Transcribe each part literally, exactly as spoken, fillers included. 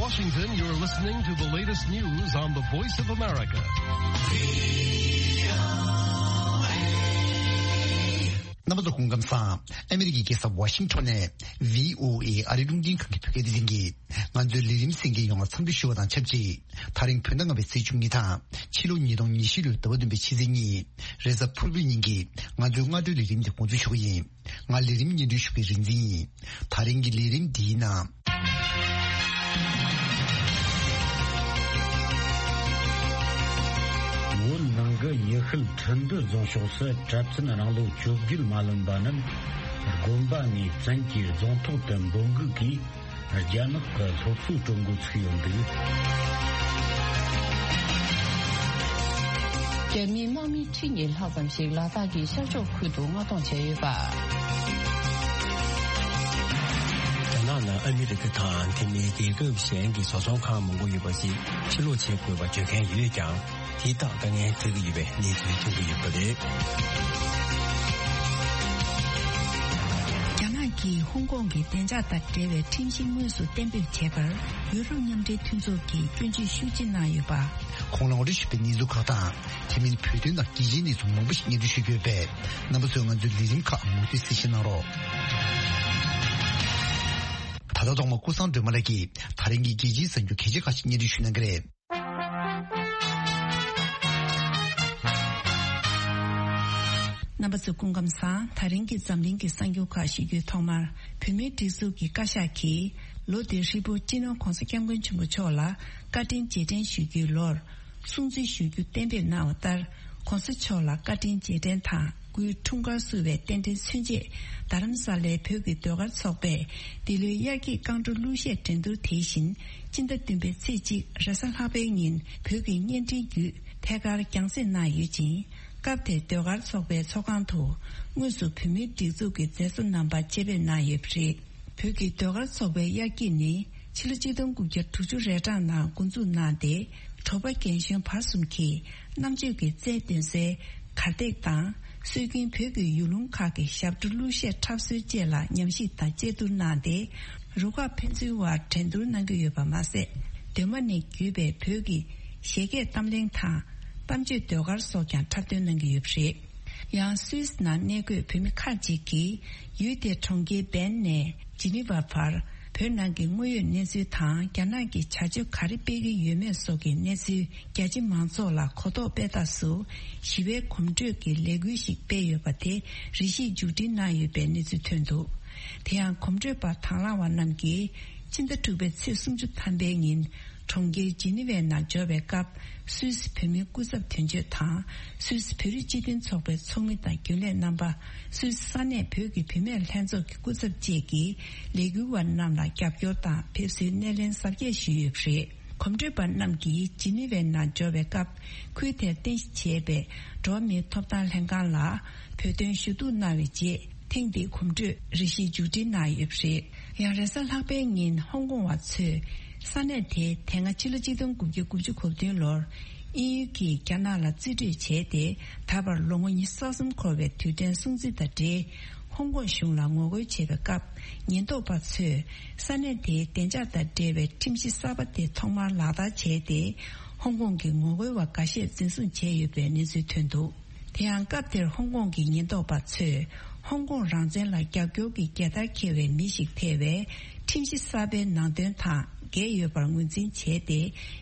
Washington, you're listening to the latest news on the Voice of America. རྣམ་པ་ཚོ་སྐུ་ཁམས་བཟང་། ཨ་མི་རི་ཀའི་རྒྱལ་ས་ཝ་ཤིང་ཊོན་ནས་ཝི་ཨོ་ཨེ་ཨ་རིའི་རླུང་འཕྲིན་ཁང་གི་བོད་སྐད་སྡེ་ཚན་གྱིས་ང་ཚོའི་ལས་རིམ་གསན་མཁན་ཡོངས་ལ་འཚམས་འདྲི་ཞུ་བ་དང་ཆབས་ཅིག་དེ་རིང་བོད་ཟླ་ལྔ་པའི་ཚེས་བཅུ་གཉིས་དང་ཕྱི་ལོ་ཉིས་སྟོང་ཉི་ཤུ་ལོའི་ཟླ་བ་བདུན་པའི་ཕྱི་ཚེས་གཉིས་རེས་གཟའ་ཕུར་བུའི་ཉིན་གྱི་ང་ཚོའི་སྔ་དྲོའི་ལས་རིམ་དེ་འགོ་འཛུགས་ཞུ་གི་ཡིན། ང་ལས་རིམ་སྙན་སྒྲོན་ཞུ་མཁན་རིག་འཛིན་ཡིན། དེ་རིང་གི་ལས་རིམ་འདིའི་ནང་། བོད་ནང་གི་ཡུལ་ཤུལ་ཁྲིན་ཏུའུ་རྫོང་ཕྱོགས་སུ་གྲྭ་བཙུན་རང་ལོ་བཅོ་བརྒྱད་མ་ལོན་པ་རྣམས་དགོན་པ་ནས་བཙན་གྱིས་རྫོང་ཐོག་ཏུ་འབོད་འགུག་གིས་རྒྱ་ནག་གི་སློབ་གསོ་སྤྲོད་འགོ་ཚུགས་ཡོད་འདུག་རྒྱ་མིའི་དམག་མི་ཁྲི་གཉིས་ལྷག་ཙམ་ཞིག་ལ་དྭགས་ཀྱི་ཤར་ཕྱོགས་ཁུལ་དུ་མངགས་གཏོང་བྱས་ཡོད་པ། རྒྱ་ནག་ནང་ཨ་མི་རི་ཀ་དང་དེ་མིན་རྒྱལ་ཁབ་གཞན་གྱི་བཟོ་ཚོང་ཁང་མང་པོ་ཡོད་པ་ཞིག་ཕྱིར་སློག་བྱེད་དགོས་པ་བརྗོད་མཁན་ཡོད་ཀྱང་། དེ་དག་དཀའ་ངལ་འཕྲད་ཀྱི་ཡོད་པའི་གནས་ཚུལ་ཐོན་གྱི་ཡོད་པ་རེད། རྒྱ་ནག་གིས་ཧོང་ཀོང་གི་བདེ་འཇགས་དང་འབྲེལ་བའི་ཁྲིམས་གཞི་དངོས་སུ་གཏན་འབེབས་བྱས་པར་ཡུ་རོབ་མཉམ་འབྲེལ་མཐུན་ཚོགས་ཀྱིས་སྐྱོན་བརྗོད་ཤུགས་ཆེ་གནང་ཡོད་པ། གོང་ལ་ངོ་སྤྲོད་ཞུས་པའི་གནས་ཚུལ་ཁག་དང་། དེ་མིན་བོད་དོན་དང་རྒྱལ་སྤྱིའི་གནས་ཚུལ་མང་པོ་ཞིག་སྙན་སྒྲོན་ཞུ་རྒྱུ་ཡོད་པས། རྣམ་པ་ཚོས་ང་ཚོའི་ལས་རིམ་ཁག་མུ་མཐུད་གསན་བཞེས་གནང་རོགས། ད་ལྟ་ཐོག་མར་ཀུན་བཟང་སྒྲོལ་མ་ལགས་ཀྱིས་ད་རིང་གི་རྒྱལ་སྤྱིའི་གསར་འགྱུར་གལ་ཆེ་ཁག་ཅིག་སྙན་སྒྲོན་ཞུ་གནང་གི་རེད། རྣམ་པ་ཚོ་སྐུ་ཁམས་བཟང་། ད་རིང་གི་འཛམ་གླིང་གི་གསར་འགྱུར་ཁག་ཞུ་རྒྱུའི་ཐོག་མར། བོད་མིའི་སྒྲིག་འཛུགས་ཀྱི་བཀའ་ཤག་གིས་ལོ་འདིར་ཧྲིལ་པོ་སྤྱི་ནོར་༧གོང་ས་༧སྐྱབས་མགོན་ཆེན་པོ་མཆོག་ལ་བཀའ་དྲིན་རྗེས་དྲན་ཞུ་རྒྱུའི་ལོར་སྲུང་བརྩི་ཞུ་རྒྱུ་གཏན་འབེབས་གནང་བ་ལྟར། ༧གོང་ས་མཆོག་ལ་བཀའ་དྲིན་རྗེས་དྲན་དང་། སྐུའི་འཁྲུངས་སྐར་བསུ་བའི་རྟེན་འབྲེལ་མཚོན་ཆེད། རྡ་རམ་ས་ལའི་བོད་ཀྱི་ཟློས་གར་ཚོགས་པས་འདི་ལོའི་དབྱར་སྐྱིད་རྐང་བྲོ་གླུ་གཞས་འགྲན་བསྡུར་དེ་བཞིན་སྤྱི་ཟླ་བདུན་པའི་ཚེས་གཅིག་རེས་གཟའ་ལྷག་པའི་ཉིན་བོད་ཀྱི་བརྙན་འཕྲིན་བརྒྱུད་ཐད་ཀར་རྒྱང་སྲིང་གནང་ཡོད་ཅིང་། སྐབས་དེར་ཟློས་གར་ཚོགས་པའི་ཚོགས་ཁང་དུ་དངོས་སུ་བོད་མིའི་སྒྲིག་འཛུགས་ཀྱི་མཛད་གཙོ་རྣམ་པ་ཆེད་ཕེབས་གནང་ཡོད་པ་རེད། བོད་ཀྱི་ཟློས་གར་ཚོགས་པའི་དབྱར་སྐྱིད་ནི་ཕྱི་ལོ་ཆིག་སྟོང་དགུ་བརྒྱ་དྲུག་ཅུ་རེ་གྲངས་ནང་འགོ་འཛུགས་གནང་སྟེ། དྲོ་པ་རྒན་གཞོན་བར་གསུམ་གྱིས་རྣམ་དཔྱོད་ཀྱི་རྩལ་འདོན་སའི་གར་སྟེགས་དང་། སྲོལ་རྒྱུན་བོད་ཀྱི་ཡུལ་ལུང་ཁག་གི་ཞབས་བྲོ་གླུ་གཞས་འཁྲབ་སྲོལ་བཅས་ལ་ཉམས་ཞིབ་དང་དཔྱད་བསྡུར་གནང་སྟེ། རུ་ཁག་ཕན་ཚུན་དབར་འགྲན་བསྡུར་གནང་གི་ཡོད་པ་མ་ཟད། གདོད་མ་ནས་བརྒྱུད་པའི་བོད་ཀྱི་གཞས་སྐད་གཏམ་གླེང་དང་། གཏམ་བརྗོད་ཟློས་གར་སོགས་ཀྱང་འཁྲབ་སྟོན་གནང་གི་ཡོད་པ་རེད། ཡང་སུད་སི་ནང་གནས་འཁོད་བོད་མི་ཁག་ཅིག་གིས་ཡུལ་དེའི་གྲོང་ཁྱེར་བན་ནས་ཇི་ནི་ཝ་བར་བོད་ནང་གི་དངོས་ཡོད་གནས་ཚུལ་དང་། རྒྱ་ནག་གིས་བྱ་སྤྱོད་ག་རེ་སྤེལ་གྱི་ཡོད་མེད་སོགས་ཀྱི་གནས་ཚུལ་རྒྱ་ཆེ་མང་ཚོགས་ལ་གོ་རྟོགས་སྤེལ་ཐབས་སུ་ཞི་བའི་གོམ་བགྲོད་ཀྱི་ལས་འགུལ་ཞིག་སྤེལ་ཡོད་པ་དེ་རེ་ཞིག་མཇུག་སྒྲིལ་གནང་ཡོད་པའི་གནས་ཚུལ་ཐོན་འདུག་དེ་ཡང་གོམ་བགྲོད་པ་དང་བླངས་པ་རྣམས་ཀྱིས་ཕྱི་ཟླ་དྲུག་པའི་ཚེས་སུམ་ཅུ་ཐམ་པའི་ཉིན་གྲོང་ཁྱེར་ཇི་ནི་ཝའི་ནང་འབྱོར་བའི་སྐབས། སུད་སི་བོད་མིའི་སྐུ་ཚབ་དོན་གཅོད་དང་། སུད་སི་བོད་རིགས་སྤྱི་མཐུན་ཚོགས་པའི་ཚོགས་མི་དང་རྒྱུན་ལས་རྣམ་པ། སུད་སི་ས་གནས་བོད་ཀྱི་བུད་མེད་ལྷན་ཚོགས་ཀྱི་སྐུ་ཚབ་བཅས་ཀྱིས་ལས་འགུལ་བ་རྣམས་ལ་རྒྱབ་སྐྱོར་དང་ཕེབས་བསུའི་སྣེ་ལེན་གཟབ་རྒྱས་ཞུས་ཡོད་པ་རེད། གོམ་བགྲོད་པ་རྣམས་ཀྱིས་ཇི་ནི་ཝའི་ནང་འབྱོར་བའི་སྐབས། ཁུལ་དེར་རྟེན་གཞི་བྱས་པའི་འགྲོ་བ་མིའི་ཐོབ་ཐང་ལྷན་ཁང་ལ་བོད་དོན་ཞུ་གཏུག་གནང་བའི་རྗེས། ཐེངས་འདིའི་གོམ་བགྲོད་རེ་ཞིག་མཇུག་སྒྲིལ་གནང་ཡོད་པ་རེད། ཡང་རེས་གཟའ་ལྷག་པའི་ཉིན་ཧོང་ཀོང་བ་ཚོས་ས་གནས་དེའི་དེ་སྔ་ཕྱི་ལོ་ཆིག་སྟོང་དགུ་བརྒྱ་དགུ་བཅུ་གོ་བདུན་ལོར་དབྱིན་ཡུལ་གྱིས་རྒྱ་ནག་ལ་རྩིས་སྤྲོད་བྱས་ཏེ། ད་བར་ལོ་ངོ་ཉི་ཤུ་རྩ་གསུམ་འཁོར་བའི་དུས་དྲན་སྲུང་བརྩི་དང་འབྲེལ། ཧོང་ཀོང་གཞུང་ལ་ངོ་རྒོལ་བྱས་པའི་སྐབས། ཉེན་རྟོག་པ་ཚོས་ས་གནས་དེའི་བདེ་འཇགས་དང་འབྲེལ་བའི་ཁྲིམས་གཞི་གསར་པ་དེ་ཐོག་མར་ལག་བསྟར་བྱས་ཏེ། ཧོང་ཀོང་གི་ངོ་རྒོལ་བ་འགའ་ཤས་འཛིན་བཟུང་བྱས་ཡོད་པའི་གནས་ཚུལ་ཐོན་འདུག་དེ་ཡང་སྐབས་དེར་ཧོང་ཀོང་གི་ཉེན་རྟོག་པ་ཚོས་ཧོང་ཀོང་རང་བཙན་ལ་རྒྱབ་སྐྱོར་གྱི་རྒྱལ་དར་འཁྱེར་བའི་མི་ཞིག་ཐེ་བའི་ཁྲིམས་གཞི་གསར་པའི་ནང་དོན་དང་འགལ་ཡོད་པར་ངོས་འཛིན་བྱས་ཏེ།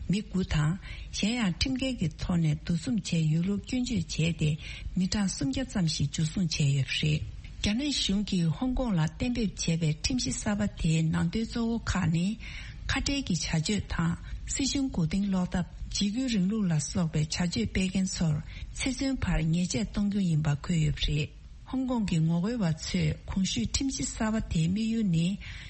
མི་དགུ་དང་། གཞན་ཡང་ཁྲིམས་འགལ་གྱི་ཐོག་ནས་འདུ་འཛོམས་བྱས་ཡོད་ལུགས་སྐྱོན་བརྗོད་བྱས་ཏེ། མི་གྲངས་སུམ་བརྒྱ་ཙམ་ཞིག་འཇུ་བཟུང་བྱས་ཡོད་པ་རེད། རྒྱ་ནག་གཞུང་གིས་ཧོང་ཀོང་ལ་གཏན་འབེབས་བྱས་པའི་ཁྲིམས་གཞི་གསར་པ་དེའི་ནང་དོན་གཙོ་བོ་ཁག་ནི། ཁ་བྲལ་གྱི་བྱ་སྤྱོད་དང་། སྲིད་གཞུང་མགོ་རྟིང་སློག་ཐབས། འཇིགས་སྐུལ་རིང་ལུགས་ལ་སོགས་པའི་བྱ་སྤྱོད་སྤེལ་མཁན་ཚོར་ཚེ་བཙོན་བར་ཉེས་ཆད་གཏོང་རྒྱུ་ཡིན་པ་འཁོད་ཡོད་པ་རེད། ཧོང་ཀོང་གི་ངོ་རྒོལ་བ་ཚོས་གོང་ཞུས་ཁྲིམས་གཞི་གསར་པ་དེའི་དམིགས་ཡུལ་ནི།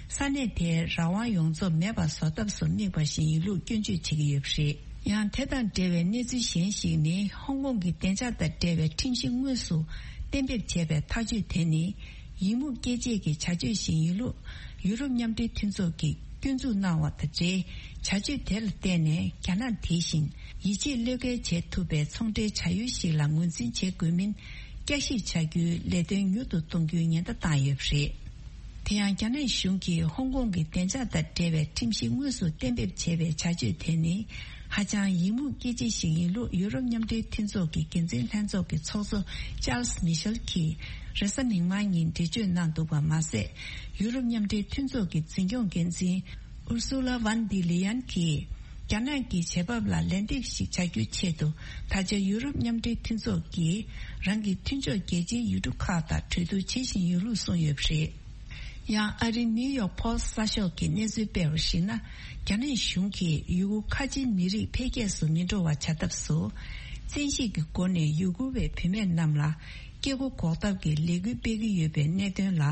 ས་གནས་དེའི་རང་དབང་ཡོངས་རྫོགས་མེད་པར་བཟོ་ཐབས་སུ་དམིགས་པ་ཞིག་ཡིན་ལུགས་སྐྱོན་བརྗོད་བྱེད་ཀྱི་ཡོད་པ་རེད། ཡང་དེ་དང་འབྲེལ་བའི་གནས་ཚུལ་གཞན་ཞིག་ནི། ཧོང་ཀོང་གི་བདེ་འཇགས་དང་འབྲེལ་བའི་ཁྲིམས་གཞི་དངོས་སུ་གཏན་འབེབས་བྱས་པའི་ཐག་གཅོད་དེ་ནི། ཡི་མུག་སྐྱེ་བྱེད་ཀྱི་བྱ་སྤྱོད་ཞིག་ཡིན་ལུགས་ཡུ་རོབ་མཉམ་འབྲེལ་མཐུན་ཚོགས་ཀྱིས་སྐྱོན་འཛུགས་གནང་བ་དང་འབྲེལ། བྱ་སྤྱོད་དེ་ལ་བརྟེན་ནས་རྒྱ་ནག་དེ་བཞིན་ཡིད་ཆེས་བློས་འགེལ་བྱེད་ཐུབ་པའི་ཚོང་འབྲེལ་བྱ་ཡུལ་ཞིག་ལ་ངོས་འཛིན་བྱེད་དགོས་མིན་བསྐྱར་ཞིབ་བྱ་རྒྱུའི་ལས་དོན་མྱུར་དུ་གཏོང་རྒྱུའི་ཉེན་བརྡ་བཏང་ཡོད་པ་རེད། དེ་ཡང་རྒྱ་ནག་གཞུང་གིས་ཧོང་ཀོང་གི་བདེ་འཇགས་དང་འབྲེལ་བའི་ཁྲིམས་གཞི་དངོས་སུ་གཏན་འབེབས་བྱས་པའི་བྱ་སྤྱོད་དེ་ནི་ཧ་ཅང་ཡིད་མུག་སྐྱེ་ཆེད་ཞིག་ཡིན་ལུགས་ཡུ་རོབ་མཉམ་འབྲེལ་མཐུན་ཚོགས་ཀྱི་འགན་འཛིན་ལྷན་ཚོགས་ཀྱི་ཚོགས་གཙོ་ཅཱལ་སི་མི་ཤེལ་གྱིས་རེས་གཟའ་མིག་དམར་ཉིན་འགྲེལ་བརྗོད་གནང་འདུག་པ་མ་ཟད། ཡུ་རོབ་མཉམ་འབྲེལ་མཐུན་ཚོགས་ཀྱི་འཛིན་སྐྱོང་འགན་འཛིན་ཨུར་སུ་ལ་ཝན་ཌི་ལེ་ཡན་གྱིས། རྒྱ་ནག་གི་བྱེད་བབ་ལ་ལན་འདེབས་ཤིག་བྱ་རྒྱུའི་ཆེད་དུ། ད་ཆ་ཡུ་རོབ་མཉམ་འབྲེལ་མཐུན་ཚོགས་ཀྱིས་རང་གི་མཐུན་ཕྱོགས་རྒྱལ་སྤྱིའི་ཡུལ་གྲུ་ཁག་དང་གྲོས་བསྡུར་བྱེད་བཞིན་ཡོད་ལུགས་གསུངས་ཡོད་པ་རེད། ཡང་ཨ་རིའི་ནིའུ་ཡོག་པོ་སི་གསར་ཤོག་གིས་གནས་ཚུལ་སྤེལ་བར་གཞིགས་ན། རྒྱ་ནག་གཞུང་གིས་ཡུ་གུར་ཁ་ཆེའི་མི་རིགས་འཕེལ་རྒྱས་སུ་མི་འགྲོ་བ་བྱ་ཐབས་སུ། བཙན་ཤེད་ཀྱི་སྒོ་ནས་ཡུ་གུར་བའི་བུད་མེད་རྣམས་ལ། སྐྱེ་སྒོ་འགོག་ཐབས་ཀྱི་ལས་འགུལ་སྤེལ་གྱི་ཡོད་པའི་གནད་དོན་ལ།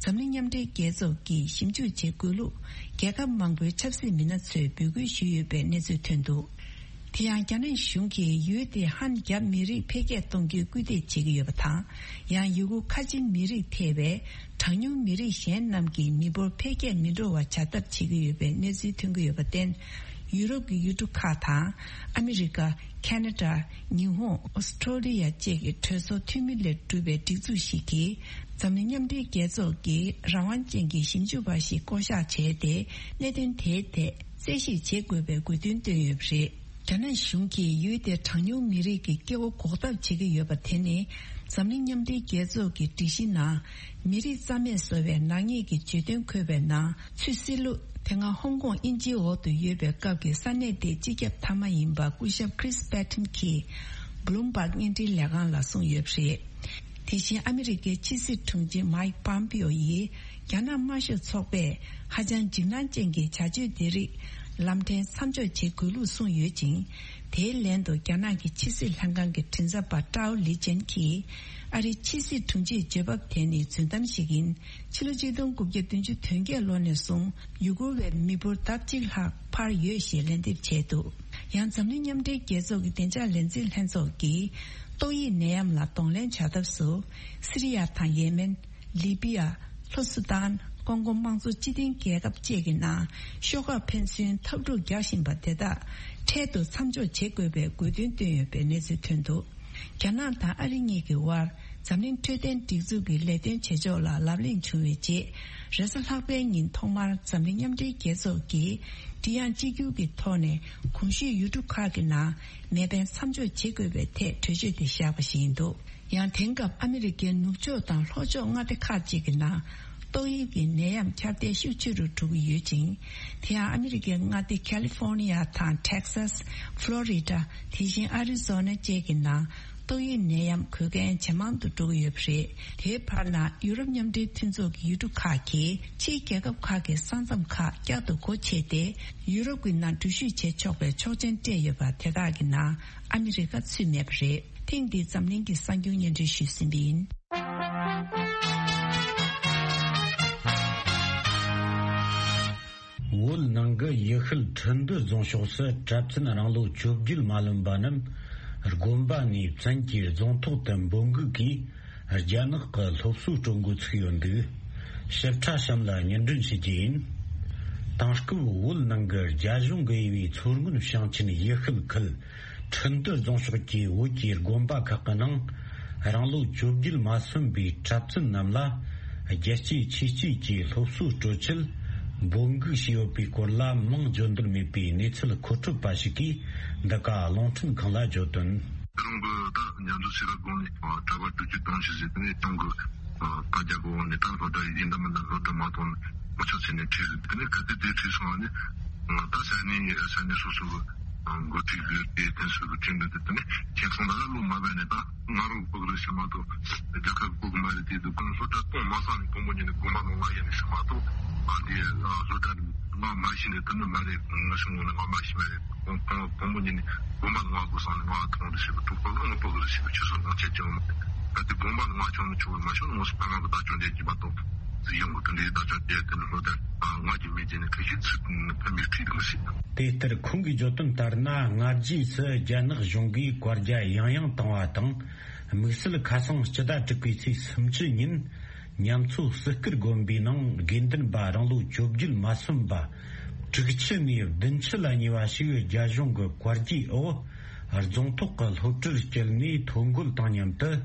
འཛམ་གླིང་མཉམ་འབྲེལ་རྒྱལ་ཚོགས་ཀྱིས་ཞིབ་འཇུག་བྱེད་དགོས་ལུགས། རྒྱལ་ཁབ་མང་པོའི་ཆབ་སྲིད་མི་སྣ་ཚོས་འབོད་སྐུལ་ཞུས་ཡོད་པའི་གནས་ཚུལ་ཐོན་འདུག་དེ་ཡང་རྒྱ་ནག་གཞུང་གིས་ཡུལ་དེའི་ཧན་རྒྱ་མི་རིགས་འཕེལ་རྒྱས་གཏོང་རྒྱུའི་སྐུལ་འདེད་བྱེད་ཀྱི་ཡོད་པ་དང་། ཡང་ཡུ་གུར་ཁ་ཆེ་མི་རིགས་ཐེ་བའི་གྲངས་ཉུང་མི་རིགས་གཞན་རྣམས་ཀྱི་མི་འབོར་འཕེལ་རྒྱས་མི་འགྲོ་བ་བྱ་ཐབས་བྱེད་ཀྱི་ཡོད་པའི་གནས་ཚུལ་ཐོན་གྱི་ཡོད་པར་བརྟེན། ཡུ་རོབ་ཀྱི་ཡུལ་གྲུ་ཁག་དང་། ཨ་མི་རི་ཀ། ཁ་ན་ཌ། ཉི་ཧོང་། ཨོ་སི་ཁྲོ་ལི་ཡ་བཅས་ཀྱི་གྲོས་ཚོགས་འཐུས་མི་ལས་གྲུབ་པའི་སྒྲིག་འཛུགས་ཤིག་གིས། འཛམ་གླིང་མཉམ་འབྲེལ་རྒྱལ་ཚོགས་ཀྱི་རང་དབང་ཅན་གྱི་ཞིབ་འཇུག་པ་ཞིག་བསྐོ་གཞག་བྱས་ཏེ། གནད་དོན་དེའི་ཐད་རྩད་ཞིབ་བྱེད་དགོས་པའི་དགོས་འདུན་བཏོན་ཡོད་པ་རེད། རྒྱ་ནག་གཞུང་གིས་ཡུལ་དེའི་གྲངས་ཉུང་མི་རིགས་ཀྱི་སྐྱེ་བོ་འགོག་ཐབས་བྱེད་ཀྱི་ཡོད་པ་དེ་ནི། འཛམ་གླིང་མཉམ་འབྲེལ་རྒྱལ་ཚོགས་ཀྱི་སྒྲིག་གཞི་ནང་། མི་རིགས་རྩ་མེད་བཟོ་བའི་ནག་ཉེས་ཀྱི་བརྗོད་དོན་འཁོད་པའི་ནང་ཚུད་སྲིད་ལུགས། དེ་སྔ་ཧོང་ཀོང་དབྱིན་ཇིའི་འོག་ཏུ་ཡོད་པའི་སྐབས་ཀྱི་ས་གནས་དེའི་སྤྱི་ཁྱབ་མཐའ་མ་ཡིན་པ་སྐུ་ཞབས་Chris Patten གྱིས་Bloomberg བརྙན་འཕྲིན་ལས་ཁང་ལ་གསུངས་ཡོད་པ་རེད། དེ་བཞིན་ཨ་མི་རི་ཀའི་ཕྱི་སྲིད་དྲུང་ཆེ་Mike Pompeo ཡིས་རྒྱ་ནག་དམར་ཤོག་ཚོགས་པས་ཧ་ཅང་འཇིགས་སྣང་ཅན་གྱི་བྱ་སྤྱོད་དེ་རིགས་ལམ་ཕྲན་མཚམས་འཇོག་བྱེད་དགོས་ལུགས་གསུངས་ཡོད་ཅིང་། དེའི་ལན་དུ་རྒྱ་ནག་གི་ཕྱི་སྲིད་ལྷན་ཁང་གི་མགྲིན་ཚབ་པ་ཀྲའོ་ལི་ཅན་གྱིས། ཨ་རིའི་ཕྱི་སྲིད་དྲུང་ཆེའི་བརྗོད་བབ་དེ་ནི་རྫུན་གཏམ་ཞིག་ཡིན། ཕྱི་ལོ་ཆིག་སྟོང་དགུ་བརྒྱ་བདུན་ཅུ་དོན་བརྒྱད་ལོ་ནས་བཟུང་ཡུ་གུར་བའི་མི་འབོར་ལྡབ་གཅིག་ལྷག་འཕར་ཡོད་ཞེས་ལན་འདེབས་བྱས་འདུག་ཡང་འཛམ་གླིང་མཉམ་འབྲེལ་རྒྱལ་ཚོགས་ཀྱི་བདེ་འཇགས་ལས་འཛིན་ལྷན་ཚོགས་ཀྱིས། ཏོག་དབྱིབས་ནད་ཡམས་ལ་གདོང་ལེན་བྱ་ཐབས་སུ། སི་རི་ཡ་དང་ཡེ་མེན། ལི་པི་ཡ། ལྷོ་སུ་དཱན། ཀོང་ཀོ་དམངས་གཙོ་སྤྱི་མཐུན་རྒྱལ་ཁབ་བཅས་ཀྱི་ནང་ཤོག་ཁག་ཕན་ཚུན་འཐབ་འཁྲུག་རྒྱག་བཞིན་པ་དེ་དག་འཕྲལ་དུ་མཚམས་འཇོག་བྱེད་དགོས་པའི་དགོས་འདུན་བཏོན་ཡོད་པའི་གནས་ཚུལ་ཐོན་འདུག་རྒྱ་ནག་དང་ཨ་རི་གཉིས་ཀྱི་དབར་འཛམ་གླིང་འཕྲོད་བསྟེན་སྒྲིག་འཛུགས་ཀྱི་ལས་དོན་བྱེད་ཕྱོགས་ལ་ལབ་གླེང་བྱུང་བའི་རྗེས། རེས་གཟའ་ལྷག་པའི་ཉིན་ཐོག་མར་འཛམ་གླིང་མཉམ་འབྲེལ་རྒྱལ་ཚོགས་ཀྱིས་མགྲིན་དབྱངས་གཅིག་གྱུར་གྱི་ཐོག་ནས་གོང་ཞུས་ཡུལ་གྲུ་ཁག་གི་ནང་མེ་འཕེན་མཚམས་འཇོག་བྱེད་དགོས་པའི་ཐད་གྲོས་ཆོད་དེ་བཞག་པ་ཞིག་ཡིན་འདུག་ཡང་དེང་སྐབས་ཨ་མི་རི་ཀའི་ནུབ་ཕྱོགས་དང་ལྷོ་ཕྱོགས་མངའ་སྡེ་ཁག་ཅིག་གི་ནང་ཏོག་དབྱིབས་ཀྱི་ནད་ཡམས་ཁྱབ་གདལ་ཤུགས་ཆེ་རུ་འགྲོ་གི་ཡོད་ཅིང་། དེ་ཡང་ཨ་མི་རི་ཀའི་མངའ་སྡེ་ཁ་ལི་ཧྥོར་ནི་ཡ་དང་ཊེག་སཱས། ཕློ་རི་ཌ། དེ་བཞིན་ཨ་རི་ཛོ་ན་བཅས་ཀྱི་ནང་ཏོག་དབྱིབས་ནད་ཡམས་འགོས་མཁན་ཇེ་མང་དུ་འགྲོ་གི་ཡོད་པ་རེད། དེའི་བར་ན་ཡུ་རོབ་མཉམ་འབྲེལ་མཐུན་ཚོགས་ཀྱི་ཡུལ་གྲུ་ཁག་གིས་ཕྱིའི་རྒྱལ་ཁབ་ཁག་གི་ས་མཚམས་ཁག་བསྐྱར་དུ་སྒོ་ཕྱེ་སྟེ་ཡུ་རོབ་ཀྱི་ནང་འགྲུལ་བཞུད་བྱེད་ཆོག་པའི་ཆོག་མཆན་སྤྲད་ཡོད་པ་དེ་དག་གི་ནང་ཨ་མི་རི་ཀ་ཚུད་མེད་པ་རེད། ཐེངས་འདིའི་འཛམ་གླིང་གི་གསར་འགྱུར་སྙན་སྒྲོན་ཞུས་ཟིན་པ་ཡིན། བོད་ནང་གི་ཡུལ་ཤུལ་ཁྲི་འདུ་རྫོང་ཕྱོགས་སུ་གྲྭ་བཙུན་རང་ལོ་བཅོ་བརྒྱད་མ་ལོན་པ་རྣམས་དགོན་པ་ནས་བཙན་གྱིས་རྫོང་ཐོག་ཏུ་འབོད་འགུག་གིས་རྒྱ་ནག་གི་སློབ་གསོ་སྤྲོད་འགོ་ཚུགས་ཡོད་འདུག་ཞིབ་ཕྲ་གཤམ་ལ་སྙན་སྒྲོན་ཞུ་རྒྱུ་ཡིན། དེང་སྐབས་བོད་ནང་གི་རྒྱ་གཞུང་གིས་དབྱེ་བའི་མཚོ་སྔོན་ཞིང་ཆེན་ཡུལ་ཤུལ་ཁུལ་ཁྲི་འདུ་རྫོང་ཕྱོགས་ཀྱི་བོད་ཀྱི་དགོན་པ་ཁག་གི་ནང་རང་ལོ་བཅོ་བརྒྱད་མ་སོན་པའི་གྲྭ་བཙུན་རྣམས་ལ་རྒྱལ་གཅེས་ཆོས་གཅེས་ཀྱི་སློབ་གསོ་སྤྲོད་ཆེད་འབོད་འགུག་བྱས་ཡོད་པའི་སྐོར་ལ་མིང་བརྗོད་འདོད་མེད་པའི་གནས་ཚུལ་མཁོ་སྤྲོད་པ་ཞིག་གིས་འདི་ག་རླུང་འཕྲིན་ཁང་ལ་བརྗོད་དོན། རང་གི་ད་ཉམས་ཚོད་ཆེ་ར་དགོན་ནས་གྲྭ་པ་དྲུག་ཅུ་དོན་ཞིག་ཟེར་དེ་ནས་ཁྱོད་གི་ད་རྒྱ་གོ་ནས་ད་སློབ་གྲྭ་ཡིན་ད་མིན་ད་སློབ་གྲྭ་མ་ཐོན་ནས་མི་ཆ་ཚེ་ནས་ཁྲིད་ཟེར་དེ་ནས་ག་དེ་དེ་ཁྲིད་སོང་བ་ནས་ད་ས་གནས་ས་གནས་སོ་སོ་གི་འགོ་ཁྲིད་གི་དེ་དེ་སོ་གི་ཁྲིད་འདི་དེ་ནས་ཁྱེད་ཚོ་ད་ལ་ལོ་མ་བས་ནས་ད་ང་རང་ཕོག་རེད་ཤི་མ་གཏོགས་རྒྱ་གར་ཕོག་མ་རེད། དེ་དུ་ཁོང་སློབ་གྲྭ་གཏོང་མ་སང་ནས་དཔོན་པོ་ཉིད་ནས་དགོན་པ་ནང་ང་ཡིན་ནས་ཤི་མ་གཏོགས་ཨ་དེ་སློབ་གྲྭ་ང་མ་ཤི་ནས་དེ་ནི་མ་རེད། ང་ཤི་ངོ་ནས་ང་མ་ཤི་མ་རེད། དང་དང་དང་པོ་ཉིད་ནས་དགོན་པ་ལ་ང་དགོས་སོང་ནས་ང་ཐོང་རེ་ཞེས་པ་དྲུག་པ་ལ་ང་ཕོག་རེ་ཞེས་པ་ཆུ་སོང་ང་ཆད་ཀྱང་མ་ད་དེ་དགོན་པ་ལ་ང་ཆོག་ནས་ཆོག་མ་ཤོར་ངོ་སོ་ཕ་མ་གི་བདག་ཅོང་རྒྱལ་གྱི་མ་གཏོགས་ཟི་ཡོང་གི་དེ་འདྲའི་བདག་ཅོང་རྒྱལ་དེ་ནི་ལོ་ལྟར་ང་གི་མི་རྒྱལ་ནས་ཁ་ཤས་ཚུད་ཕ་མའི་ཁྲིད་དང་ཞིག་དེ་ལྟར་ཁོང་གིས་བརྗོད་དོན་ལྟར་ན་སྔ་རྗེས་སུ་རྒྱ་ནག་གཞུང་གིས་བཀའ་རྒྱ་ཡང་ཡང་བཏང་བ་དང་དམིགས་བསལ་ཁ་སང་སྤྱི་ཟླ་དྲུག་པའི་ཚེས་སུམ་ཅུ་ཉིན། ཉམས་ཚོད་སིལ་སྐུར་དགོན་པའི་ནང་དགེ་འདུན་པ་རང་ལོ་བཅོ་བརྒྱད་མ་སོན་པ་དྲུག་ཅུ་ནས་བདུན་ཅུ་ལ་ཉེ་བ་ཞིག་རྒྱ་གཞུང་གི་བཀའ་རྒྱའི་འོག་རྫོང་ཐོག་གི་སློབ་གྲྭར་བསྐྱལ་ནས་ཐོ་འགོད་དང་མཉམ་དུ་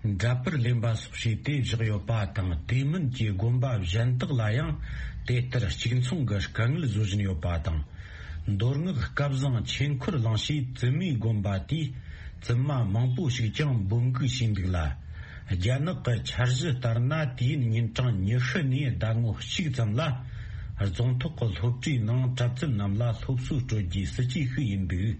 འདྲ་པར་ལེན་པ་སོགས་བྱས་ཏེ་བཞག་ཡོད་པ་དང་། དེ་མིན་གྱི་དགོན་པ་གཞན་དག་ལ་ཡང་དེ་ལྟར་གཅིག་མཚུངས་ཀྱི་དཀའ་ངལ་བཟོ་བཞིན་ཡོད་པ་དང་། མདོ་སྔགས་སྐལ་བཟང་ཆོས་འཁོར་གླིང་ཞེས་བཙུན་མའི་དགོན་པ་དེའི་བཙུན་མ་མང་པོ་ཞིག་ཀྱང་འབོད་འགུག་བྱས་འདུག་ལ། རྒྱ་ནག་གི་འཆར་གཞི་ལྟར་ན། དུས་ཡུན་ཉིན་གྲངས་ཉི་ཤུ་ནས་ཟླ་ངོ་གཅིག་ཙམ་ལ་རྫོང་ཐོག་གི་སློབ་གྲྭའི་ནང་གྲྭ་བཙུན་རྣམས་ལ་སློབ་གསོ་སྤྲོད་རྒྱུའི་སྲིད་ཇུས་ཤིག་ཡིན་འདུག་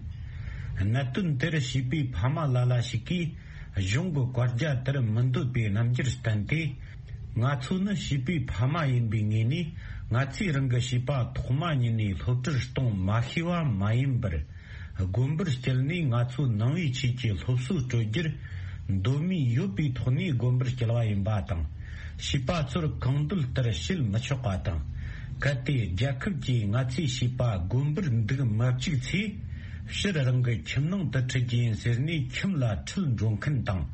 གནད་དོན་དེར་བྱིས་པའི་ཕ་མ་ལ་ལ་ཞིག་གིས། གཞུང་གི་བཀའ་རྒྱ་དེར་མི་འདོད་པའི་རྣམ་འགྱུར་བསྟན་ཏེ། ང་ཚོ་ནི་བྱིས་པའི་ཕ་མ་ཡིན་པའི་ངོས་ནས། ང་ཚོས་རང་གི་བྱིས་པ་ཐོག་མ་ཉིད་ནས་སློབ་གྲྭར་གཏོང་མ་ཤེས་པ་མ་ཡིན་པར། དགོན་པར་བསྐྱལ་ནས་ང་ཚོའི་ནང་པའི་ཆོས་ཀྱི་སློབ་གསོ་སྤྲོད་རྒྱུར་འདོད་མོས་ཡོད་པའི་ཐོག་ནས་དགོན་པར་བསྐྱལ་བ་ཡིན་པ་དང་། བྱིས་པ་ཚོར་གང་འདོད་ལྟར་བྱེད་མི་ཆོག་པ་དང་། གལ་ཏེ་རྒྱལ་ཁབ་ཀྱིས་ང་ཚོའི་བྱིས་པ་དགོན་པར་འདུག་མ་བཅུག་ཚེ། ཕྱིར་རང་གི་ཁྱིམ་ནང་དུ་ཁྲིད་རྒྱུ་ཡིན་ཟེར་ནས་ཁྱིམ་ལ་ཁྲིད་འགྲོ་མཁན་དང་།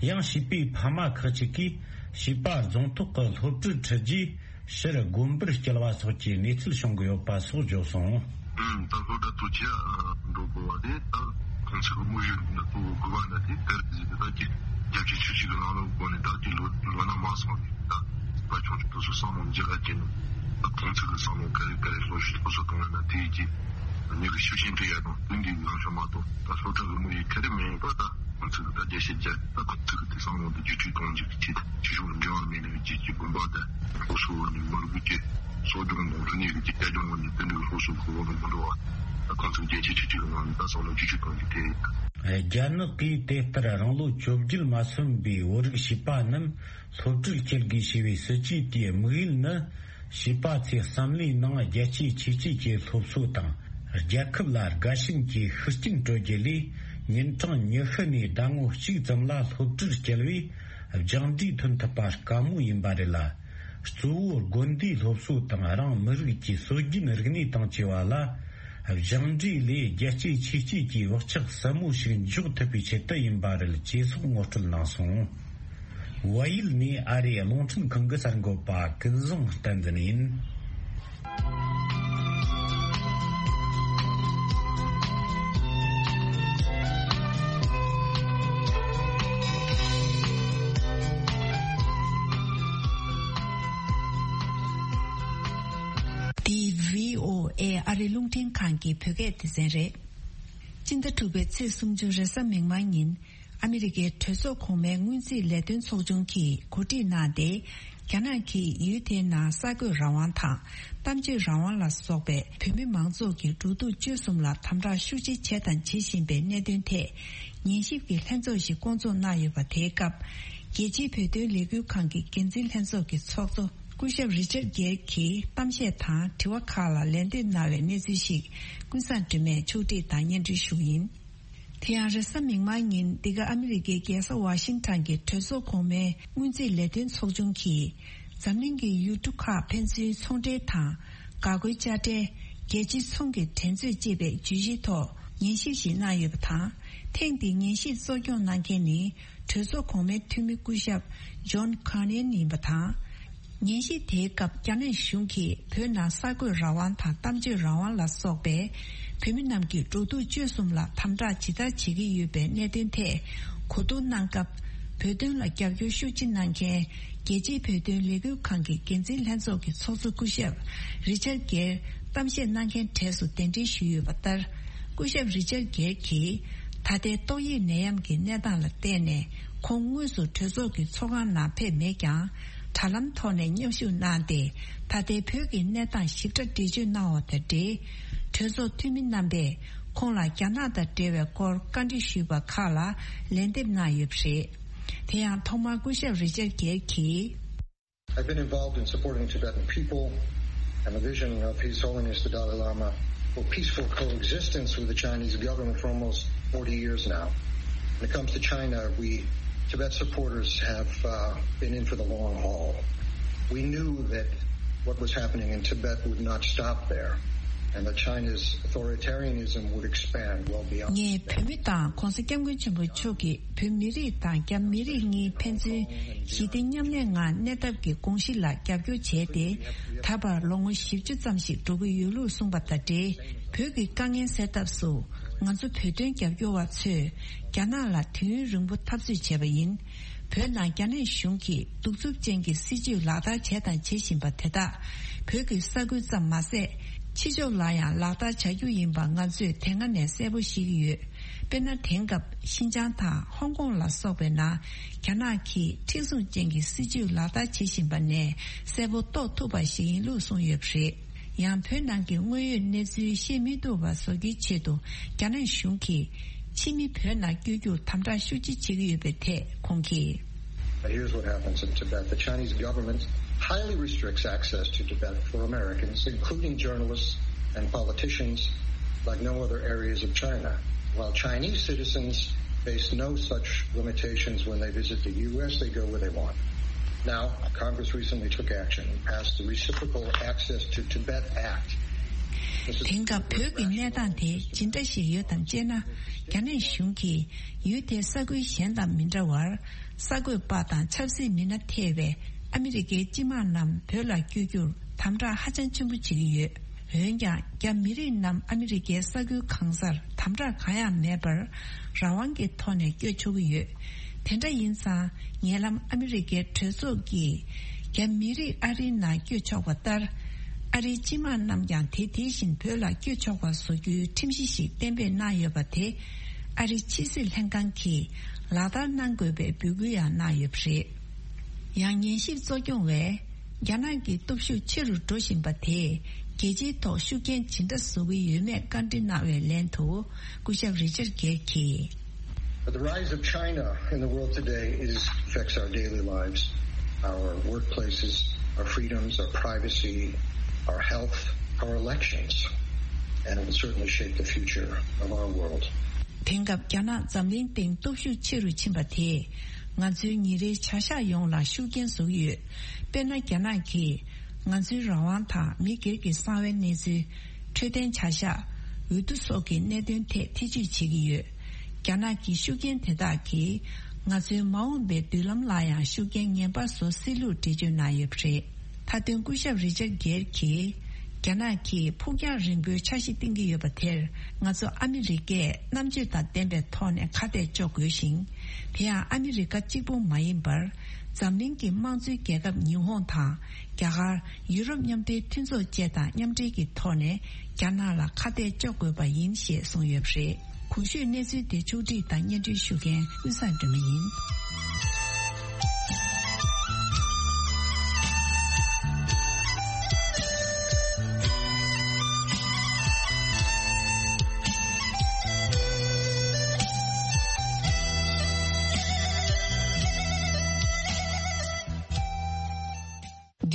ཡང་བྱིས་པའི་ཕ་མ་ཁག་ཅིག་གིས་བྱིས་པ་རྫོང་ཐོག་གི་སློབ་གྲྭར་ཁྲིད་རྒྱུའི་ཕྱིར་དགོན་པར་སྐྱེལ་བ་སོགས་ཀྱི་གནས་ཚུལ་བྱུང་གི་ཡོད་པ་སོགས་བརྗོད་སོང་། ཨང་། ད་སློབ་གྲྭ་དུ་ཆ་འགྲོ་དགོས་པ་དེ། ད་ཁོང་ཚོའི་དམིགས་ཡུལ་ནི་གཙོ་བོ་དགོས་པ་འདྲ་དེ་དེར་གཟིགས་ཏེ། ད་ཀྱི་རྒྱལ་སྤྱིའི་ཆོས་སྲིད་ཀྱི་ལམ་ལུགས་སྒོ་ནས་ད་ཀྱི་ལོ་ལོ་ན་མང་སོང་ནས། ད་བ་ཆུང་ཆུང་དུ་སོ་བསམ་བློ་འཇལ་ག་ཀྱི་ནི། ད་ཁོང་ཚོའི་བསམ་བློ་ག་རེ་ག་རེ་ལོ་ཤུགས་སློབ་གསོ་གཏོང་ཡ་ན་དེ་ཡི་གི་མྱི་གི་ཤུགས་རྐྱེན་སྤྲད་ཡ་དང་དེ་འདྲའི་ལངས་ཕྱོགས་མ་གཏོགས། ད་སློབ་གྲྭ་གི་དམིགས་ཡུལ་ག་རེ་མིན་པ། ད་ཁོང་ཚོ་གི་ད་རྒྱལ་སྤྱིའི་རྒྱལ་ད་ཁོང་ཚོ་གི་དེ་བསམ་བློ་དེ་བརྒྱུད་སྤྲོད་གཏོང་རྒྱུ་གི་ཆེད་དུ། ཆོས་ཕྱོགས་འབྲེལ་བ་མེད་ནས་རྒྱལ་སྤྱིའི་དགོན་པ་དང་སློབ་གསོ་ནི་མི་རིགས་ཀྱི་གསོ་སྦྱོང་དང་རིག་གནས་ཀྱི་རྒྱལ་སྦྱོང་ནི་དེ་འདྲའི་སློབ་གསོ་གི་འོག་ལ་མི་འགྲོ་བ། ད་ཁོང་ཚོ་རྒྱལ་སྤྱིའི་ཆོས་སྲིད་ཀྱི་ནང་ནས་ད་བསམ་བློ་བརྒྱུད་སྤྲོད་གཏོང་རྒྱུ་དེ་ཡིན། རྒྱ་ནག་གིས་དེ་ལྟར་རང་ལོ་བཅོ་བརྒྱད་མ་སོན་པའི་བོད་རིགས་བྱིས་པ་རྣམས་སློབ་གྲྭར་སྐྱེལ་དགོས་ཞེས་པའི་སྲིད་ཇུས་དེའི་དམིགས་ཡུལ་ནི། བྱིས་པ་ཚོའི་བསམ་བློའི་ནང་རྒྱལ་གཅེས་ཆོས་གཅེས་ཀྱི་སློབ་གསོ་དང་། རྒྱལ་ཁབ་ལ་དགའ་ཞེན་གྱི་ཤུགས་རྐྱེན་སྤྲོད་རྒྱུ་ལས། ཉིན་གྲངས་ཉི་ཤུ་ནས་ཟླ་ངོ་གཅིག་ཙམ་ལ་སློབ་གྲྭར་བསྐྱལ་བས། སྦྱངས་འབྲས་ཐོན་ཐུབ་པ་དཀའ་མོ་ཡིན་པ་རེད་ལ། གཙོ་བོ་དགོན་སྡེའི་སློབ་གསོ་དང་། རང་མི་རིགས་ཀྱི་སྲོལ་རྒྱུན་རིག་གནས་དང་བཅས་པ་ལ་སྦྱངས་འབྲས་ལས་རྒྱལ་གཅེས་ཆོས་གཅེས་ཀྱི་བག་ཆགས་ཟབ་མོ་ཞིག་འཇོག་ཐུབ་པའི་ཆེད་དུ་ཡིན་པ་རེད་ཅེས་སོགས་ངོ་སྤྲོད་གནང་སོང་། བལ་ཡུལ་ནས་ཨ་རིའི་རླུང་འཕྲིན་ཁང་གི་གསར་འགོད་པ་ཀུན་བཟང་བསྟན་འཛིན་ཡིན། འདི་བྷི་ཨོ་ཨེ་ཨ་རིའི་རླུང་འཕྲིན་ཁང་གི་བོད་སྐད་སྡེ་ཚན་རེད། སྤྱི་ཟླ་དྲུག་པའི་ཚེས་སུམ་ཅུ་རེས་གཟའ་མིག་དམར་ཉིན། ཨ་མི་རི་ཀའི་གྲོས་ཚོགས་གོང་མའི་སྔོན་རྩིས་ལས་དོན་ཚོགས་ཆུང་གིས་གོ་སྒྲིག་གནང་སྟེ། རྒྱ་ནག་གིས་ཡུལ་དེའི་ནང་གསར་འགོད་རང་དབང་དང་། གཏམ་བརྗོད་རང་དབང་ལ་སོགས་པའི་བོད་མི་མང་ཚོགས་ཀྱི་འགྲོ་འདུག་སྤྱོད་གསུམ་ལ་དམ་དྲག་ཤུགས་ཆེ་བྱས་དང་བྱེད་བཞིན་པའི་གནད་དོན་ཐད། ཉན་ཞིབ་ཀྱི་ལྷན་ཚོགས་ཤིག་བསྐོང་ཚོགས་གནང་ཡོད་པ། དེའི་སྐབས། རྒྱལ་སྤྱིའི་བོད་དོན་ལས་འགུལ་ཁང་གི་འགན་འཛིན་ལྷན་ཚོགས་ཀྱི་ཚོགས་གཙོ་སྐུ་ཞབས་རི་ཅར་གེར་གྱིས་གཏམ་བཤད་དང་དྲི་བ་ཁག་ལ་ལན་འདེབས་གནང་བའི་གནས་ཚུལ་ཞིག་ཀུན་བཟང་སྒྲོལ་མས་ཕྱོགས་སྒྲིག་དང་སྙན་སྒྲོན་ཞུ་གི་ཡིན། དེ་ཡང་རེས་གཟའ་མིག་དམར་ཉིན་འདི་ག་ཨ་མི་རི་ཀའི་རྒྱལ་ས་ཝ་ཤིང་ཊོན་གྱི་གྲོས་ཚོགས་གོང་མའི་སྔོན་རྩིས་ལས་དོན་ཚོགས་ཆུང་གིས། འཛམ་གླིང་གི་ཡུལ་གྲུ་ཁག་ཕན་ཚུན་ཚོང་འབྲེལ་དང་། འགག་སྒོའི་དཔྱ་ཁྲལ། རྒྱལ་སྤྱིའི་ཚོང་གི་འགྲན་རྩོད་ཅེས་པའི་བརྗོད་གཞིའི་ཐོག་ཉན་ཞིབ་ཞིག་གནང་ཡོད་པ་དང་། ཐེངས་འདིའི་ཉན་ཞིབ་གཙོ་སྐྱོང་གནང་མཁན་ནི། གྲོས་ཚོགས་གོང་མའི་འཐུས་མི་སྐུ་ཞབས་ཇོན་ཁར་ནན་ཡིན་པ་དང་། ཉན་ཞིབ་དེའི་སྐབས་རྒྱ་ནག་གཞུང་གིས་བོད་ནང་གསར་འགོད་རང་དབང་དང་གཏམ་བརྗོད་རང་དབང་ལ་སོགས་པའི་བོད་མི་རྣམས་ཀྱི་འགྲོ་འདུག་སྤྱོད་གསུམ་ལ་དམ་དྲག་ཇི་ལྟར་བྱེད་ཀྱི་ཡོད་པའི་གནད་དོན་ཐད་གོ་བསྡུར་གནང་སྐབས། བོད་དོན་ལ་རྒྱབ་སྐྱོར་ཤུགས་ཆེ་གནང་མཁན་རྒྱལ་སྤྱིའི་བོད་དོན་ལས་འགུལ་ཁང་གི་འགན་འཛིན་ལྷན་ཚོགས་ཀྱི་ཚོགས་གཙོ་སྐུ་ཞབས་རི་ཅར་གེར་གཏམ་བཤད་གནང་མཁན་གྲས་སུ་གདན་འདྲེན་ཞུས་ཡོད་པ་ལྟར། སྐུ་ཞབས་རི་ཅར་གེར་གྱིས་ད་ལྟའི་ཏོག་དབྱིབས་ནད་ཡམས་ཀྱི་གནས་སྟངས་ལ་བལྟས་ནས། ཁོང་དངོས་སུ་གྲོས་ཚོགས་ཀྱི་ཚོགས་ཁང་ནང་ཕེབས་མེད་ཀྱང་། དྲ་ལམ་ཐོག་ནས་མཉམ་ཞུགས་གནང་སྟེ། ད་ལྟའི་བོད་ཀྱི་གནས་སྟངས་ཞིབ་ཕྲ་འགྲེལ་བརྗོད་གནང་བ་དང་འབྲེལ། གྲོས་ཚོགས་འཐུས་མི་རྣམ་པས་ཁོང་ལ་རྒྱ་ནག་དང་འབྲེལ་བའི་སྐོར་བཀའ་འདྲི་ཞུས་པ་ཁག་ལ་ལན་འདེབས་གནང་ཡོད་པ་རེད། དེ་ཡང་ཐོག་མར་སྐུ་ཞབས་རི་ཅར་གེར་གྱིས། I've been involved in supporting the Tibetan people and the vision of His Holiness the Dalai Lama for peaceful coexistence with the Chinese government for almost forty years now. When it comes to China, we Tibet supporters have uh, been in for the long haul. We knew that what was happening in Tibet would not stop there, and that China's authoritarianism would expand well beyond. ངས་བོད་མི་དང་༸གོང་ས་༸སྐྱབས་མགོན་ཆེན་པོ་མཆོག་གིས་བོད་མི་རིགས་དང་རྒྱ་མི་རིགས་གཉིས་ཕན་ཚུན་ཞི་བདེ་མཉམ་གནས་ངང་གནས་ཐབས་ཀྱི་དགོངས་གཞི་ལ་རྒྱབ་སྐྱོར་བྱས་ཏེ། ད་བར་ལོ་ངོ་བཞི་བཅུ་ཙམ་ཞིག་འགྲོ་གི་ཡོད་ལུགས་གསུངས་པ་དང་འབྲེལ། བོད་ཀྱི་དཀའ་ངལ་སེལ་ཐབས་སུ་ང་ཚོ་བོད་དོན་རྒྱབ་སྐྱོར་བ་ཚོས་རྒྱ་ནག་ལ་དུས་ཡུན་རིང་པོ་འཐབ་རྩོད་བྱས་པ་ཡིན། བོད་ནང་རྒྱ་ནག་གཞུང་གིས་གདུག་རྩུབ་ཅན་གྱི་སྲིད་བྱུས་ལག་བསྟར་བྱས་དང་བྱེད་བཞིན་པ་དེ་དག་བོད་ཀྱི་ས་ཁུལ་ཙམ་མ་ཟད། ཕྱི་ཕྱོགས་ལ་ཡང་ལག་བསྟར་བྱ་རྒྱུ་ཡིན་པ་ང་ཚོས་དེ་སྔ་ནས་གསལ་པོ་ཤེས་ཀྱི་ཡོད། དཔེར་ན། དེང་སྐབས་ཤིན་ཅང་དང་ཧོང་ཀོང་ལ་སོགས་པའི་ནང་རྒྱ་ནག་གིས་མཁྲེགས་བཟུང་ཅན་གྱི་སྲིད་བྱུས་ལག་བསྟར་བྱེད་བཞིན་པ་ནས་གསལ་པོ་རྟོགས་ཐུབ་པ་ཞིག་ཡིན་ལུགས་གསུངས་ཡོད་པ་རེད། ཡང་། བོད་ནང་གི་དངོས་ཡོད་གནས་ཚུལ་ཤེས་མི་ཐུབ་པ་བཟོ་རྒྱུའི་ཆེད་དུ་རྒྱ་ནག་གཞུང་གིས་ཕྱི་མི་བོད་ནང་བསྐྱོད་རྒྱུར་དམ་དྲག་ཤུགས་ཆེ་བྱེད་ཀྱི་ཡོད་པའི་ཐད་ཁོང་གིས། But here's what happens in Tibet. The Chinese government highly restricts access to Tibet for Americans, including journalists and politicians, like no other areas of China. While Chinese citizens face no such limitations when they visit the U S, they go where they want. Now, Congress recently took action and passed the Reciprocal Access to Tibet Act. དེང་སྐབས་བོད་ཀྱི་གནས་སྟངས་དེ་ཇི་འདྲ་ཞིག་ཡོད་དམ་ཅེ་ན། རྒྱ་ནག་གཞུང་གིས་ཡུལ་དེའི་ས་ཁུལ་གཞན་དང་མི་འདྲ་བར། གསར་འགོད་པ་དང་ཆབ་སྲིད་མི་སྣ་ཐེ་བའི་ཨ་མི་རི་ཀའི་སྤྱི་དམངས་རྣམས་བོད་ལ་བསྐྱོད་རྒྱུར་དམ་དྲག་ཧ་ཅང་ཆེན་པོ་བྱེད་ཀྱི་ཡོད། འོན་ཀྱང་། རྒྱ་མི་རིགས་རྣམས་ཨ་མི་རི་ཀའི་ས་ཁུལ་གང་སར་དམ་དྲག་གང་ཡང་མེད་པར་རང་དབང་གི་ཐོག་ནས་བསྐྱོད་ཆོག་གི་ཡོད། དེ་འདྲ་ཡིན་ཙང་། ཉེ་ལམ་ཨ་མི་རི་ཀའི་གྲོས་ཚོགས་ཀྱིས་རྒྱ་མི་རིགས་ཨ་རིའི་ནང་བསྐྱོད་ཆོག་པ་ལྟར། ཨ་རིའི་སྤྱི་དམངས་རྣམས་ཀྱང་དེ་དེ་བཞིན་བོད་ལ་བསྐྱོད་ཆོག་པ་བཟོ་རྒྱུའི་ཁྲིམས་གཞི་ཞིག་གཏན་འབེབས་གནང་ཡོད་པ་དེ། ཨ་རིའི་ཕྱི་སྲིད་ལྷན་ཁང་གིས་ལག་བསྟར་གནང་དགོས་པའི་འབོད་སྐུལ་ཡང་གནང་ཡོད་པ་རེད། ཡང་། ཉན་ཞིབ་གཙོ་སྐྱོང་བས། རྒྱ་ནག་གི་སྟོབས་ཤུགས་ཆེ་རུ་འགྲོ་བཞིན་པ་དེས་རྒྱལ་སྤྱིའི་ཐོག་ཤུགས་རྐྱེན་ཇི་འདྲ་བཟོ་གི་ཡོད་མེད་བཀའ་འདྲི་གནང་བའི་ལན་དུ། སྐུ་ཞབས་རི་ཅར་གེར་གྱིས། But the rise of China in the world today is affects our daily lives, our workplaces, our freedoms, our privacy, our health, our elections, and it will certainly shape the future of our world. དེང་སྐབས་རྒྱ་ནག་འཛམ་གླིང་སྟེང་སྟོབས་ཤུགས་ཆེ་རུ་ཕྱིན་པ་དེས་ང་ཚོའི་ཉིན་རེའི་བྱ་གཞག་ཡོངས་ལ་ཤུགས་རྐྱེན་བཟོ་གི་ཡོད། དཔེར་ན། རྒྱ་ནག་གིས་ང་ཚོའི་རང་དབང་དང་མི་སྒེར་གྱི་གསང་བའི་གནས་ཚུལ། འཕྲོད་བསྟེན་བྱ་གཞག་འོས་བསྡུ་སོགས་ཀྱི་གནད་དོན་ཐད་ཐེ་ཇུས་བྱེད་ཀྱི་ཡོད། རྒྱ་ནག་གི་ཤུགས་རྐྱེན་དེ་དག་གིས་ང་ཚོའི་མ་འོངས་པའི་མདུན་ལམ་ལ་ཡང་ཤུགས་རྐྱེན་ངན་པ་བཟོ་སྲིད་ལུགས་འགྲེལ་བརྗོད་གནང་ཡོད་པ་རེད། མཐའ་དོན། སྐུ་ཞབས་རི་ཅར་གེར་གྱིས། རྒྱ་ནག་གིས་ཕུགས་རྒྱང་རིང་པོའི་འཆར་གཞི་བཏིང་གི་ཡོད་པ་དེར། ང་ཚོ་ཨ་མི་རི་ཀས་རྣམ་དཔྱོད་དང་ལྡན་པའི་ཐོག་ནས་ཁ་གཏད་གཅོག་དགོས་ཤིང་། དེ་ཡང་ཨ་མི་རི་ཀ་གཅིག་པུ་མ་ཡིན་པར། འཛམ་གླིང་གི་དམངས་གཙོའི་རྒྱལ་ཁབ་ཉི་ཧོང་དང་། རྒྱ་གར། ཡུ་རོབ་མཉམ་འབྲེལ་མཐུན་ཚོགས་བཅས་དང་མཉམ་འབྲེལ་གྱི་ཐོག་ནས་རྒྱ་ནག་ལ་ཁ་གཏད་གཅོག་དགོས་པ་ཡིན་ཞེས་གསུངས་ཡོད་པ་རེད། གོང་ཞུས་གནས་ཚུལ་དེ་ཕྱོགས་སྒྲིག་དང་སྙན་སྒྲོན་ཞུ་མཁན་ཀུན་བཟང་སྒྲོལ་མ་ཡིན།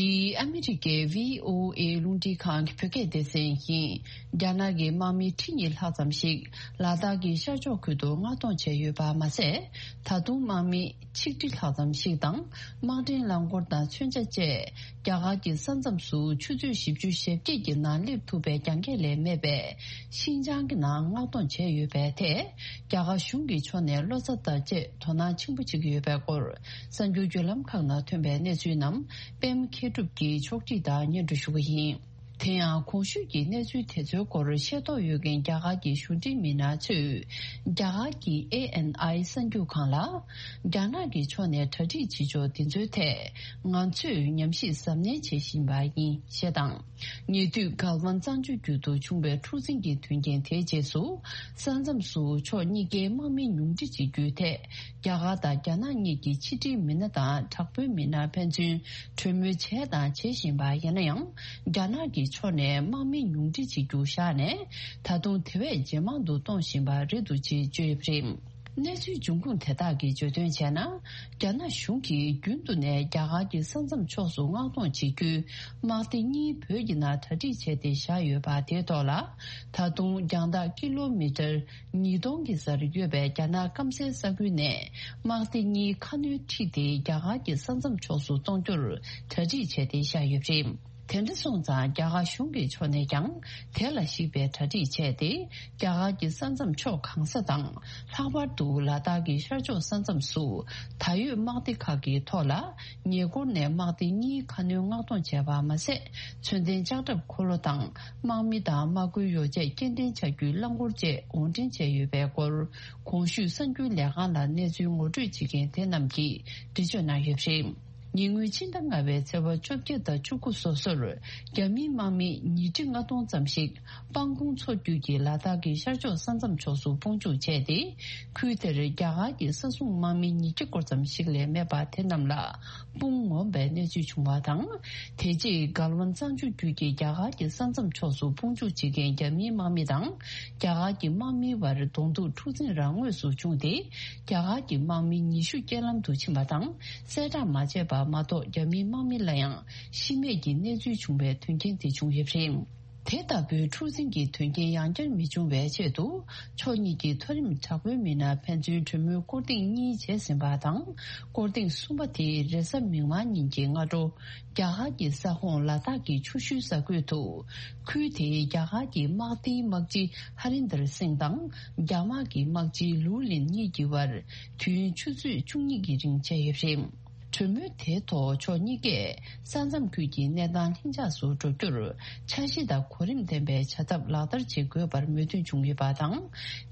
འདི་ཨ་མི་རི་ཀའི་བྷི་ཨོ་ཨེ་རླུང་འཕྲིན་ཁང་གི་བོད་སྐད་སྡེ་ཚན་ཡིན། རྒྱ་ནག་གི་དམག་མི་ཁྲི་གཉིས་ལྷག་ཙམ་ཞིག་ལ་དྭགས་ཀྱི་ཤར་ཕྱོགས་ཁུལ་དུ་མངགས་གཏོང་བྱས་ཡོད་པ་མ་ཟད། ད་དུང་དམག་མི་ཆིག་ཁྲི་ལྷག་ཙམ་ཞིག་དང་། དམག་འདྲེན་རླངས་འཁོར་དང་མཚོན་ཆ་བཅས་རྒྱ་གར་གྱི་ས་མཚམས་སུ་ཆུ་ཚོད་བཞི་བཅུ་ཞེ་བརྒྱད་ཀྱི་ནང་སླེབས་ཐུབ་པའི་རྒྱང་ཁྱོན་ལས་མེད་པའི་ཤིན་ཅང་གི་ནང་མངགས་གཏོང་བྱས་ཡོད་པའི་ཐད། རྒྱ་གར་གཞུང་གི་ཕྱོགས་ནས་བློ་འཚབ་དང་བཅས་དོ་སྣང་ཆེན་པོ་བྱེད་ཀྱི་ཡོད་པའི་སྐོར། གསར་འགྱུར་བརྒྱུད་ལམ་ཁག་ནང་ཐོན་པའི་གནས་ཚུལ་རྣམས་པད་མ་མཁས་གྲུབ་ཀྱིས་ཕྱོགས་སྒྲིག་དང་སྙན་སྒྲོན་ཞུ་གི་ཡིན། དེ་ཡང་གོང་ཞུས་ཀྱི་གནས་ཚུལ་དེ་ཚོའི་སྐོར་ཤེས་རྟོགས་ཡོད་མཁན་རྒྱ་གར་གྱི་གཞུང་འབྲེལ་མི་སྣ་ཚོས་རྒྱ་གར་གྱི་ཨེ་ཨེན་ཨའི་གསར་འགྱུར་ཁང་ལ། རྒྱ་ནག་གི་ཕྱོགས་ནས་གྲ་སྒྲིག་བྱེད་ཕྱོགས་འདི་ཚོའི་ཐད་ང་ཚོས་ཉམས་ཞིབ་གཟབ་ནན་བྱེད་བཞིན་པ་ཡིན་ཞེས་དང་། ཉེ་དུས་གལ་ཝན་གཙང་ཆུ་རྒྱུད་དུ་བྱུང་བའི་འཁྲུག་འཛིང་གི་དོན་རྐྱེན་དེའི་རྗེས་སུ། ས་མཚམས་སུ་ཕྱོགས་གཉིས་ཀའི་དམག་མི་ཉུང་འཕྲི་བྱེད་རྒྱུའི་ཐད། རྒྱ་གར་དང་རྒྱ་ནག་གཉིས་ཀྱི་ཕྱི་འབྲེལ་མི་སྣ་དང་དྲག་པོའི་མི་སྣ་ཕན་ཚུན་གྲོས་མོལ་བྱས་དང་བྱེད་བཞིན་པ་ཡིན་ན་ཡང་། རྒྱ་ནག་གི་ཕྱོགས་ནས་དམག་མི་ཉུང་འཕྲི་བྱེད་རྒྱུ་བཞག་ནས། ད་དུང་དེ་བས་ཇེ་མང་དུ་གཏོང་བཞིན་པ་རེད་འདུག་ཅེས་བརྗོད་ཡོད་པ་རེད། གནས་ཚུལ་འབྱུང་ཁུངས་དེ་དག་གིས་བརྗོད་དོན་བྱས་ན། རྒྱ་ནག་གཞུང་གིས་རྒྱུན་དུ་ནས་རྒྱ་གར་གྱི་ས་མཚམས་ཕྱོགས་སུ་མངགས་གཏོང་བྱེད་རྒྱུའི་དམག་སྡེ་གཉིས་བོད་ཀྱི་ནང་གྲ་སྒྲིག་བྱས་ཏེ་བཞག་ཡོད་པ་དེའི་ཐོག་ལ། ད་དུང་རྒྱང་ཐག་ཀི་ལོ་མི་ཊར་ཉིས་སྟོང་གི་སར་ཡོད་པའི་རྒྱ་ནག་སྐམ་སའི་ས་ཁུལ་ནས་དམག་སྡེ་གཉིས་ཁ་སྣོན་ཁྲིད་དེ་རྒྱ་གར་གྱི་ས་མཚམས་ཕྱོགས་སུ་གཏོང་རྒྱུར་གྲ་སྒྲིག་བྱས་ཏེ་བཞག་ཡོད་པ་རེད། དེ་འདྲ་སོང་ཙང་རྒྱ་གར་གཞུང་གི་ཕྱོགས་ནས་ཀྱང་དེ་ལ་གཞིགས་པའི་གྲ་སྒྲིག་བྱས་ཏེ། རྒྱ་གར་གྱི་ས་མཚམས་ཕྱོགས་གང་ས་དང་། ལྷག་པར་དུ་ལ་དྭགས་ཀྱི་ཤར་ཕྱོགས་ས་མཚམས་སུ་ད་ཡོད་དམག་སྡེ་ཁག་གི་ཐོག་ལ། ཉེ་འཁོར་ནས་དམག་སྡེ་གཉིས་ཁ་སྣོན་མངགས་གཏོང་བྱས་པ་མ་ཟད། མཚོན་ལྡན་ལྕགས་ཁྲབ་འཁོར་ལོ་དང་། དམག་མི་དང་དམག་སྐུལ་ཡོ་བྱད་སྐྱེལ་འདྲེན་བྱ་རྒྱུའི་རླངས་འཁོར་བཅས་དབོར་འདྲེན་བྱས་ཡོད་པའི་སྐོར། གོང་ཞུས་གསར་འགྱུར་ལས་ཁང་ལ་གནས་ཚུལ་ངོ་སྤྲོད་བྱེད་མཁན་དེ་རྣམས་ཀྱིས་འགྲེལ་བརྗོད་གནང་ཡོད་པ་རེད། ཉེ་སྔོན་ཕྱི་ཟླ་ལྔ་པའི་ཚེས་པ་བཅོ་བརྒྱད་དང་བཅུ་དགུ་སོ་སོར། རྒྱ་མིའི་དམག་མི་ཉིས་ཁྲི་ལྔ་སྟོང་ཙམ་ཞིག་སྤང་གོང་མཚོ་བརྒྱུད་ཀྱི་ལ་དྭགས་ཀྱི་ཤར་ཕྱོགས་ས་མཚམས་ཕྱོགས་སུ་དཔུང་འཇུག་བྱས་ཏེ། ཁུལ་དེར་རྒྱ་གར་གྱི་ས་སྲུང་དམག་མི་ཉིས་བརྒྱ་སྐོར་ཙམ་ཞིག་ལས་མེད་པ་དེ་རྣམས་ལ་དཔུང་ངོམ་པའི་གནས་ཚུལ་བྱུང་བ་དང་། དེ་རྗེས་གལ་ཝན་གཙང་ཆུ་རྒྱུད་ཀྱི་རྒྱ་གར་གྱི་ས་མཚམས་ཕྱོགས་སུ་དཔུང་འཇུག་བྱེད་མཁན་རྒྱ་མིའི་དམག་མི་དང་། རྒྱ་གར་གྱི་དམག་མིའི་བར་གདོང་ཐུག་འཁྲུག་འཛིང་རང་ངོས་སུ་བྱུང་སྟེ། རྒྱ་གར་གྱི་དམག་མི་ཉི་ཤུ་རྐྱེན་ལམ་དུ་ཕྱིན་པ་དང་། གསལ་བསྒྲགས་མ་བྱས་པ་མ་གཏོགས། རྒྱ་མིའི་དམག་མི་ལ་ཡང་ཤི་རྨས་ཀྱི་གནས་ཚུལ་བྱུང་བའི་དོན་རྐྱེན་དེ་བྱུང་ཡོད་པ་རེད། དེ་ལྟ་བུའི་འཁྲུག་འཛིང་གི་དོན་རྐྱེན་ཡང་བསྐྱར་མི་འབྱུང་བའི་ཆེད་དུ། ཕྱོགས་གཉིས་ཀྱི་མཐོ་རིམ་དྲག་པོའི་མི་སྣ་ཕན་ཚུན་གྲོས་མོལ་སྐོར་ཐེངས་གཉིས་བྱས་ཟིན་པ་དང་། སྐོར་ཐེངས་གསུམ་པ་དེ་རེས་གཟའ་མིག་དམར་ཉིན་གྱི་སྔ་དྲོ། རྒྱ་གར་གྱི་ས་ཁོངས་ལ་དྭགས་ཀྱི་ཆུ་ཤུལ་ས་ཁུལ་དུ། ཁུལ་དེའི་རྒྱ་གར་གྱི་དམག་སྡེའི་དམག་སྤྱི་ཧ་རིན་དར་སིང་དང་། རྒྱ་དམག་གི་དམག་སྤྱི་ལུའུ་ལིན་གཉིས་ཀྱི་བར། དུས་ཡུན་ཆུ་ཚོད་བཅུ་གཉིས་ཀྱི་རིང་བྱས་ཡོད་པ་རེད། གྲོས་མོལ་དེའི་ཐོག་ཕྱོགས་གཉིས་ཀས་ས་མཚམས་ཁུལ་གྱི་གནས་སྟངས་ལྷིང་འཇགས་སུ་འགྲོ་རྒྱུར། འཆར་གཞི་དང་གོ་རིམ་ལྡན་པའི་བྱ་ཐབས་ལག་བསྟར་བྱེད་དགོས་པར་མོས་མཐུན་བྱུང་ཡོད་པ་དང་།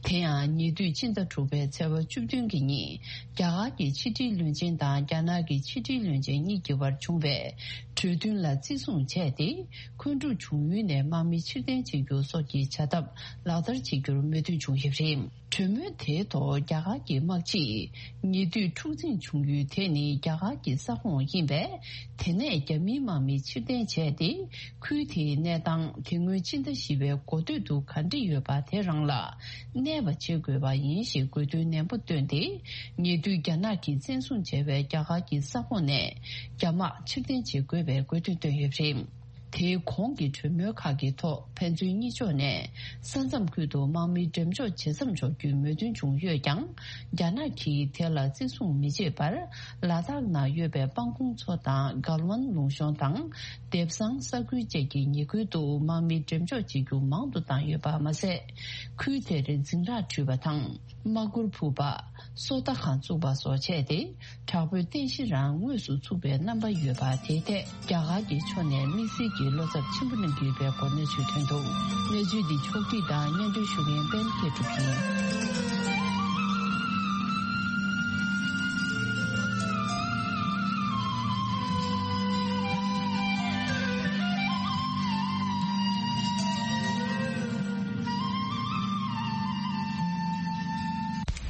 དེ་ཡང་ཉེ་དུས་ཕྱི་ཟླ་དྲུག་པའི་ཚེས་པ་བཅུ་བདུན་གྱི་ཉིན། རྒྱ་གར་གྱི་ཕྱི་དྲིལ་བློན་ཆེན་དང་རྒྱ་ནག་གི་ཕྱི་དྲིལ་བློན་ཆེན་གཉིས་ཀྱི་བར་བྱུང་བའི་གྲོས་མཐུན་ལ་བརྩི་སྲུང་བྱས་ཏེ། འཁོན་འཁྲུག་བྱུང་ཡུལ་ནས་དམག་མི་ཕྱིར་འཐེན་བྱེད་རྒྱུ་སོགས་ཀྱི་བྱ་ཐབས་ལག་བསྟར་བྱེད་རྒྱུར་མོས་མཐུན་བྱུང་ཡོད་པ་རེད། གྲོས་མོལ་དེའི་ཐོག་རྒྱ་གར་གྱི་དམག་སྤྱིས། ཉེ་དུས་འཁྲུག་འཛིང་བྱུང་ཡུལ་དེ་ནི་རྒྱ་གར་གྱི་ས་ཁོངས་ཡིན་པས། དེ་ནས་རྒྱ་མིའི་དམག་མི་ཕྱིར་འཐེན་བྱས་ཏེ། ཁུལ་དེའི་གནས་སྟངས་དེ་སྔོན་ཕྱི་ཟླ་བཞི་པའི་འགོ་སྟོད་དུ་ག་འདྲ་ཡོད་པ་དེ་རང་ལ་གནས་པ་བྱེད་དགོས་པ་ཡིན་ཞེས་དགོས་འདུན་ནན་པོ་བཏོན་ཏེ། ཉེ་དུས་རྒྱ་ནག་གིས་བཙན་བཟུང་བྱས་པའི་རྒྱ་གར་གྱི་ས་ཁོངས་ནས་རྒྱ་དམག་ཕྱིར་འཐེན་བྱེད་དགོས་པའི་དགོས་འདུན་བཏོན་ཡོད་པ་རེད། དེའི་གོང་གི་གྲོས་མོལ་ཁག་གི་ཐོག་ཕན་ཚུན་གཉིས་ཕྱོགས་ནས་ས་མཚམས་ཁུལ་དུ་དམག་མི་འགྲེམས་འཇོག་ཇེ་མཚམས་འཇོག་རྒྱུའི་མོས་མཐུན་བྱུང་ཡོད་ཀྱང་། རྒྱ་ནག་གིས་དེ་ལ་བརྩི་སྲུང་མི་བྱེད་པར། ལ་དྭགས་ནང་ཡོད་པའི་སྤང་གོང་མཚོ་དང་། གལ་ཝན་ལུང་གཤོང་དང་། དེབ་སང་ས་ཁུལ་བཅས་ཀྱི་ཉེ་ཁུལ་དུ་དམག་མི་འགྲེམས་འཇོག་བྱེད་རྒྱུ་མང་དུ་བཏང་ཡོད་པ་མ་ཟད། ཁུལ་དེར་འཛིང་རགས་བྲུས་པ་དང་། དམག་གུར་ཕུབ་པ། སོ་ལྟ་ཁང་བཙུགས་པ་སོགས་བྱས་ཏེ། དྲག་པོའི་རྟེན་གཞི་རང་དངོས་སུ་ཚུགས་པའི་རྣམ་པ་ཡོད་པ། དེའི་ཐད་རྒྱ་གར་གྱི་ཕྱོགས་ནས་དམིགས་བསལ་གྱི་བློ་འཚབ་ཆེན་པོ་གནང་གི་ཡོད་པའི་སྐོར་གནས་ཚུལ་ཐོན་འདུག་གནས་ཚུལ་འདི་ཕྱོགས་བསྒྲིགས་དང་སྙན་སྒྲོན་ཞུ་མཁན་པད་མ་མཁས་གྲུབ་ཡིན།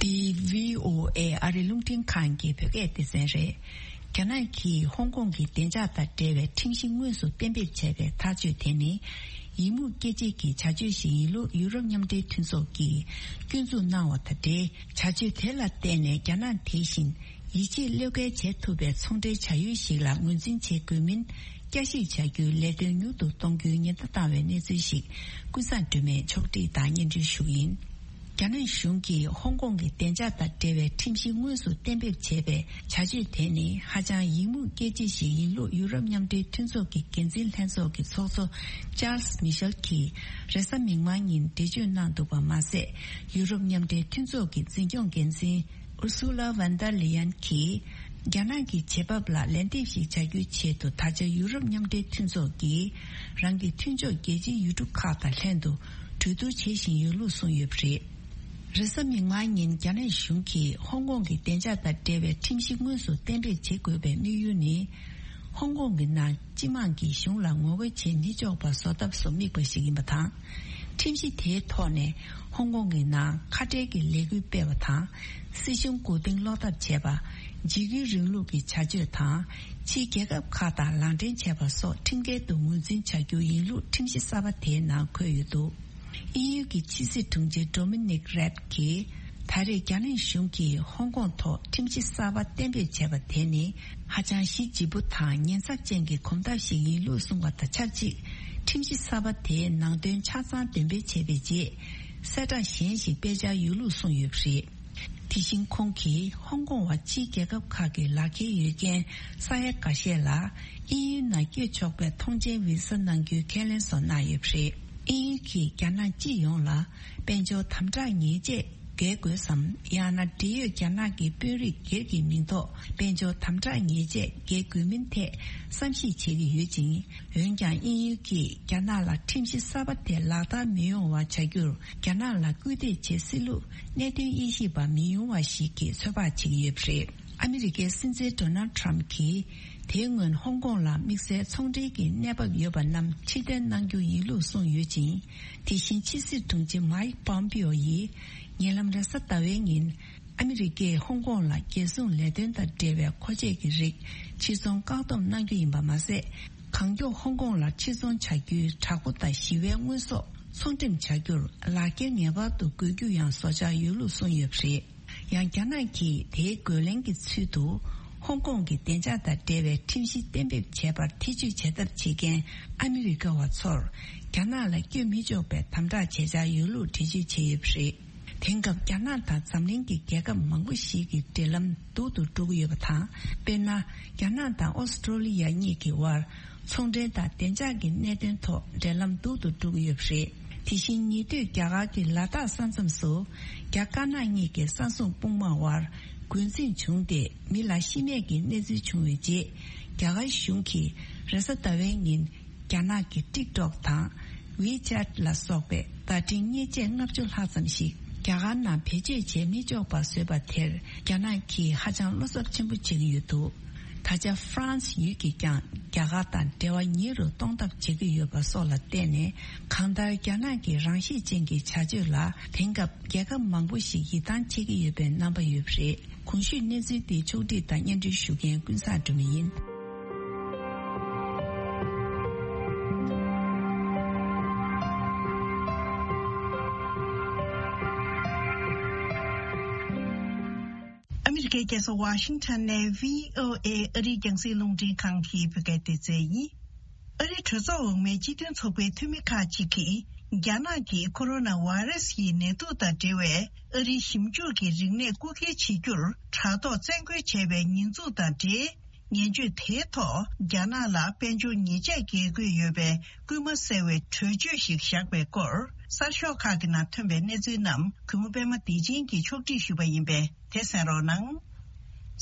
འདི་བྷི་ཨོ་ཨེ་ཨ་རི་རླུང་འཕྲིན་ཁང་གི་བོད་སྐད་སྡེ་ཚན་རེད། རྒྱ་ནག་གིས་ཧོང་ཀོང་གི་བདེ་འཇགས་དང་འབྲེལ་བའི་ཁྲིམས་གཞི་དངོས་སུ་གཏན་འབེབས་བྱས་པའི་ཐག་གཅོད་དེ་ནི། ཡིག་རྨོངས་སྐྱེ་བྱེད་ཀྱི་བྱ་སྤྱོད་ཞིག་ཡིན་ལུགས་ཡུ་རོབ་མཉམ་འབྲེལ་མཐུན་ཚོགས་ཀྱིས་སྐྱོན་འཛུགས་གནང་བ་དང་འབྲེལ། བྱ་སྤྱོད་དེ་ལ་བརྟེན་ནས་རྒྱ་ནག་དེ་བཞིན་ཡིད་ཆེས་བློས་འགེལ་བྱེད་ཐུབ་པའི་ཚོང་འབྲེལ་བྱ་ཡུལ་ཞིག་ལ་ངོས་འཛིན་བྱེད་དགོས་མིན་བསྐྱར་ཞིབ་བྱ་རྒྱུའི་ལས་དོན་མྱུར་དུ་གཏོང་རྒྱུའི་ཉེན་བརྡ་བཏང་བའི་གནས་ཚུལ་ཞིག་ཀུན་བཟང་སྒྲོལ་མས་ཕྱོགས་སྒྲིག་དང་སྙན་སྒྲོན་ཞུ་གི་ཡིན། རྒྱ་ནག་གཞུང་གིས་ཧོང་ཀོང་གི་བདེ་འཇགས་དང་འབྲེལ་བའི་ཁྲིམས་གཞི་དངོས་སུ་གཏན་འབེབས་བྱས་པའི་བྱ་སྤྱོད་དེ་ནི་ཧ་ཅང་ཡིག་རྨོངས་སྐྱེ་བྱེད་ཞིག་ཡིན་ལུགས་ཡུ་རོབ་མཉམ་འབྲེལ་མཐུན་ཚོགས་ཀྱི་འགན་འཛིན་ལྷན་ཚོགས་ཀྱི་ཚོགས་གཙོ་ཅཱལ་སི་མི་ཤེལ་གྱིས་རེས་གཟའ་མིག་དམར་ཉིན་འགྲེལ་བརྗོད་གནང་འདུག་པ་མ་ཟད། ཡུ་རོབ་མཉམ་འབྲེལ་མཐུན་ཚོགས་ཀྱི་འཛིན་སྐྱོང་འགན་འཛིན་ཨུར་སུ་ལ་ཝན་ཏར་ལི་ཡན་གྱིས། རྒྱ་ནག་གི་བྱེད་བབ་ལ་ལན་འདེབས་ཤིག་བྱ་རྒྱུའི་ཆེད་དུ་ད་ཆ་ཡུ་རོབ་མཉམ་འབྲེལ་མཐུན་ཚོགས་ཀྱིས་རང་གི་མཐུན་ཕྱོགས་རྒྱལ་སྤྱིའི་ཡུལ་གྲུ་ཁག་དང་ལྷན་དུ་གྲོས་བསྡུར་བྱེད་བཞིན་ཡོད་ལུགས་གསུངས་ཡོད་པ་རེད། རེས་གཟའ་མིག་དམར་ཉིན་རྒྱ་ནག་གཞུང་གིས་ཧོང་ཀོང་གི་བདེ་འཇགས་དང་འབྲེལ་བའི་ཁྲིམས་གཞི་དངོས་སུ་གཏན་འབེབས་བྱེད་དགོས་པའི་དམིགས་ཡུལ་ནི། ཧོང་ཀོང་གི་ནང་སྤྱི་དམངས་ཀྱིས་གཞུང་ལ་ངོ་རྒོལ་བྱེད་མི་ཆོག་པ་བཟོ་ཐབས་སུ་དམིགས་པ་ཞིག་ཡིན་པ་དང་། ཁྲིམས་གཞི་དེའི་ཐོག་ནས་ཧོང་ཀོང་གི་ནང་ཁ་བྲལ་གྱི་ལས་འགུལ་སྤེལ་བ་དང་། སྲིད་གཞུང་མགོ་རྟིང་སློག་ཐབས་བྱས་པ། འཇིགས་སྐུལ་རིང་ལུགས་ཀྱི་བྱ་སྤྱོད་དང་། ཕྱིའི་རྒྱལ་ཁབ་ཁག་དང་ལག་འབྲེལ་བྱས་པ་སོགས་ཁྲིམས་འགལ་དུ་ངོས་འཛིན་བྱ་རྒྱུ་ཡིན་ལུགས་ཁྲིམས་གཞི་གསར་པ་དེའི་ནང་འཁོད་ཡོད་འདུག་དབྱིན་ཡུལ་གྱི་ཕྱི་སྲིད་དྲུང་ཆེ་ཌོ་མི་ནིག་རེབ་ཀྱིས། ད་རེས་རྒྱ་ནག་གཞུང་གིས་ཧོང་ཀོང་ཐོག་ཁྲིམས་གཞི་གསར་པ་གཏན་འབེབས་བྱས་པ་དེ་ནི་ཧ་ཅང་གཞི་ལྗིད་པོ་དང་ཉེན་ཚབས་ཅན་གྱི་གོམ་སྟབས་ཤིག་ཡིན་ལུགས་གསུངས་པ་དང་ཆབས་ཅིག་ཁྲིམས་གཞི་གསར་པ་དེའི་ནང་དོན་ཆ་ཚང་འདོན་སྤེལ་བྱས་པའི་རྗེས། གསལ་བསྒྲགས་གཞན་ཞིག་སྤེལ་འཆར་ཡོད་ལུགས་གསུངས་ཡོད་པ་རེད། དེ་བཞིན་ཁོང་གིས་ཧོང་ཀོང་བ་ཕྱིའི་རྒྱལ་ཁབ་ཁག་གི་ལག་འཁྱེར་ཡོད་མཁན་ས་ཡ་འགའ་ཤས་ལ་དབྱིན་ཡུལ་ནང་བསྐྱོད་ཆོག་པའི་ཐོངས་མཆན་བི་ས་གནང་རྒྱུའི་ཁས་ལེན་སོགས་གནང་ཡོད་པ་རེད། དབྱིན་ཡུལ་གྱིས་རྒྱ་ནག་སྤྱི་ཡོངས་ལ་དཔལ་འབྱོར་དམ་དྲག་ཉེས་ཆད་འགེལ་དགོས་སམ། ཡང་ན་འབྲེལ་ཡོད་རྒྱ་ནག་གི་དཔོན་རིགས་སྒེར་གྱི་མིང་ཐོག་དཔལ་འབྱོར་དམ་དྲག་ཉེས་ཆད་འགེལ་དགོས་མིན་ཐད་བསམ་གཞིག་བྱེད་ཀྱི་ཡོད་ཅིང་། འོན་ཀྱང་དབྱིན་ཡུལ་གྱིས་རྒྱ་ནག་ལ་ཁྲིམས་གཞི་གསར་པ་དེ་ལག་བསྟར་མི་ཡོང་བ་བྱ་རྒྱུར་རྒྱ་ནག་ལ་སྐུལ་འདེད་བྱེད་སྲིད་ལུགས་གནད་དོན་དབྱེ་ཞིབ་པ་མི་ཉུང་བ་ཞིག་གིས་ཚོད་དཔག་བྱེད་ཀྱི་ཡོད་པ་རེད། ཨ་མི་རི་ཀའི་སྲིད་འཛིན་ཌོ་ནལ་ཊམ་གྱིས་དེའི་སྔོན་ཧོང་ཀོང་ལ་དམིགས་བསལ་ཚོང་འབྲེལ་གྱི་གནས་བབ་ཡོད་པ་རྣམས་ཕྱིར་འཐེན་གནང་རྒྱུ་ཡིན་ལུགས་གསུངས་ཡོད་ཅིང་། དེ་བཞིན་ཕྱི་སྲིད་དྲུང་ཆེ་མའིག་པོམ་པིའོ་ཡིས་ཉེ་ལམ་རེས་གཟའ་ཟླ་བའི་ཉིན། ཨ་མི་རི་ཀས་ཧོང་ཀོང་ལ་རྒྱལ་སྲུང་ལས་དོན་དང་འབྲེལ་བའི་མཁོ་ཆས་ཀྱི་རིགས་ཕྱིར་ཚོང་བཀག་སྡོམ་གནང་རྒྱུ་ཡིན་པ་མ་ཟད། གང་མགྱོགས་ཧོང་ཀོང་ལ་ཕྱིར་ཚོང་བྱ་རྒྱུའི་དྲག་པོ་དང་ཞི་བའི་དངོས་ཟོག་ཚོང་འགྲེམས་བྱ་རྒྱུར་ལག་འཁྱེར་ངེས་པར་དུ་དགོས་རྒྱུ་ཡང་བཟོ་འཆར་ཡོད་ལུགས་གསུངས་ཡོད་པ་རེད། ཡང་རྒྱ་ནག་གིས་དེའི་རྒོལ་ལན་གྱི་ཚུལ་དུ། ཧོང་ཀོང་གི་བདེ་འཇགས་དང་འབྲེལ་བའི་ཁྲིམས་གཞི་གཏན་འབེབས་བྱས་པར་ཐེ་བྱུས་བྱེད་ཐབས་བྱེད་མཁན་ཨ་མི་རི་ཀ་བ་ཚོར། རྒྱ་ནག་ལ་བསྐྱོད་མི་ཆོག་པའི་དམ་དྲག་བྱེད་འཆར་ཡོད་ལུགས་འགྲེལ་བརྗོད་བྱས་ཡོད་པ་རེད། དེང་སྐབས་རྒྱ་ནག་དང་འཛམ་གླིང་གི་རྒྱལ་ཁབ་མང་པོ་ཞིག་གི་འབྲེལ་ལམ་སྡུག་ཏུ་འགྲོ་གི་ཡོད་པ་དང་། དཔེར་ན། རྒྱ་ནག་དང་ཨོ་སི་ཀྲོ་ལི་ཡ་གཉིས་ཀྱི་དབར་ཚོང་འབྲེལ་དང་བདེ་འཇགས་ཀྱི་གནད་དོན་ཐོག་འབྲེལ་ལམ་སྡུག་ཏུ་འགྲོ་གི་ཡོད་པ་རེད། དེ་བཞིན་ཉེ་དུས་རྒྱ་གར་གྱི་ལ་དྭགས་ས་མཚམས་སུ་རྒྱ་དཀར་ནག་གཉིས་ཀྱི་ས་མཚམས་དཔུང་དམག་དབར་འགོ་འཛིང་བྱུང་སྟེ། མི་ལ་ཤི་རྨས་ཀྱི་གནས་ཚུལ་བྱུང་བའི་རྗེས། རྒྱ་གར་གཞུང་གིས་རེས་གཟའ་ཟླ་བའི་ཉིན། རྒྱ་ནག་གི་ཊིག་ཊོག་དང་ཝི་ཆེ་ཊི་ལ་སོགས་པའི་བརྡ་འཕྲིན་མཉེན་ཆས་ལྔ་བཅུ་ལྷག་ཙམ་ཞིག་རྒྱ་གར་ནང་བེད་སྤྱོད་བྱེད་མི་ཆོག་པ་བཟོས་པ་དེར། རྒྱ་ནག་གིས་ཧ་ཅང་བློ་འཚབ་ཆེན་པོ་བྱེད་ཀྱི་ཡོད་འདུག་ད་ཆ་ཧྥ་རན་སི་ཡུལ་གྱིས་ཀྱང་རྒྱ་གར་དང་འབྲེལ་བ་ཉེ་རུ་གཏོང་ཐབས་བྱེད་ཀྱི་ཡོད་པ་སོགས་ལ་བརྟེན་ནས། གང་ལྟར་རྒྱ་ནག་གི་རང་ཤེད་ཅན་གྱི་བྱ་སྤྱོད་ལ་དེང་སྐབས་རྒྱལ་ཁབ་མང་པོ་ཞིག་ཡིད་ཐང་ཆད་ཀྱི་ཡོད་པའི་རྣམ་པ་ཡོད་པ་རེད། གོང་ཞུས་གནས་ཚུལ་འདི་ཕྱོགས་སྒྲིག་དང་སྙན་སྒྲོན་ཞུ་མཁན་ཀུན་བཟང་སྒྲོལ་མ་ཡིན། ཨ་མི་རི་ཀའི་རྒྱལ་ས་ཝ་ཤིང་ཊོན་ནས་བྷི་ཨོ་ཨེ་ཨ་རིའི་རྒྱང་སྲིང་རླུང་འཕྲིན་ཁང་གི་བོད་སྐད་སྡེ་ཚན་ཡིན། ཨ་རིའི་གྲོས་ཚོགས་འོག་མའི་སྤྱི་མཐུན་ཚོགས་པའི་འཐུས་མི་ཁག་ཅིག་གིས། རྒྱ་ནག་གིས་ཁོ་རོ་ན་བྷ་ཡི་རེ་སི་ཡི་ནད་དུག་དང་འབྲེལ་བའི་ཨ་རིའི་ཞིབ་འཇུག་གི་རིག་གནས་རྐུ་འཁྱེར་བྱེད་རྒྱུར་དྲ་ཐོག་བཙན་རྒོལ་བྱས་པའི་ཉེས་འཛུགས་དང་འབྲེལ། ངན་བྱུས་དེའི་ཐོག་རྒྱ་ནག་ལ་དཔལ་འབྱོར་ཉེས་ཆད་འགེལ་དགོས་ཡོད་པའི་སྐུལ་མ་གསལ་བའི་གྲོས་ཆོད་ཞིག་བཞག་པའི་སྐོར། གསར་ཤོག་ཁག་གི་ནང་ཐོན་པའི་གནས་ཚུལ་རྣམས་གུས་མོ་པད་མ་བདེ་ཆེན་གྱིས་ཕྱོགས་སྒྲིག་ཞུས་པ་ཡིན་པས། དེ་གསན་རོགས་གནང་།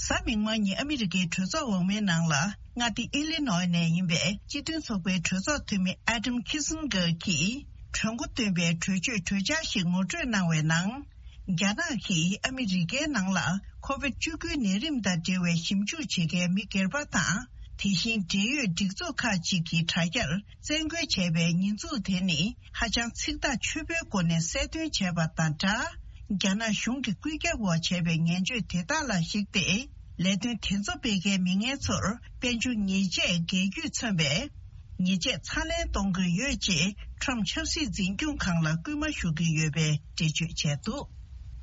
གཟའ་མིག་དམར་ཉིན་ཨ་མི་རི་ཀའི་གྲོས་ཚོགས་འོག་མའི་ནང་ལ། མངའ་སྡེ་ཨི་ལི་ནོའི་ནས་ཡིན་པའི་སྤྱི་མཐུན་ཚོགས་པའི་གྲོས་ཚོགས་འཐུས་མི་ཨ་ཌམ་ཁི་སིན་གྷར་གྱིས། གྲོས་འགོ་བཏོན་པའི་གྲོས་ཆོད་གྲོས་འཆར་ཞིག་ངོ་སྤྲོད་གནང་བའི་ནང་། རྒྱ་ནག་གིས་ཨ་མི་རི་ཀའི་ནང་ལ་ཁོ་བིད་བཅུ་དགུའི་ནད་རིམས་དང་འབྲེལ་བའི་ཞིབ་འཇུག་བྱེད་མཁན་མི་སྒེར་པ་དང་། དེ་བཞིན་འབྲེལ་ཡོད་སྒྲིག་འཛུགས་ཁག་ཅིག་གི་དྲ་རྒྱར་བཙན་རྒོལ་བྱས་པའི་ཉེས་འཛུགས་དེ་ནི་ཧ་ཅང་ཚིག་ཐག་ཆོད་པོའི་སྒོ་ནས་གསལ་སྟོན་བྱས་པ་དང་སྦྲགས། རྒྱ་ནག་གཞུང་གི་བཀོད་ཁྱབ་འོག་བྱས་པའི་ངན་བྱུས་དེ་དག་ལ་གཞིགས་ཏེ། ལས་དོན་དེ་ཚོ་སྤེལ་མཁན་མི་ངན་ཚོར་དཔལ་འབྱོར་ཉེས་ཆད་འགེལ་རྒྱུས་མཚོན་པའི་ཉེས་ཆད་ཚ་ལེན་གཏོང་དགོས་ཡོད་ཅེས་ཁྲོམ་ཆབ་སྲིད་འཛིན་སྐྱོང་ཁང་ལ་སྐུལ་མ་ཞུ་གི་ཡོད་པའི་འགྲེལ་བརྗོད་བྱས་འདུག་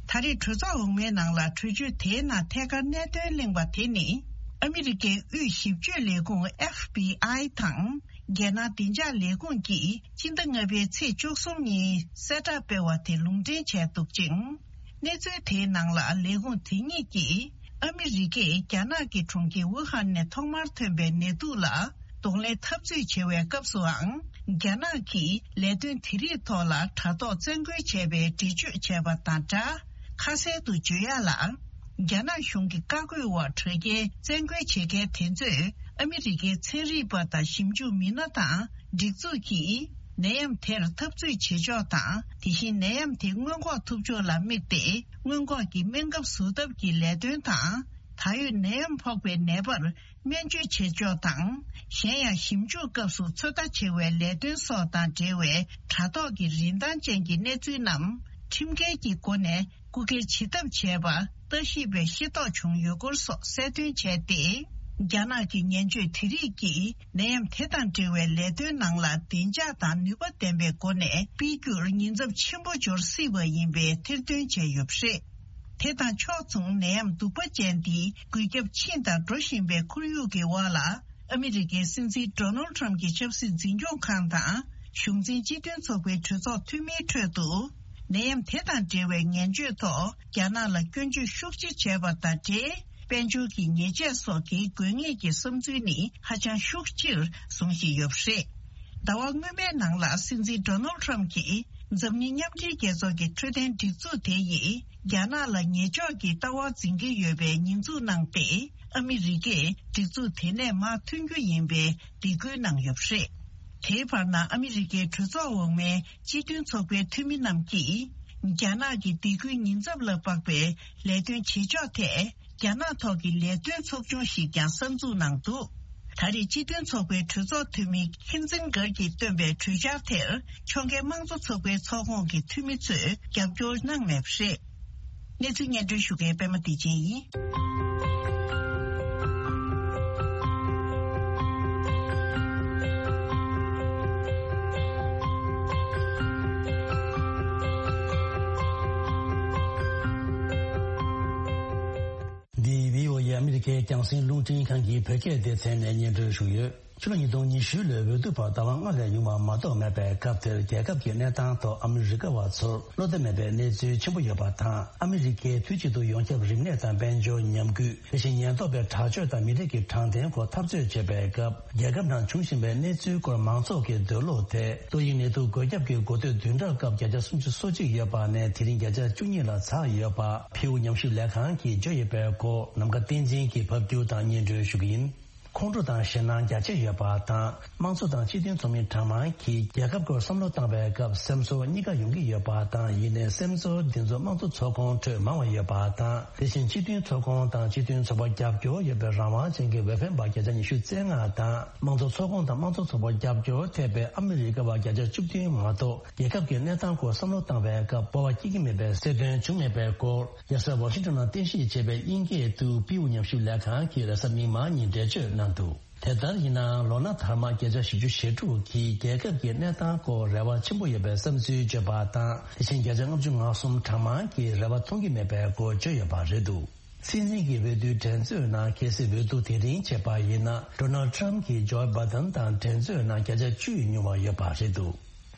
ད་རེས་གྲོས་ཚོགས་འོག་མའི་ནང་ལ་གྲོས་ཆོད་དེའི་ནང་ཐད་ཀར་གནད་དོན་གླེང་བ་དེ་ནི། ཨ་མི་རི་ཀའི་དབུས་ཞིབ་དཔྱོད་ལས་ཁུངས་ཨེཕ་བི་ཨའི་དང་། རྒྱལ་ནང་བདེ་འཇགས་ལས་ཁུངས་ཀྱིས་སྤྱི་ཟླ་ལྔ་པའི་ཚེས་བཅུ་གསུམ་ཉིན་གསལ་བསྒྲགས་སྤེལ་བ་དེ་ལུང་འདྲེན་བྱས་འདུག་ཅིང་། གནས་ཚུལ་དེའི་ནང་ལ་ལས་ཁུངས་དེ་གཉིས་ཀྱིས། ཨ་མི་རི་ཀས་རྒྱ་ནག་གི་གྲོང་ཁྱེར་ཝུ་ཧན་ནས་ཐོག་མར་ཐོན་པའི་ནད་དུག་ལ་གདོང་ལེན་འཐབ་རྩོད་བྱེད་པའི་སྐབས་སུའང་། རྒྱ་ནག་གིས་ལས་དོན་དེ་རིགས་ཐོག་ལ་དྲ་ཐོག་བཙན་རྒོལ་བྱས་པའི་འགྲེལ་བརྗོད་བྱས་པ་དང་སྦྲགས། ཁ་གསལ་དུ་བརྗོད་ཡ་ལ། རྒྱ་ནག་གཞུང་གི་བཀའ་བཀོད་འོག་དྲ་རྒྱའི་བཙན་རྒོལ་བྱེད་མཁན་དེ་ཚོས་ཨ་མི་རི་ཀའི་ཚན་རིག་པ་དང་ཞིབ་འཇུག་མི་སྣ་དང་སྒྲིག་འཛུགས་ཀྱིས་ནད་ཡམས་དེར་འཐབ་རྩོད་བྱེད་ཕྱོགས་དང་། དེ་བཞིན་ནད་ཡམས་དེ་སྔོན་འགོག་ཐུབ་ཕྱོགས་ལ་དམིགས་ཏེ་སྔོན་འགོག་གི་སྨན་ཁབ་བཟོ་ཐབས་ཀྱི་ལས་དོན་དང་། ད་ཡོད་ནད་ཡམས་ཕོག་པའི་ནད་པར་སྨན་བཅོས་བྱེད་ཕྱོགས་དང་། གཞན་ཡང་ཞིབ་འཇུག་སྐབས་སུ་ཚོད་ལྟ་བྱེད་པའི་ལས་དོན་སོགས་དང་འབྲེལ་བའི་དྲ་ཐོག་གི་རིན་ཐང་ཅན་གྱི་གནས་ཚུལ་རྣམས་ཁྲིམས་འགལ་གྱི་སྒོ་ནས་རྐུ་འཁྱེར་བྱེད་ཐབས་བྱས་པ་ལྟ་ཞིབ་པས་ཤེས་རྟོགས་བྱུང་ཡོད་སྐོར་སོགས་གསལ་སྟོན་བྱས་ཏེ། རྒྱ་ནག་གི་ངན་བྱུས་དེ་རིགས་ཀྱིས་ནད་ཡམས་དེ་དང་འབྲེལ་བའི་ལས་དོན་ནང་ལ་བདེ་འཇགས་དང་ནུས་པ་ལྡན་པའི་སྒོ་ནས་སྤེལ་རྒྱུར་ཉེན་ཚབས་ཆེན་པོ་འབྱོར་སྲིད་པ་ཡིན་པའི་ཐེར་འདོན་བྱས་ཡོད་པ་རེད། དེ་དང་ཕྱོགས་མཚུངས་ནད་ཡམས་གདུག་པ་ཅན་འདིའི་འགོས་ཁྱབ་ཕྱིན་དང་འགྲོ་བཞིན་པའི་ཁོར་ཡུག་གི་འོག་ལ། ཨ་མི་རི་ཀའི་སྲིད་འཛིན་ཌོ་ནལ་ཊམ་གྱི་ཆབ་སྲིད་འཛིན་སྐྱོང་ཁང་དང་གཞུང་འཛིན་སྤྱི་མཐུན་ཚོགས་པའི་གྲོས་ཚོགས་འཐུས་མིའི་ཁྲོད་དུ། ནད་ཡམས་དེ་དང་འབྲེལ་བའི་ངན་བྱུས་ཐོག་རྒྱ་ནག་ལ་སྐྱོན་བརྗོད་ཤུགས་ཆེ་བྱས་པ་དང་འབྲེལ། དཔལ་འབྱོར་གྱི་ཉེས་ཆད་སོགས་ཀྱི་དགོས་ངེས་ཀྱི་བསམ་ཚུལ་ནི་ཧ་ཅང་ཤུགས་ཆེར་བཟུང་བཞིན་ཡོད་པ་རེད། ཟླ་བ་སྔོན་མའི་ནང་ལ་སྲིད་འཛིན་ཌོ་ནལ་ཊམ་གྱིས་འཛམ་གླིང་མཉམ་འབྲེལ་རྒྱལ་ཚོགས་ཀྱི་འཕྲོད་བསྟེན་སྒྲིག་འཛུགས་དེ་ཡིས་རྒྱ་ནག་ལ་ཉེས་འཇོག་གི་ལྟ་བ་འཛིན་གྱི་ཡོད་པའི་ཉེས་འཛུགས་གནང་སྟེ། ཨ་མི་རི་ཀས་སྒྲིག་འཛུགས་དེ་ནས་མར་ཐོན་རྒྱུ་ཡིན་པའི་སྡིགས་སྐུལ་གནང་ཡོད་པ་རེད། དེའི་བར་ན་ཨ་མི་རི་ཀའི་གྲོས་ཚོགས་འོག་མའི་སྤྱི་མཐུན་ཚོགས་པའི་འཐུས་མི་རྣམས་ཀྱིས། རྒྱ་ནག་གི་སྡིགས་སྐུལ་ཉེན་ཚབས་ལ་དཔག་པའི་ལས་དོན་བྱེད་ཕྱོགས་ཐད། རྒྱ་ནག་ཐོག་གི་ལས་དོན་ཚོགས་ཆུང་ཞིག་ཀྱང་གསར་འཛུགས་གནང་འདུག་ད་རེས་སྤྱི་མཐུན་ཚོགས་པའི་གྲོས་ཚོགས་འཐུས་མི་ཁིན་ཛིན་གར་གྱིས་བཏོན་པའི་གྲོས་འཆར་དེར་ཕྱོགས་འགལ་དམངས་གཙོ་ཚོགས་པའི་ཚོགས་ཁོངས་ཀྱི་འཐུས་མི་ཚོས་རྒྱབ་སྐྱོར་གནང་མེད་པ་རེད། གནས་ཚུལ་སྙན་སྒྲོན་ཞུ་མཁན་པད་མ་བདེ་ཆེན་ཡིན། འདི་བྷི་ཨོ་ཨེ་ཨ་མི་རི་ཀའི་རྒྱང་སྲིང་རླུང་འཕྲིན་ཁང་གི་བོད་སྐད་སྡེ་ཚན་ནས་སྙན་སྒྲོན་ཞུས་ཡོད། ཕྱི་ལོ་ཉིས་སྟོང་ཉི་ཤུ་ལོའི་འོས་བསྡུ་བར་ཟླ་བ་ལྔ་ལས་ཉུང་བ་མ་གཏོགས་མེད་པའི་སྐབས་དེར། རྒྱལ་ཁབ་ཀྱི་གནས་སྟངས་ཐོག་ཨ་མི་རི་ཀ་བ་ཚོར་བློ་བདེ་མེད་པའི་གནས་ཚུལ་ཆེན་པོ་ཡོད་པ་དང་། ཨ་མི་རི་ཀས་དུས་གཅིག་ཏུ་ཡོངས་ཁྱབ་རིམས་ནད་དང་དཔལ་འབྱོར་ཉམས་རྒུད། དེ་བཞིན་ཉེན་རྟོག་པའི་དྲག་སྤྱོད་དང་མི་རིགས་ཀྱི་དྲང་བདེན་སྐོར་འཐབ་རྩོད་བྱེད་པའི་སྐབས། རྒྱལ་ཁབ་ནང་འབྱུང་བཞིན་པའི་གནས་ཚུལ་སྐོར་མང་ཚོགས་ཀྱི་འདོད་བློ་དེ། ཏོག་དབྱིབས་ནད་དུག་འགོས་ཁྱབ་ཀྱི་འགོ་སྟོད་བདུན་ཕྲག་སྐབས་བརྒྱ་ཆ་སུམ་ཅུ་སོ་གཅིག་ཡོད་པ་ནས་དེ་རིང་བརྒྱ་ཆ་བཅུ་གཉིས་ལ་འཛེགས་ཡོད་པ། ཕིའུ་ཉམས་ཞིབ་ལས་ཁང་གིས་བརྗོད་ཡོད་པའི་སྐོར། ནམ་མཁའ་བསྟན་འཛིན་གྱིས་ཕབ་སྒྱུར་དང་སྙན་སྒྲོན་ཞུ་གི་ཡིན། ཁོང་ཁྲོ་དང་ཞེད་སྣང་རྒྱ་ཆེ་ཡོད་པ་དང་། དམངས་གཙོ་དང་སྤྱི་མཐུན་ཚོགས་མི་གྲངས་མང་གིས་རྒྱལ་ཁབ་སྐོར་བསམ་བློ་བཏང་བའི་སྐབས་སེམས་ཚོར་གཉིས་ཀ་ཡོང་གི་ཡོད་པ་དང་། ཡིན་ནའི་སེམས་ཚོར་འདི་ཚོ་དམངས་གཙོ་ཚོགས་ཁོངས་ཁྲོད་མང་བ་ཡོད་པ་དང་། དེ་བཞིན་སྤྱི་མཐུན་ཚོགས་ཁོངས་དང་སྤྱི་མཐུན་ཚོགས་པར་རྒྱབ་སྐྱོར་ཡོད་པའི་རང་དབང་ཅན་གྱི་འོས་འཕེན་པ་བརྒྱ་ཆ་ཉི་ཤུ་རྩ་ལྔ་དང་། དམངས་གཙོ་ཚོགས་ཁོངས་དང་དམངས་གཙོ་ཚོགས་པར་རྒྱབ་སྐྱོར་ཐེབས་པའི་ཨ་མི་རི་ཀ་བ་བརྒྱ་ཆ་བཅུ་བདུན་མ་གཏོགས། རྒྱལ་ཁབ་ཀྱི་གནས་སྟངས་སྐོར་བསམ་བློ་བཏང་བའི་སྐབས་སྤོབས་པ་སྐྱེ་གི་མེད་པའི་གསལ་སྟོན་བྱུང་མེད་པའི་སྐོར། རྒྱལ་ས་ཝ་ཤིང་ཊོན་ནང་རྟེན་གཞི་བྱས་པའི་དབྱིན་སྐད་དུ་པིའུ་ཉམས་ཞིབ་ལས་ཁང་གིས་རེས་གཟའ་མིག་དམར་ཉིན་འགྲེལ་བརྗོད་གནང་འདུག་དེ་ལྟར་ཡིན་ནའང་ལོ་ན་དར་མ་བརྒྱ་ཆ་བཞི་བཅུ་ཞེ་དྲུག་གིས་རྒྱལ་ཁབ་ཀྱི་གནས་སྟངས་སྐོར་རེ་བ་ཆེན་པོ་ཡོད་པའི་བསམ་ཚུལ་བརྗོད་པ་དང་། དེ་བཞིན་བརྒྱ་ཆ་ལྔ་བཅུ་ང་གསུམ་གྲངས་མང་གིས་རེ་བ་མཐོང་གི་མེད་པའི་སྐོར་བརྗོད་ཡོད་པ་རེད་འདུག་སྲིད་འཛིན་གྱི་འོས་བསྡུའི་འགྲན་རྩོད་ནང་གལ་སྲིད་འོས་བསྡུ་དེ་རིང་བྱས་པ་ཡིན་ན། ཌོ་ནལ་ཊམ་གྱིས་ཇོ་བྷའི་ཌེན་དང་འགྲན་རྩོད་ནང་བརྒྱ་ཆ་བཅུ་ཉུང་བ་ཡོད་པ་རེད་འདུག་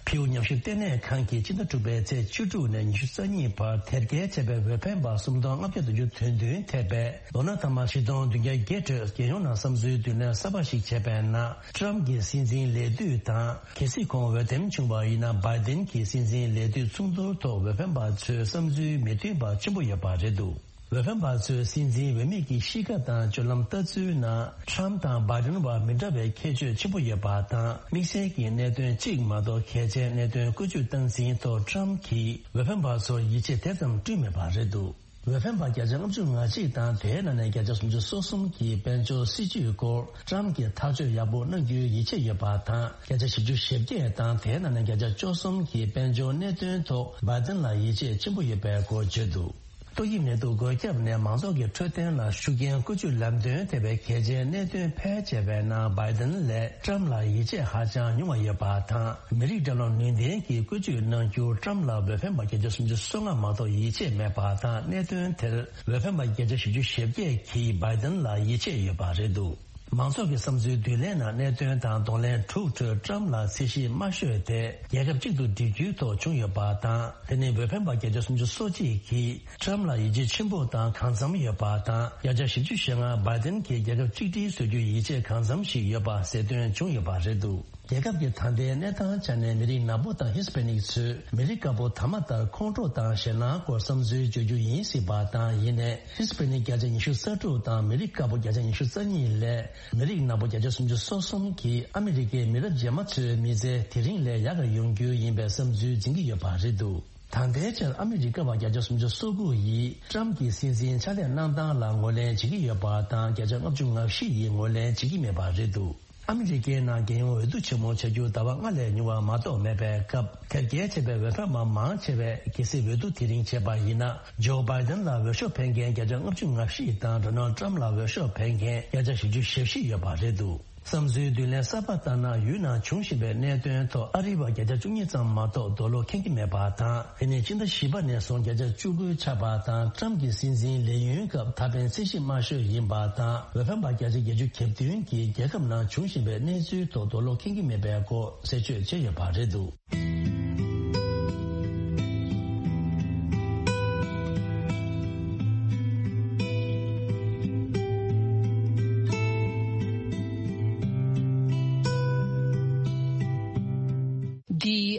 ཕིའུ་ཉམས་ཞིབ་ལྟེ་གནས་ཁང་གིས་ཕྱི་ཟླ་དྲུག་པའི་ཚེས་བཅུ་དྲུག་ནས་ཉི་ཤུ་རྩ་གཉིས་བར་དེབ་སྐྱེལ་བྱས་པའི་འོས་འཕེན་པ་སུམ་སྟོང་ལྔ་བརྒྱ་བདུན་ཅུ་དོན་བདུན་ཐེ་བའི་ལོ་ན་ཐ་མ་བཞི་སྟོང་བདུན་བརྒྱ་བརྒྱད་ཁྲོད་རྒྱལ་ཡོངས་ནང་བསམ་ཚུལ་བསྡུ་ལེན་གསར་པ་ཞིག་བྱས་པའི་ནང་། ཊམ་གྱི་སྲིད་འཛིན་ལས་དུས་དང་། གལ་སྲིད་ཁོང་འོས་འདེམས་བྱུང་བ་ཡིན་ན། བྷའི་ཌེན་གྱི་སྲིད་འཛིན་ལས་དུས་མཚུངས་བསྡུར་ཐོག་འོས་འཕེན་པ་ཚོའི་བསམ་ཚུལ་མི་མཐུན་པ་ཆེན་པོ་ཡོད་པ་རེད་འདུག་འོས་འཕེན་པ་ཚོས་སྲིད་འཛིན་འོས་མི་གི་གཤིས་ཀ་དང་སྤྱོད་ལམ་ལྟ་ཚུལ་ནང་ཊམ་དང་བྷའི་ཌེན་བར་མི་འདྲ་བའི་ཁྱད་ཆོས་ཆེན་པོ་ཡོད་པ་དང་། དམིགས་བསལ་གྱི་གནད་དོན་གཅིག་མ་གཏོགས་གལ་ཆེའི་གནད་དོན་བཀོལ་སྤྱོད་སྟངས་འཛིན་ཐོག་ཊམ་གྱིས་འོས་འཕེན་པ་ཚོར་ཡིད་ཆེས་དེ་ཙམ་བསྐྲུན་མེད་པ་རེད་འདུག་འོས་འཕེན་པ་བརྒྱ་ཆ་ལྔ་བཅུ་ང་གཅིག་དང་། དེའི་ནང་ནས་བརྒྱ་ཆ་སུམ་ཅུ་སོ་གསུམ་གྱིས་དཔལ་འབྱོར་སྲིད་ཇུས་སྐོར་ཊམ་གྱིས་ཐག་གཅོད་ཡག་པོ་གནང་རྒྱུའི་ཡིད་ཆེས་ཡོད་པ་དང་། བརྒྱ་ཆ་བཞི་བཅུ་ཞེ་བརྒྱད་དང་། དེའི་ནང་ནས་བརྒྱ་ཆ་བཅུ་གསུམ་གྱིས་དཔལ་འབྱོར་གནད་དོན་ཐོག་བྷའི་ཌེན་ལ་ཡིད་ཆེས་ཆེན་པོ་ཡོད་པའི་སྐོར་བརྗོད་འདུག་ཏོག་དབྱིབས་ནད་དུག་འགོས་ཁྱབ་ནས་མང་ཚོགས་ཀྱི་འཕྲོད་བསྟེན་ལ་ཤུགས་རྐྱེན་བཀོལ་སྤྱོད་ལམ་སྟོན་ཐེབས་པའི་གལ་ཆེའི་གནད་དོན་ཕལ་ཆེ་བའི་ནང་བྷའི་ཌེན་ལས་ཊམ་ལ་ཡིད་ཆེས་ཧ་ཅང་ཉུང་བ་ཡོད་པ་དང་། མི་རིགས་འགྲོ་ལམ་ནུས་ལྡན་གྱིས་བཀོལ་སྤྱོད་གནང་རྒྱུར་ཊམ་ལ་འོས་འཕེན་པ་བརྒྱ་ཆ་སུམ་ཅུ་སོ་ལྔ་མ་གཏོགས་ཡིད་ཆེས་མེད་པ་དང་། གནད་དོན་དེར་འོས་འཕེན་པ་བརྒྱ་ཆ་བཞི་བཅུ་ཞེ་བརྒྱད་ཀྱིས་བྷའི་ཌེན་ལ་ཡིད་ཆེས་ཡོད་པ་རེད་འདུག་མང་ཚོགས་ཀྱི་བསམ་ཚུལ་བསྡུ་ལེན་ནང་གནད་དོན་དང་གདོང་ལེན་དྲུག་ཁྲོད་ཊམ་ལ་ཚད་གཞི་དམའ་ཤོས་དེ་རྒྱལ་ཁབ་གཅིག་ཏུ་སྒྲིལ་རྒྱུའི་ཐོག་བྱུང་ཡོད་པ་དང་། དེ་ནི་འོས་འཕེན་པ་བརྒྱ་ཆ་སུམ་ཅུ་སོ་གཅིག་གིས་ཊམ་ལ་ཡིད་ཆེས་ཆེན་པོ་དང་གང་འཚམ་ཡོད་པ་དང་། བརྒྱ་ཆ་བཞི་བཅུ་ཞེ་ལྔ་བྷའི་ཌེན་གྱིས་རྒྱལ་ཁབ་གཅིག་སྒྲིལ་བཟོ་རྒྱུའི་ཡིད་ཆེས་གང་འཚམ་ཞིག་ཡོད་པ་གསལ་སྟོན་བྱུང་ཡོད་པ་རེད་འདུག་རྒྱལ་ཁབ་ཀྱི་ད་ལྟའི་གནས་སྟངས་ཆ་ནས་མི་རིགས་ནག་པོ་དང་ཧི་སི་པེ་ནིག་ཚོས་མི་རིགས་དཀར་པོ་ཐ་མ་ལྟར་ཁོང་ཁྲོ་དང་ཞེད་སྣང་སྐོར་བསམ་ཚུལ་བརྗོད་རྒྱུ་ཡིན་སྲིད་པ་དང་། ཡིན་ནའི་ཧི་སི་པེ་ནིག་བརྒྱ་ཆ་ཉི་ཤུ་རྩ་དྲུག་དང་མི་རིགས་དཀར་པོ་བརྒྱ་ཆ་ཉི་ཤུ་རྩ་གཉིས་ལས་མི་རིགས་ནག་པོ་བརྒྱ་ཆ་སུམ་ཅུ་སོ་གསུམ་གྱིས་ཨ་མི་རི་ཀའི་མི་རབས་རྗེས་མ་ཚོའི་མི་ཚེ་དེ་རིང་ལས་ཡག་ག་ཡོང་རྒྱུ་ཡིན་པའི་བསམ་ཚུལ་འཛིན་གྱི་ཡོད་པ་རེད་འདུག་ད་ལྟའི་ཆར་ཨ་མི་རི་ཀ་བ་བརྒྱ་ཆ་སུམ་ཅུ་སོ་དགུ་ཡིས་ཊམ་གྱི་སྲིད་འཛིན་ཕྱག་ལས་གནང་སྟངས་ལ་ངོས་ལེན་བྱེད་ཀྱི་ཡོད་པ་དང་། བརྒྱ་ཆ་ལྔ་བཅུ་ང་བཞི་ཡིས་ངོས་ལེན་བྱེད་ཀྱི་མེད་པ་རེད་འདུག་ཨ་མི་རི་ཀའི་ནང་རྒྱལ་ཡོངས་འོས་བསྡུ་ཆེན་མོ་བྱ་རྒྱུ་ཟླ་བ་ལྔ་ལས་ཉུང་བ་མ་གཏོགས་མེད་པའི་སྐབས། དེབ་སྐྱེལ་བྱས་པའི་འོས་འཕེན་པ་མང་ཆེ་བས་གལ་སྲིད་འོས་བསྡུ་དེ་རིང་བྱས་པ་ཡིན་ན། ཇོ་བྷའི་ཌེན་ལ་འོས་ཤོག་འཕེན་མཁན་བརྒྱ་ཆ་ལྔ་བཅུ་ང་བཞི་དང་། ཌོ་ནལ་ཊམ་ལ་འོས་ཤོག་འཕེན་མཁན་བརྒྱ་ཆ་བཞི་བཅུ་ཞེ་བཞི་ཡོད་པ་རེད་འདུག་བསམ་ཚུལ་བསྡུ་ལེན་གསར་པ་ལྟར་ན། ཡུལ་ནང་འབྱུང་བཞིན་པའི་གནད་དོན་ཐོག་ཨ་རི་བ་བརྒྱ་ཆ་བཅུ་གཉིས་ཙམ་མ་གཏོགས་རྡོག་ལོག་མཁྱེན་གྱི་མེད་པ་དང་། དེ་ནི་སྤྱི་ཟླ་བཞི་པ་ནས་བཟུང་བརྒྱ་ཆ་བཅུ་དགུ་ཆགས་པ་དང་། ཊམ་གྱི་སྲིད་འཛིན་ལས་ཡུན་སྐབས་ད་ཕན་ཚད་གཞི་དམའ་ཤོས་ཡིན་པ་དང་། འོས་འཕེན་པ་བརྒྱ་ཆ་བརྒྱད་ཅུ་གྱ་བདུན་གྱིས་རྒྱལ་ཁབ་ནང་འབྱུང་བཞིན་པའི་གནས་ཚུལ་ཐོག་རྡོག་ལོག་མཁྱེན་གྱི་མེད་པའི་སྐོར་གསལ་བརྗོད་བྱས་ཡོད་པ་རེད་འདུག་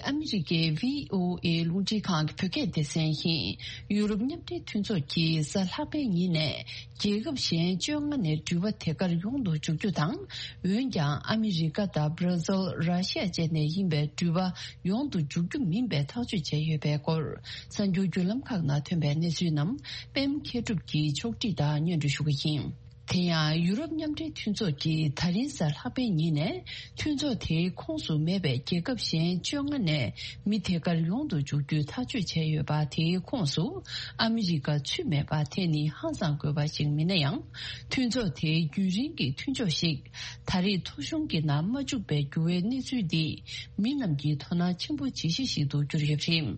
ཨ་མི་རི་ཀའི་བྷི་ཨོ་ཨེ་རླུང་འཕྲིན་ཁང་གི་བོད་སྐད་སྡེ་ཚན་ཡིན། ཡུ་རོབ་མཉམ་འབྲེལ་མཐུན་ཚོགས་ཀྱིས་གཟའ་ལྷག་པའི་ཉིན་ནས་རྒྱལ་ཁབ་གཞན་བཅོ་ལྔ་ནས་འགྲུལ་པ་དེ་གར་ཡོང་དུ་འཇུག་རྒྱུ་དང་། འོན་ཀྱང་ཨ་མི་རི་ཀ་དང་བྷར་ཛིལ། ར་ཤི་ཡ་བཅས་ནས་ཡིན་པའི་འགྲུལ་པ་ཡོང་དུ་འཇུག་རྒྱུ་མིན་པའི་ཐག་གཅོད་བྱས་ཡོད་པའི་སྐོར། གསར་འགྱུར་བརྒྱུད་ལམ་ཁག་ནང་ཐོན་པའི་གནས་ཚུལ་རྣམས་པད་མ་མཁས་གྲུབ་ཀྱིས་ཕྱོགས་སྒྲིག་དང་སྙན་སྒྲོན་ཞུ་གི་ཡིན། དེ་ཡང་ཡུ་རོབ་མཉམ་འབྲེལ་མཐུན་ཚོགས་ཀྱིས་ད་རིང་གཟའ་ལྷག་པའི་ཉིན་ནས་མཐུན་ཚོགས་དེའི་ཁོངས་སུ་མེད་པའི་རྒྱལ་ཁབ་གཞན་བཅོ་ལྔ་ནས་མི་དེ་གར་ཡོང་དུ་འཇུག་རྒྱུའི་ཐག་གཅོད་བྱས་ཡོད་པ། དེའི་ཁོངས་སུ་ཨ་མི་རི་ཀ་ཚུད་མེད་པ་དེ་ནི་ཧང་སང་དགོས་པ་ཞིག་མིན་ན་ཡང་། མཐུན་ཚོགས་དེའི་རྒྱུན་རིང་གི་མཐུན་ཕྱོགས་ཤིག་ད་རེས་ཐོ་གཞུང་གི་ནང་མ་བཅུག་པའི་འགྱུར་བའི་གནས་ཚུལ་འདིས་མི་རྣམས་ཀྱི་དོ་སྣང་ཆེན་པོ་བྱེད་གཞི་ཞིག་ཏུ་གྱུར་ཡོད་པ་རེད།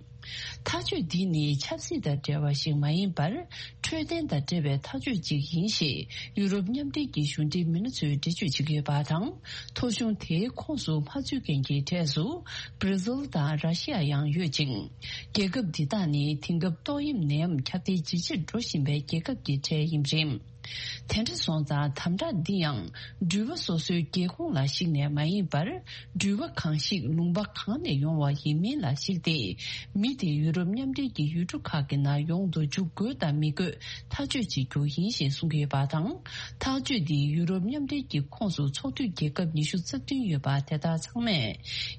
ཐག་གཅོད་འདི་ནི་ཆབ་སྲིད་དང་འབྲེལ་བ་ཞིག་མ་ཡིན་པར། འཕྲོད་བསྟེན་དང་འབྲེལ་བའི་ཐག་གཅོད་ཅིག་ཡིན་ཞེས་ཡུ་རོབ་མཉམ་འབྲེལ་གྱི་གཞུང་འབྲེལ་མི་སྣ་ཚོས་འགྲེལ་བརྗོད་བྱེད་ཀྱི་ཡོད་པ་དང་། ཐོ་གཞུང་དེའི་ཁོངས་སུ་མ་ཚུད་མཁན་གྱི་གྲས་སུ་བྷར་ཛིལ་དང་ར་ཤི་ཡ་ཡང་ཡོད་ཅིང་། རྒྱལ་ཁབ་འདི་དག་ནི་དེང་སྐབས་ཏོག་དབྱིབས་ནད་ཡམས་ཁྱབ་གདལ་ཇེ་ཆེར་འགྲོ་བཞིན་པའི་རྒྱལ་ཁབ་ཀྱི་གྲས་ཡིན་པ་རེད། དེ་འདྲ་སོང་ཙང་དམ་དྲག་འདི་ཡང་འགྲུལ་པ་སོ་སོའི་རྒྱལ་ཁོངས་ལ་གཞིགས་ནས་མ་ཡིན་པར། འགྲུལ་པ་གང་ཞིག་ལུང་པ་གང་ནས་ཡོང་བ་ཡིན་མིན་ལ་གཞིགས་ཏེ། མི་དེ་ཡུ་རོབ་མཉམ་འབྲེལ་གྱི་ཡུལ་གྲུ་ཁག་གི་ནང་ཡོང་དུ་འཇུག་དགོས་དང་མི་དགོས་ཐག་གཅོད་བྱེད་རྒྱུ་ཡིན་ཞེས་གསུང་གི་ཡོད་པ་དང་། ཐག་གཅོད་འདིས་ཡུ་རོབ་མཉམ་འབྲེལ་གྱི་ཁོངས་སུ་ཚོགས་འཐུས་རྒྱལ་ཁབ་ཉི་ཤུ་རྩ་བདུན་ཡོད་པ་དེ་དག་ཚང་མས་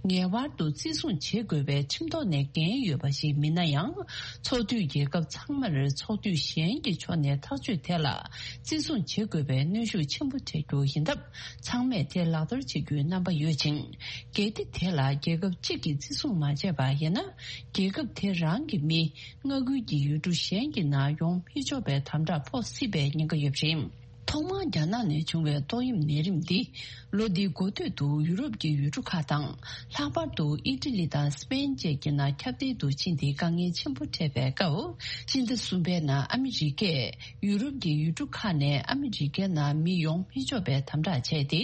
ངེས་པར་དུ་བརྩི་སྲུང་བྱེད་དགོས་པའི་ཁྲིམས་ཐོག་ནས་འགན་ཡོད་པ་ཞིག་མིན་ན་ཡང་། ཚོགས་འཐུས་རྒྱལ་ཁབ་ཚང་མར་ཚོགས་འཐུས་གཞན་གྱི་ཕྱོགས་ནས་ཐག་གཅོད་དེ་ལ་བརྩི་སྲུང་བྱེད་དགོས་པའི་གནོན་ཤུགས་ཆེན་པོ་སྤྲད་རྒྱུ་ཡིན་སྟབས། ཚང་མས་དེ་ལག་བསྟར་བྱེད་རྒྱུའི་རྣམ་པ་ཡོད་ཅིང་། གལ་ཏེ་དེ་ལ་རྒྱལ་ཁབ་གཅིག་གིས་བརྩི་སྲུང་མ་བྱས་པ་ཡིན་ན། རྒྱལ་ཁབ་དེ་རང་གི་མི་མངའ་ཁུལ་གྱི་ཡུལ་གྲུ་གཞན་གྱི་ནང་ཡོང་མི་ཆོག་པའི་དམ་དྲག་ཕོག་སྲིད་པའི་ཉེན་ཁ་ཡོད་པ་རེད། ཐོག་མར་རྒྱ་ནག་ནས་བྱུང་བའི་ཏོག་དབྱིབས་ནད་རིམས་འདི། ལོ་འདིའི་འགོ་སྟོད་དུ་ཡུ་རོབ་ཀྱི་ཡུལ་གྲུ་ཁག་དང་། ལྷག་པར་དུ་ཨི་ཊ་ལི་དང་སི་པེན་བཅས་ཀྱི་ནང་ཁྱབ་གདལ་དུ་ཕྱིན་ཏེ་དཀའ་ངལ་ཆེན་པོ་འཕྲད་པའི་སྐབས། སྤྱི་ཟླ་གསུམ་པའི་ནང་ཨ་མི་རི་ཀས་ཡུ་རོབ་ཀྱི་ཡུལ་གྲུ་ཁག་ནས་ཨ་མི་རི་ཀའི་ནང་མི་ཡོང་མི་ཆོག་པའི་དམ་དྲག་བྱས་ཏེ།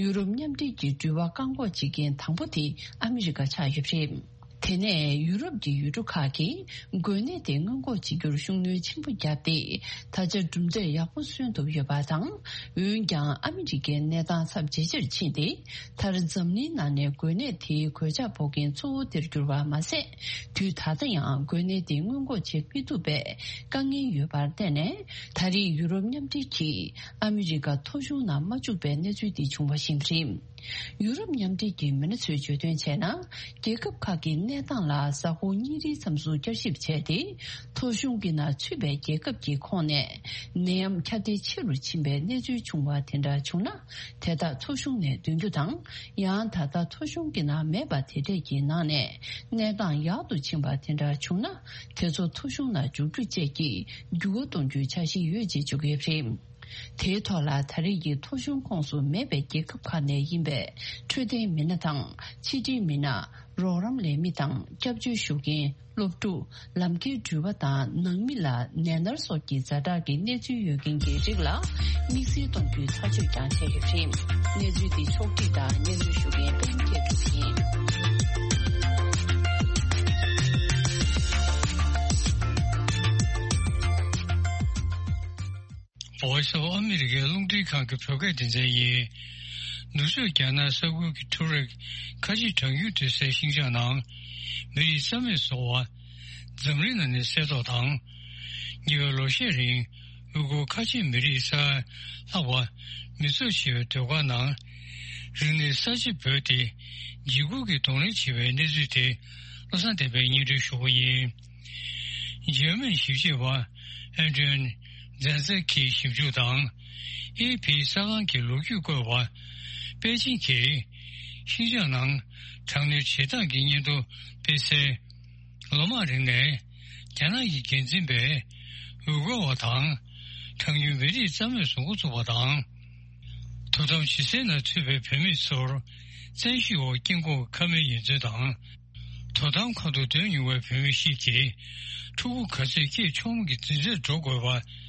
ཡུ་རོབ་མཉམ་འབྲེལ་གྱི་འགྲུལ་པ་བཀག་འགོག་བྱེད་མཁན་དང་པོ་དེ་ཨ་མི་རི་ཀ་ཆགས་ཡོད་པ་རེད། དེ་ནས་ཡུ་རོབ་ཀྱི་ཡུལ་གྲུ་ཁག་གིས་འགོས་ནད་དེ་སྔོན་འགོག་བྱེད་རྒྱུར་ཤུགས་སྣོན་ཆེན་པོ་བརྒྱབ་སྟེ། ད་ཆ་གྲུབ་འབྲས་ཡག་པོ་སོན་ཐུབ་ཡོད་པ་དང་། འོན་ཀྱང་ཨ་མི་རི་ཀའི་གནས་སྟངས་ཚབས་ཇེ་ཆེར་ཕྱིན་ཏེ། མཐར་འཛམ་གླིང་ནང་ནས་འགོས་ནད་དེའི་གོད་ཆག་ཕོག་མཁན་གཙོ་བོ་དེར་གྱུར་བ་མ་ཟད། དུས་ད་ལྟ་ཡང་འགོས་ནད་དེ་སྔོན་འགོག་བྱེད་མི་ཐུབ་པའི་དཀའ་ངལ་ཡོད་པར་བརྟེན་ནས། ད་རེས་ཡུ་རོབ་མཉམ་འབྲེལ་གྱིས་ཨ་མི་རི་ཀ་ཐོ་གཞུང་ནང་མ་བཅུག་པའི་གནས་ཚུལ་འདི་བྱུང་བ་ཞིག་རེད། ཡུ་རོབ་མཉམ་འབྲེལ་གྱི་མི་སྣ་ཚོས་བརྗོད་དོན་བྱས་ན། རྒྱལ་ཁབ་ཁག་གི་གནས་སྟངས་ལ་གཟའ་འཁོར་གཉིས་རེའི་མཚམས་སུ་བསྐྱར་ཞིབ་བྱས་ཏེ། ཐོ་གཞུང་གི་ནང་ཚུད་པའི་རྒྱལ་ཁབ་ཀྱི་ཁོངས་ནས་ནད་ཡམས་ཁྱབ་གདལ་ཆེ་རུ་ཕྱིན་པའི་གནས་ཚུལ་བྱུང་བ་དེ་འདྲ་བྱུང་ན། དེ་དག་ཐོ་གཞུང་ནས་འདོན་རྒྱུ་དང་། ཡང་ད་ལྟ་ཐོ་གཞུང་གི་ནང་མེད་པ་དེ་འདྲས་ཀྱི་ནང་ནས་གནས་སྟངས་ཡག་ཏུ་ཕྱིན་པ་དེ་འདྲ་བྱུང་ན། དེ་ཚོ་ཐོ་གཞུང་ནང་འཇུག་རྒྱུ་བཅས་ཀྱི་འགྱུར་བ་གཏོང་རྒྱུའི་འཆར་གཞི་ཡོད་ཅེས་བརྗོད་ཀྱི་ཡོད་པ་རེད། དེའི་ཐོག་ལ་ད་རེས་ཀྱི་ཐོ་གཞུང་ཁོངས་སུ་མེད་པའི་རྒྱལ་ཁབ་ཁག་ནས་ཡིན་པའི་འཕྲོད་བསྟེན་མི་སྣ་དང་ཕྱི་འབྲེལ་མི་སྣ། རོགས་རམ་ལས་མི་དང་སྐྱབས་བཅོལ་ཞུ་མཁན། སློབ་ཕྲུག་ལམ་ཁའི་འགྲུལ་པ་དང་ནང་མི་ལ་ནད་མནར་སོགས་ཀྱི་ཛ་དྲག་གི་གནས་ཚུལ་ཡོད་མཁན་གྱི་རིགས་ལ་དམིགས་བསལ་གཏོང་རྒྱུའི་ཐག་གཅོད་ཀྱང་བྱས་ཡོད་པ་རེད། གནས་ཚུལ་འདི་ཕྱོགས་སྒྲིག་དང་སྙན་སྒྲོན་ཞུ་མཁན་པད་མ་སྐྱིད་གྲོགས་ཡིན། Voice of America རླུང་འཕྲིན་ཁང་གི་བོད་སྐད་སྡེ་ཚན་ཡིན། ནུབ་ཕྱོགས་རྒྱ་ནག་ས་ཁུལ་གྱི་ཁྲོ་ར་ཁ་ཆེ་གྲང་རྒྱུན་སྡོད་སའི་ཤིང་ཅང་ནང་མི་རིགས་རྩ་མེད་བཟོ་བ། འཛམ་གླིང་ནང་ནས་གསལ་ཐོག་དང་། ཉེ་བའི་ལོ་ཤས་རིང་། ཡུ་གུར་ཁ་ཆེ་མི་རིགས་ས་ལྷག་པ་མི་གཙོ་ཆེ་བའི་སྡོད་སྒར་ནང་། རིག་གནས་གསར་བརྗེ་བོད་དེ་འཇིགས་སྐུལ་གྱི་གདོང་ལེན་བྱེད་པའི་གནས་ཚུལ་དེ་བློ་བཟང་བསྟན་པས་སྙན་སྒྲོན་ཞུ་གི་ཡིན། འཇར་མན་ཞིབ་དཔྱོད་པ་ཨན་ཏོན་ཛན་ཛེ་གིས་ཞིབ་འཇུག་དང་། ཨེ་ཕི་གསར་ཁང་གི་ལོ་རྒྱུས་བཀོད་པ་པེ་ཅིན་གྱིས་ཤིན་ཅང་ནང་དྲག་གནོན་བྱེད་སྟངས་ཀྱི་སྙན་ཐོ་སྤེལ་སའི་ལོ་མང་རིང་ནས་རྒྱ་ནག་གི་འགན་འཛིན་པས་འུར་སྒོར་བ་དང་གྲངས་ཉུང་མི་རིགས་རྩ་མེད་བཟོ་འགོ་བཙུགས་པ་དང་། དོ་དམ་བྱེད་སའི་ནང་ཚུད་པའི་བོད་མི་ཚོར་བཙན་ཤེད་འོག་སྐྱེ་འགོག་ཁབ་སྨན་ཡོན་ཚད་དང་། དོ་དམ་ཁང་དུ་སྡོད་མྱོང་བའི་བོད་མི་ཞིག་གིས་ཕྲུ་གུ་ག་ཚོད་སྐྱེས་ཆོག་མིན་གྱི་འཛིན་གྲྭར་འགྲོ་དགོས་པ།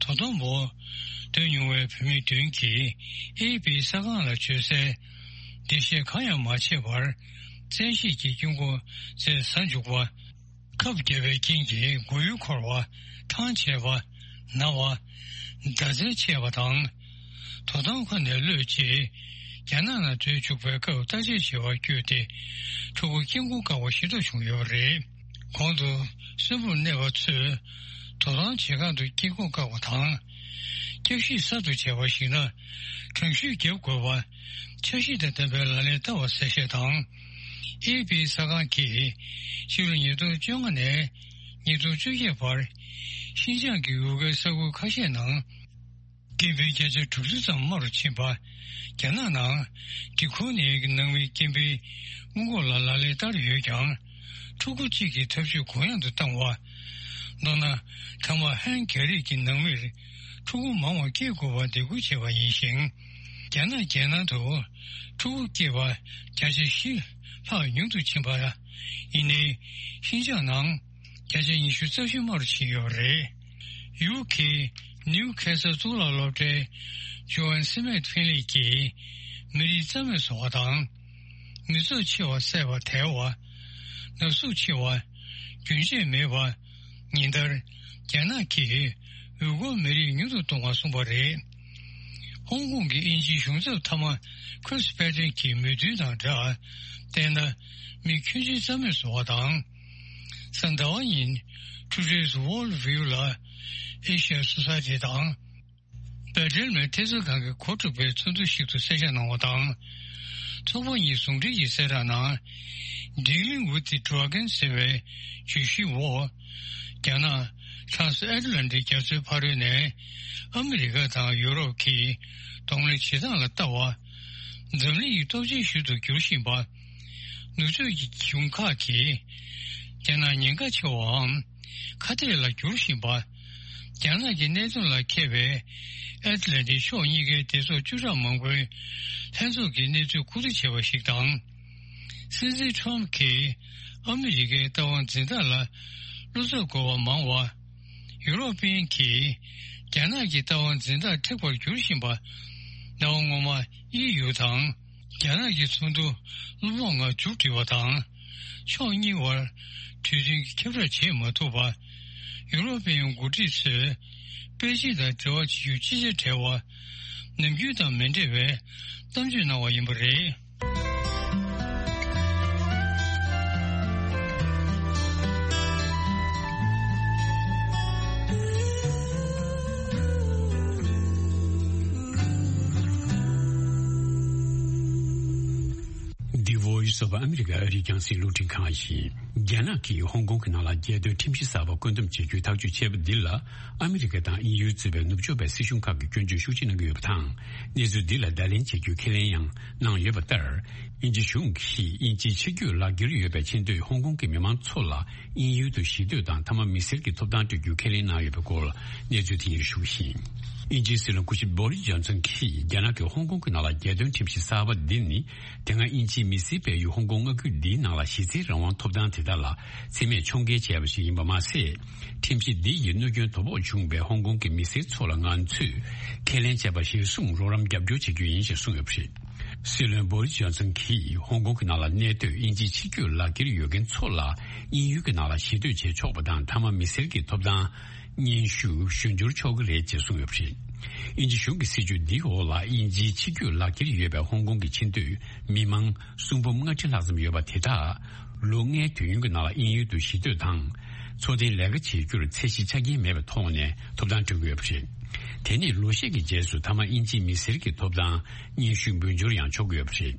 དོ་དམ་འོག་སྡོད་མྱོང་བའི་བོད་མི་བདུན་གྱིས་ཨེ་ཕི་གསར་ཁང་ལ་བརྗོད་སའི་འགྲེལ་བཤད་གང་ཡང་མ་བྱས་པར་བཙན་ཤེད་ཀྱིས་སྐྱེ་འགོག་རྫས་ཟ་འཇུག་པ། ཁབ་བརྒྱབ་པའི་རྐྱེན་གྱིས་མགོ་ཡུ་འཁོར་བ། ཐང་ཆད་པ། ན་བ། ཟླ་མཚན་ཆད་པ་དང་། དོ་དམ་ཁང་ནས་གློད་ཅེས་ རྒྱ་ནག་ནང་སྡོད་བཅུག་པའི་སྐབས་བརྟག་དཔྱད་བྱེད་པར་བསྐྱོད་དེ། ཕྲུ་གུ་སྐྱེ་འགོག་བཀག་པ་ཤེས་རྟོགས་བྱུང་ཡོད་པ་རེད། གོང་དུ་གསོན་པོར་གནས་པ་ཚོས་དོ་དམ་བྱེད་སྒང་དུ་སྐྱེ་འགོག་བཀག་པ་དང་། བསྐྱར་ཞིབ་གསར་དུ་བྱས་པར་གཞིགས་ན། གྲངས་གཞི་བརྒྱབ་དགོས་པ། འཆར་གཞི་དང་ལྡན་པའི་ལག་ལེན་བསྟར་བ་གསལ་བཤད་དང་། ཨེ་ཕི་གསར་ཁང་གིས་ཕྱི་ལོ་ཉིས་སྟོང་བཅོ་ལྔ་ནས་ཉིས་སྟོང་བཅོ་བརྒྱད་བར་ཤིན་ཅང་གི་འུར་སྒེར་ས་ཁུལ་ཁ་ཤས་ནང་སྐྱེ་འཕེལ་བརྒྱ་ཆ་དྲུག་ཅུ་ཙམ་དམའ་རུ་ཕྱིན་པ། རྒྱ་ནག་ནང་འབྲི་གུང་ནད་ཀྱི་ནང་མིའི་སྐྱེ་འཕེལ་སྔོན་འགོག་ལ་ལག་ལེན་བསྟར་ཡོད་ཀྱང་། ཕྲུ་གུ་གཅིག་གི་འཐབ་ཇུས་གུ་ཡངས་དུ་བཏང་བ། མདོར་ན། ཐ་མག་ཧན་རྒྱ་རིགས་ཀྱི་ནང་མིར་ཕྲུ་གུ་མང་བ་སྐྱེ་དགོས་པར་འདེད་སྐུལ་བྱས་པ་ཡིན་ཞིང་། རྒྱ་ནག་རྒྱལ་ནང་དུ་ཕྲུ་གུ་སྐྱེས་པ་བརྒྱ་ཆ་བཞི་ལྷག་ཉུང་དུ་ཕྱིན་པ། ཡིན་ནའི། ཤིན་ཅང་ནང་བརྒྱ་ཆ་ཉི་ཤུ་རྩ་བཞི་དམའ་རུ་ཕྱིན་ཡོད་པ་རེད། ཡུ་ཁེ་ནིའུ་ཁེ་སལ་གཙུག་ལག་སློབ་གྲྭའི་ཇོ་ཨན་སི་མེད་ཕིན་ལི་གིས། མི་རིགས་རྩ་མེད་བཟོ་བ་དང་། མི་ཚོགས་ཆེ་བ་བསད་པ་དལ་བ། ནག་གསུག་ཆེ་བ། རྒྱུན་ཆད་མེད་པ། ཉིན་ལྟར་རྒྱ་ནག་གིས་ཡུ་གུར་མི་རིགས་ཉུང་དུ་གཏོང་བར་གསུངས་པ་རེད། ཧོང་ཀོང་གི་དབྱིན་ཇིའི་གཞུང་ཚབ་མཐའ་མ་ཁྲིས་པེ་ཏན་གྱི་མོས་མཐུན་དང་སྦྲགས། བལྟས་ན། མི་ཁྱོན་ཆེ་རྩ་མེད་བཟོ་བ་དང་། གཟའ་ཟླ་བ་ཉིན་Today's World View ལ་ཨེ་ཤ་ཡ་སོ་སའི་ཊི་དང་། འབད་བྲལ་མེད་ཐེབས་རྩ་ཁང་གིས་གོ་སྒྲིག་པའི་ཚོགས་འདུ་ཞིག་ཏུ་གསལ་བཤད་གནང་བ་དང་། ཚོགས་པ་གཉིས་ཟུང་འབྲེལ་གྱི་གསལ་བསྒྲགས་ནང་། Dealing with the Dragon ཟེར་བའི་བརྗོད་གཞིའི་འོག་རྒྱ་ནག་Trans Atlantic རྒྱ་མཚོའི་ཕ་རོལ་ནས་ཨ་མི་རི་ཀ་དང་ཡུ་རོབ་ཀྱིས་གདོང་ལེན་བྱེད་སྟངས་ལ་ལྟ་བ། འཛམ་གླིང་གི་སྟོབས་ཆེན་ཤོས་སུ་འགྱུར་བཞིན་པ། ནུབ་ཕྱོགས་ཀྱི་གཞུང་ཁག་གིས་རྒྱ་ནག་ཉེན་ཁ་ཆེ་བའམ་ཁ་གཏད་ལ་འགྱུར་བཞིན་པ། རྒྱ་ནག་གི་གནད་དོན་ལ་མཁས་པའི་ཨེ་ཏི་ལན་ཏིག་ཕྱོགས་གཉིས་ཀའི་སྡེ་ཚོགས་བཅུ་ཕྲག་མང་པོའི་ལྷན་ཚོགས་ཀྱིས་གནས་ཚུལ་གོ་བསྡུར་བྱས་པ་ཞིག་དང་། སྲིད་འཛིན་ཁྲོམ་གྱིས་ཨ་མི་རི་ཀའི་ལྟ་བ་འཛིན་སྟངས་ལ་བློ་འཚབ་དགོས་པ་མང་བ། ཡུ་རོབ་པན་གྱིས་རྒྱ་ནག་གི་ལྟ་བ་འཛིན་སྟངས་མཁྲེགས་པར་འགྱུར་བཞིན་པ། ཟླ་བ་སྔོན་མ་དབྱིན་ཡུལ་དང་རྒྱ་ནག་གི་ཚོགས་འདུ་གློ་བོགས་ངང་མཇུག་བསྒྲིལ་བ་དང་། ཕྱོགས་གཉིས་བར་གྲོས་མཐུན་གྱི་ཁྱབ་བསྒྲགས་བྱེད་མ་ཐུབ་པ། ཡུ་རོབ་པའི་འགོ་ཁྲིད་ཚོས་པེ་ཅིན་དང་འབྲེལ་བ་བྱེད་རྒྱུ་ཅི་བྱ་བྲལ་བ། ནམ་རྒྱུན་དང་མི་འདྲ་བའི་གཏམ་བརྗོད་གནང་བ་ཡིན་པ་རེད། འདི་Voice of America ཨ་རིའི་རྒྱང་སྲིང་རླུང་འཕྲིན་ཁང་ཡིན། རྒྱ་ནག་གིས་ཧོང་ཀོང་གི་ནང་ལ་རྒྱལ་དོན་ཁྲིམས་གཞི་གསར་པ་བཀོད་འདོམས་བྱེད་རྒྱུའི་ཐག་གཅོད་བྱས་པ་འདི་ལ། ཨ་མི་རི་ཀ་དང་དབྱིན་ཡུལ་གཙོས་པའི་ནུབ་ཕྱོགས་པའི་སྲིད་གཞུང་ཁག་གིས་སྐྱོན་བརྗོད་ཤུགས་ཆེ་གནང་གི་ཡོད་པ་དང་། གནས་ཚུལ་འདི་ལ་བརྡ་ལན་བྱེད་རྒྱུའི་ཁས་ལེན་ཡང་གནང་ཡོད་པ་ལྟར། དབྱིན་ཇི་གཞུང་གིས་དབྱིན་ཇིའི་ཆིབས་བསྒྱུར་ལག་འཁྱེར་ཡོད་པའི་ཆེས་མཐོའི་ཧོང་ཀོང་གི་མི་མང་ཚོ་ལ་དབྱིན་ཡུལ་དུ་གཞིས་སྡོད་དང་མཐའ་མ་མི་སེར་གྱི་ཐོབ་ཐང་སྤྲོད་རྒྱུའི་ཁས་ལེན་གནང་ཡོད་པའི་སྐོར་གནས་ཚུལ་དེ་ཡིན་ཞུ་བཞིན། དབྱིན་ཇིའི་སྲིད་བློན་སྐུ་ཞབས་བྷོ་རིས་ཇོན་སན་གྱིས་རྒྱ་ནག་གིས་ཧོང་ཀོང་གི་ནང་ལ་རྒྱལ་དོན་ཁྲིམས་གཞི་གསར་པ་འདི་ནི། དེ་སྔ་དབྱིན་ཇིའི་མི་སེར་སྤེལ་ཡུལ་ཧོང་ཀོང་མངའ་ཁུལ་འདིའི་ནང་ལ་གཞི་རྩའི་རང་དབང་ཐོབ་ཐང་དེ་དག་ལ་མཚན་སྨད་ཕྱོགས་འགལ་བྱས་པ་ཞིག་ཡིན་པ་མ་ཟད། ཁྲིམས་གཞི་འདི་ཡིས་གནོད་སྐྱོན་དོ་ཕོག་བྱུང་བའི་ཧོང་ཀོང་གི་མི་སེར་ཚོ་ལ་ང་ཚོས་ཁས་ལེན་བྱས་པ་གཞིར་བཟུང་རོགས་རམ་རྒྱབ་སྐྱོར་བྱེད་རྒྱུ་ཡིན་ཞེས་གསུངས་ཡོད་པ་རེད། སྲིད་བློན་བྷོ་རིས་ཇོན་སན་གྱིས་ཧོང་ཀོང་གི་ནང་ལ་གནས་སྡོད་དབྱིན་ཇིའི་ཆིབས་བསྒྱུར་ལག་འཁྱེར་ཡོད་མཁན་ཚོ་ལ་དབྱིན་ཡུལ་གྱི་ནང་ལ་གཞིས་སྡོད་བྱེད་ཆོག་པ་དང་མཐའ་མ་མི་སེར་གྱི་ཐོབ་ཐང་སྙན་ཞུ་ཞུ་འབྱོར་ཆོག་གི་རེད་ཅེས་གསུངས་ཡོད་པ་རེད། དབྱིན་ཇི་གཞུང་གི་སྲིད་བྱུས་འདིའི་འོག་ལ་དབྱིན་ཇིའི་ཆིབས་བསྒྱུར་ལག་འཁྱེར་ཡོད་པའི་ཧོང་ཀོང་གི་ཆེས་མཐོའི་མི་མང་སུམ་འབུམ་ལྔ་ཁྲི་ལྷག་ཙམ་ཡོད་པ་དེ་དག་ལོ་ལྔའི་དུས་ཡུན་གྱི་ནང་ལ་དབྱིན་ཡུལ་དུ་གཞིས་སྡོད་དང་འཚོ་རྟེན་ལས་ཀ་བྱེད་རྒྱུར་ཚད་གཞི་ཆ་རྐྱེན་མེད་པའི་ཐོག་ནས་ཐོབ་ཐང་སྤྲོད་ཀྱི་ཡོད་པ་རེད། དེ་ནས་ལོ་ཤས་ཀྱི་རྗེས་སུ་མཐའ་མ་དབྱིན་ཇིའི་མི་སེར་གྱི་ཐོབ་ཐང་སྙན་ཞུ་འབུལ་འབྱོར་ཡང་ཆོག་གི་ཡོད་པ་རེད།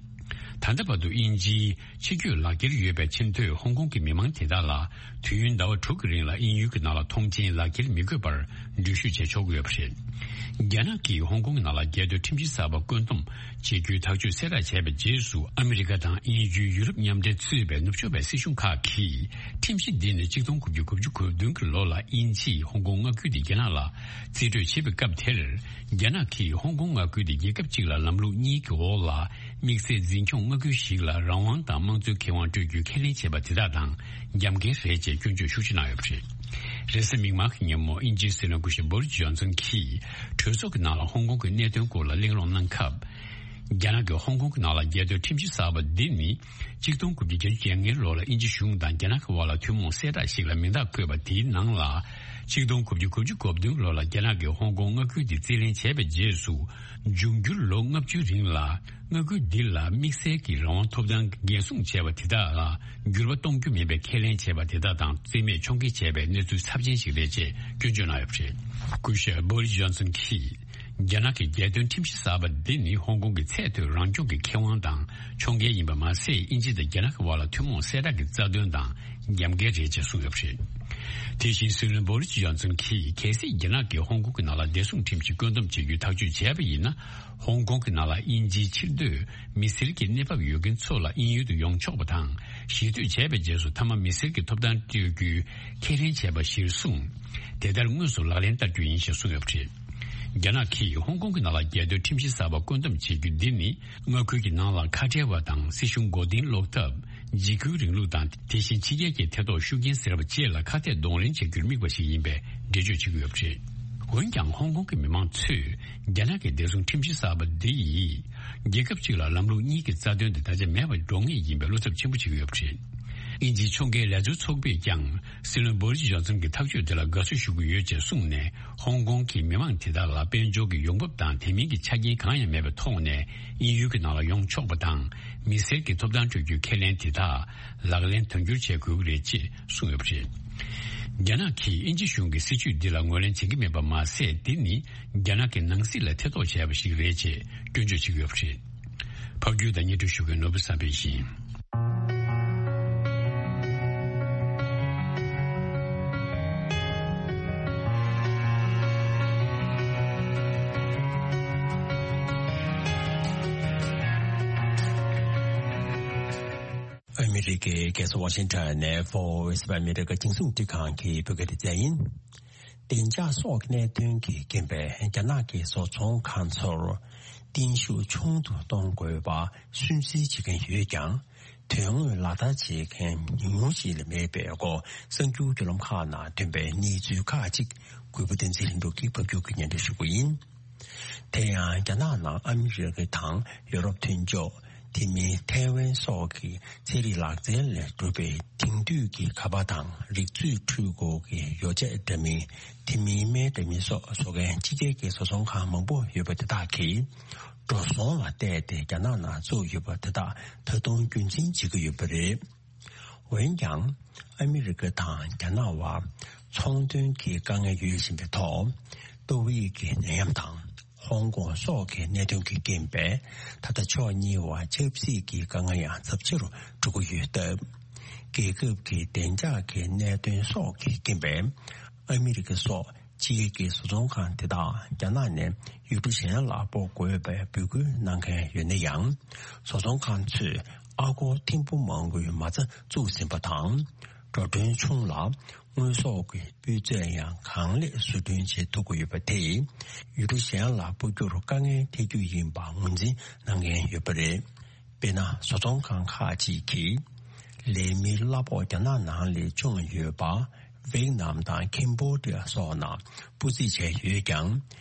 ད་ལྟ་བར་དུ་དབྱིན་ཇིའི་ཆིབས་བསྒྱུར་ལག་འཁྱེར་ཡོད་པའི་ཆེས་མཐོའི་ཧོང་ཀོང་གི་མི་མང་དེ་དག་ལ་དུས་ཡུན་ཟླ་བ་དྲུག་གི་རིང་ལ་དབྱིན་ཡུལ་གྱི་ནང་ལ་ཐོངས་མཆན་ལག་འཁྱེར་མི་དགོས་པར་འགྲུལ་བཞུད་བྱེད་ཆོག་གི་ཡོད་པ་རེད། རྒྱ་ནག་གིས་ཧོང་ཀོང་གི་ནང་ལ་རྒྱལ་དོན་ཁྲིམས་གཞི་གསར་པ་བཀོད་འདོམས་བྱེད་རྒྱུའི་ཐག་གཅོད་གསལ་བསྒྲགས་བྱས་པའི་རྗེས་སུ། ཨ་མི་རི་ཀ་དང་དབྱིན་ཇི་ཡུ་རོབ་མཉམ་འབྲེལ་གཙོས་པའི་ནུབ་ཕྱོགས་པའི་སྲིད་གཞུང་ཁག་གིས་ཁྲིམས་གཞི་འདི་ནི་གཅིག་སྟོང་དགུ་བརྒྱ་དགུ་བཅུ་གོ་བདུན་གྱི་ལོ་ལ་དབྱིན་ཇིས་ཧོང་ཀོང་མངའ་ཁུལ་དེ་རྒྱ་ནག་ལ་རྩིས་སྤྲོད་བྱེད་པའི་སྐབས་དེར། རྒྱ་ནག་གིས་ཧོང་ཀོང་མངའ་ཁུལ་དེ་རྒྱལ་ཁབ་གཅིག་ལ་ལམ་ལུགས་གཉིས་ཀྱི་འོག་ལ་དམིགས་བསལ་འཛིན་སྐྱོང་མངའ་ཁུལ་ཞིག་ལ་རང་དབང་དང་དམངས་གཙོའི་ཁེ་དབང་སྤྲོད་རྒྱུའི་ཁས་ལེན་བྱས་པ་དེ་དག་དང་རྒྱབ་འགལ་རེད་ཅེས་སྐྱོན་བརྗོད་ཤུགས་ཆེ་གནང་ཡོད་པ་རེད། རེས་གཟའ་མིག་དམར་གྱི་ཉིན་མོ་དབྱིན་ཇིའི་སྲིད་བློན་སྐུ་ཞབས་བྷོ་རིས་ཇོན་སན་གྱིས་གྲོས་ཚོགས་ཀྱི་ནང་ལ་ཧོང་ཀོང་གི་གནད་དོན་སྐོར་ལ་གླེང་སློང་གནང་སྐབས། རྒྱ་ནག་གིས་ཧོང་ཀོང་གི་ནང་ལ་རྒྱལ་དོན་ཁྲིམས་གཞི་གསར་པ་འདི་ནི། ཆིག་སྟོང་དགུ་བརྒྱ་བརྒྱད་ཅུ་གྱ་ལྔའི་ལོ་ལ་དབྱིན་ཇི་གཞུང་དང་རྒྱ་ནག་གི་དབར་ལ་ཐུན་མོང་གསལ་བསྒྲགས་ཤིག་ལ་མིང་རྟགས་བཀོད་པ་དེའི་ནང་ལ། ཆིག་སྟོང་དགུ་བརྒྱ་དགུ་བཅུ་གོ་བདུན་ལོ་ལ་རྒྱ་ནག་གིས་ཧོང་ཀོང་མངའ་ཁུལ་དེ་རྩིས་ལེན་བྱས་པའི་རྗེས་སུ། འབྱུང་འགྱུར་ལོ་ལྔ་བཅུའི་རིང་ལ། མངའ་ཁུལ་འདི་ལ་དམིགས་བསལ་གྱི་རང་དབང་ཐོབ་ཐང་འགན་སྲུང་བྱས་པ་དེ་དག་ལ་འགྱུར་བ་གཏོང་རྒྱུ་མིན་པའི་ཁས་ལེན་བྱས་པ་དེ་དག་དང་རྩིས་མེད་ཕྱོགས་འགལ་བྱས་པའི་གནས་ཚུལ་ཚབས་ཆེན་ཞིག་རེད་ཅེས་སྐྱོན་བརྗོད་གནང་ཡོད་པ་རེད། སྐུ་ཞབས་བྷོ་རིས་ཇོན་སན་གྱིས། རྒྱ་ནག་གི་རྒྱལ་དོན་ཁྲིམས་གཞི་གསར་པ་འདི་ནི་ཧོང་ཀོང་གི་ཚད་མཐོའི་རང་སྐྱོང་གི་ཁེ་དབང་དང་ཕྱོགས་འགལ་ཡིན་པ་མ་ཟད། དབྱིན་ཇི་དང་རྒྱ་ནག་གི་དབར་ལ་ཐུན་མོང་གསལ་བསྒྲགས་ཀྱི་རྩ་དོན་དང་རྒྱབ་འགལ་རེད་ཅེས་གསུངས་ཡོད་པ་རེད། དེ་བཞིན་སྲིད་བློན་བྷོ་རིས་ཇོན་སན་གྱིས། གལ་སྲིད་རྒྱ་ནག་གིས་ཧོང་ཀོང་གི་ནང་ལ་བདེ་སྲུང་ཁྲིམས་ཀྱིས་བཀོད་འདོམས་བྱེད་རྒྱུའི་ཐག་གཅོད་བྱས་པ་ཡིན་ན། ཧོང་ཀོང་གི་ནང་ལ་དབྱིན་ཇིའི་ཕྱིར་སྡོད་མི་སེར་གྱི་གནས་བབ་ཡོད་མཁན་ཚོ་ལ་དབྱིན་ཡུལ་དུ་ཡོང་ཆོག་པ་དང་། གཞིས་སྡོད་བྱས་པའི་རྗེས་སུ་མཐའ་མ་མི་སེར་གྱི་ཐོབ་ཐང་སྤྲོད་རྒྱུའི་ཁས་ལེན་བྱས་པ་གཞིར་བཟུང་། དེ་ལྟར་དངོས་སུ་ལག་ལེན་བསྟར་རྒྱུ་ཡིན་ཞེས་གསུངས་ཡོད་པ་རེད། རྒྱ་ནག་གིས་ཧོང་ཀོང་གི་ནང་ལ་རྒྱལ་དོན་ཁྲིམས་གཞི་གསར་པ་བཀོད་འདོམས་བྱེད་རྒྱུ་འདི་ནི། མངའ་ཁུལ་གྱི་ནང་ལ་ཁ་བྲལ་བ་དང་སྲིད་གཞུང་མགོ་རྟིང་སློག་ཐབས། འཇིགས་སྐུལ་རིང་ལུགས་དང་། དེ་བཞིན་ཕྱི་རྒྱལ་གྱི་ཐེ་གཏོགས་ཤུགས་རྐྱེན་ཟེར་བ་བཅས་ལ་ཁ་གཏད་གདོང་ལེན་བྱ་རྒྱུར་དམིགས་པ་ཞིག་ཡིན་པའི་འགྲེལ་བརྗོད་བྱེད་ཀྱི་ཡོད་པ་རེད། འོན་ཀྱང་ཧོང་ཀོང་གི་མི་མང་ཚོས་རྒྱ་ནག་གི་བདེ་སྲུང་ཁྲིམས་གཞི་གསར་པ་འདི་ཡིས། རྒྱལ་ཁབ་གཅིག་ལ་ལམ་ལུགས་གཉིས་ཀྱི་རྩ་དོན་དེ་ད་ཆ་མེད་པར་འགྲོ་ངེས་ཡིན་པའི་བློ་འཚབ་ཆེན་པོ་བྱེད་ཀྱི་ཡོད་པ་རེད། དབྱིན་ཇིའི་ཕྱོགས་འགལ་ལས་བཟོ་ཚོགས་པས་ཀྱང་སྲིད་བློན་བྷོ་རིས་ཇོན་སན་གྱི་ཐག་གཅོད་དེ་ལ་དགའ་བསུ་ཞུ་གི་ཡོད་ཅེས་གསུངས་ནས། ཧོང་ཀོང་གི་མི་མང་དེ་དག་ལ་དཔལ་འབྱོར་གྱི་ཡོང་འབབ་དང་དེ་མིན་གྱི་ཆ་རྐྱེན་གང་ཡང་མེད་པའི་ཐོག་ནས་དབྱིན་ཡུལ་གྱི་ནང་ལ་ཡོང་ཆོག་པ་དང་། མི་སེར་གྱི་ཐོབ་ཐང་སྤྲོད་རྒྱུའི་ཁས་ལེན་དེ་དག་ལག་ལེན་དོན་འཁྱོལ་བྱེད་དགོས་ཀྱི་རེད་ཅེས་གསུངས་ཡོད་པ་རེད། རྒྱ་ནག་གིས་དབྱིན་ཇི་གཞུང་གི་སྲིད་བྱུས་འདི་ལ་ངོས་ལེན་བྱེད་ཀྱི་མེད་པ་མ་ཟད། འདི་ནི་རྒྱ་ནག་གི་ནང་སྲིད་ལ་ཐེ་གཏོགས་བྱས་པ་ཞིག་རེད་ཅེས་སྐྱོན་བརྗོད་བྱེད་ཀྱི་ཡོད་པ་རེད། ཕབ་སྒྱུར་དང་སྙན་སྒྲོན་ཞུ་མཁན་ནོར་བུ་བསམ་འཕེལ་ཡིན། ཨ་མི་རི་ཀའི་རྒྱལ་ས་ཝ་ཤིང་ཊོན་ནས་Voice of America་རྒྱང་སྲིང་རླུང་འཕྲིན་ཁང་གི་བོད་སྐད་སྡེ་ཚན་ཡིན། བདེ་འཇགས་སོགས་ཀྱི་གནད་དོན་གྱི་རྐྱེན་པས་རྒྱ་ནག་གི་བཟོ་ཚོང་ཁང་ཚོར་བརྟན་བཞུགས་ཆུང་དུ་གཏོང་དགོས་པ་སུན་གཙེར་བྱེད་མཁན་ཡོད་ཀྱང་། དོན་དངོས་ལག་བསྟར་བྱེད་མཁན་ཉུང་ཉུང་ཞིག་ལས་མེད་པའི་སྐོར་གསར་འགྱུར་བརྒྱུད་ལམ་ཁག་ནང་ཐོན་པའི་གནས་ཚུལ་ཁག་ཅིག་གུས་པ་བསྟན་འཛིན་ལྷུན་གྲུབ་ཀྱིས་ཕབ་སྒྱུར་གྱིས་སྙན་སྒྲོན་ཞུ་གི་ཡིན། དེ་ཡང་རྒྱ་ནག་ནང་ཨ་མི་རི་ཀ་དང་ཡོ་རོབ་མཐུན་ཕྱོགས། དེ་མིན་ཐའེ་ཝན་སོགས་ཀྱི་ཚན་རིག་ལག་རྩལ་ལས་གྲུབ་པའི་དེང་དུས་ཀྱི་ཁ་པར་དང་རིག་མཛོད་འཕྲུལ་འཁོར་གྱི་ཡོ་བྱད་འདྲ་མིན། དེ་མིན་སྨན་འདྲ་མིན་སོགས་བཟོ་མཁན་ཕྱི་རྒྱལ་གྱི་བཟོ་ཚོང་ཁང་མང་པོ་ཡོད་པ་དེ་དག་གིས་འགྲོ་སོང་ལ་བལྟས་ཏེ་རྒྱ་ནག་ནང་བཙུགས་ཡོད་པ་དེ་དག་ད་དུང་རྒྱུན་འཛིན་བྱེད་ཀྱི་ཡོད་པ་རེད། འོན་ཀྱང་། ཨ་མི་རི་ཀ་དང་རྒྱ་ནག་དབར་ཚོང་དོན་གྱི་དཀའ་ངལ་ཡོད་བཞིན་པའི་ཐོག་ཏོག་དབྱིབས་ཀྱི་ནད་ཡམས་དང་ཧོང་ཀོང་སོགས་ཀྱི་གནད་དོན་གྱི་རྐྱེན་པས་ད་ལྟ་ཕྱོགས་གཉིས་བར་ཆབ་སྲིད་ཀྱི་དཀའ་ངལ་ཡང་ཚབས་ཆེ་རུ་འགྲོ་གི་ཡོད་སྟབས། རྒྱལ་ཁབ་ཀྱི་བདེ་འཇགས་ཀྱི་གནད་དོན་སོགས་ཀྱི་རྐྱེན་པས་ཨ་མི་རི་ཀ་སོགས་ཕྱི་རྒྱལ་གྱི་བཟོ་ཚོང་ཁང་དེ་དག་རྒྱ་ནག་ནས་ཡུལ་གྲུ་གཞན་ལ་སྤོ་དགོས་པའི་འབོད་སྐུལ་གནང་མཁན་ཡོད་ན་ཡང་། བཟོ་ཚོང་ཁང་ཚོས་ཨ་སྒོར་ཐེར་འབུམ་མང་པོའི་མ་རྩ་བཙུགས་ཟིན་པ་དང་། འགྲོ་གྲོན་ཆུང་ལ་དངོས་ཟོག་གི་སྤུས་ཚད་ཡང་གང་ལེགས་བཟོ་སྐྲུན་བྱེད་ཐུབ་ཀྱི་ཡོད་པ་དེས་ཡུལ་གྲུ་གཞན་ལ་སྤོ་རྒྱུར་དཀའ་ངལ་འཕྲད་རྒྱུ་ཡིན་པ་ངོས་འཛིན་གནང་མཁན་ཡོད་པ་རེད། དཔེར་ན། བཟོ་ཚོང་ཁང་ཁག་ཅིག་གིས་ལས་མིའི་གླ་ཕོགས་རྒྱ་ནག་ནང་ལས་ཆུང་ཡོད་པ། ཝེད་ནམ་དང་ཁེམ་བྷོ་ཌི་ཡ་སོགས་ནང་སྤོ་རྩིས་བྱས་ཡོད་ཀྱང་།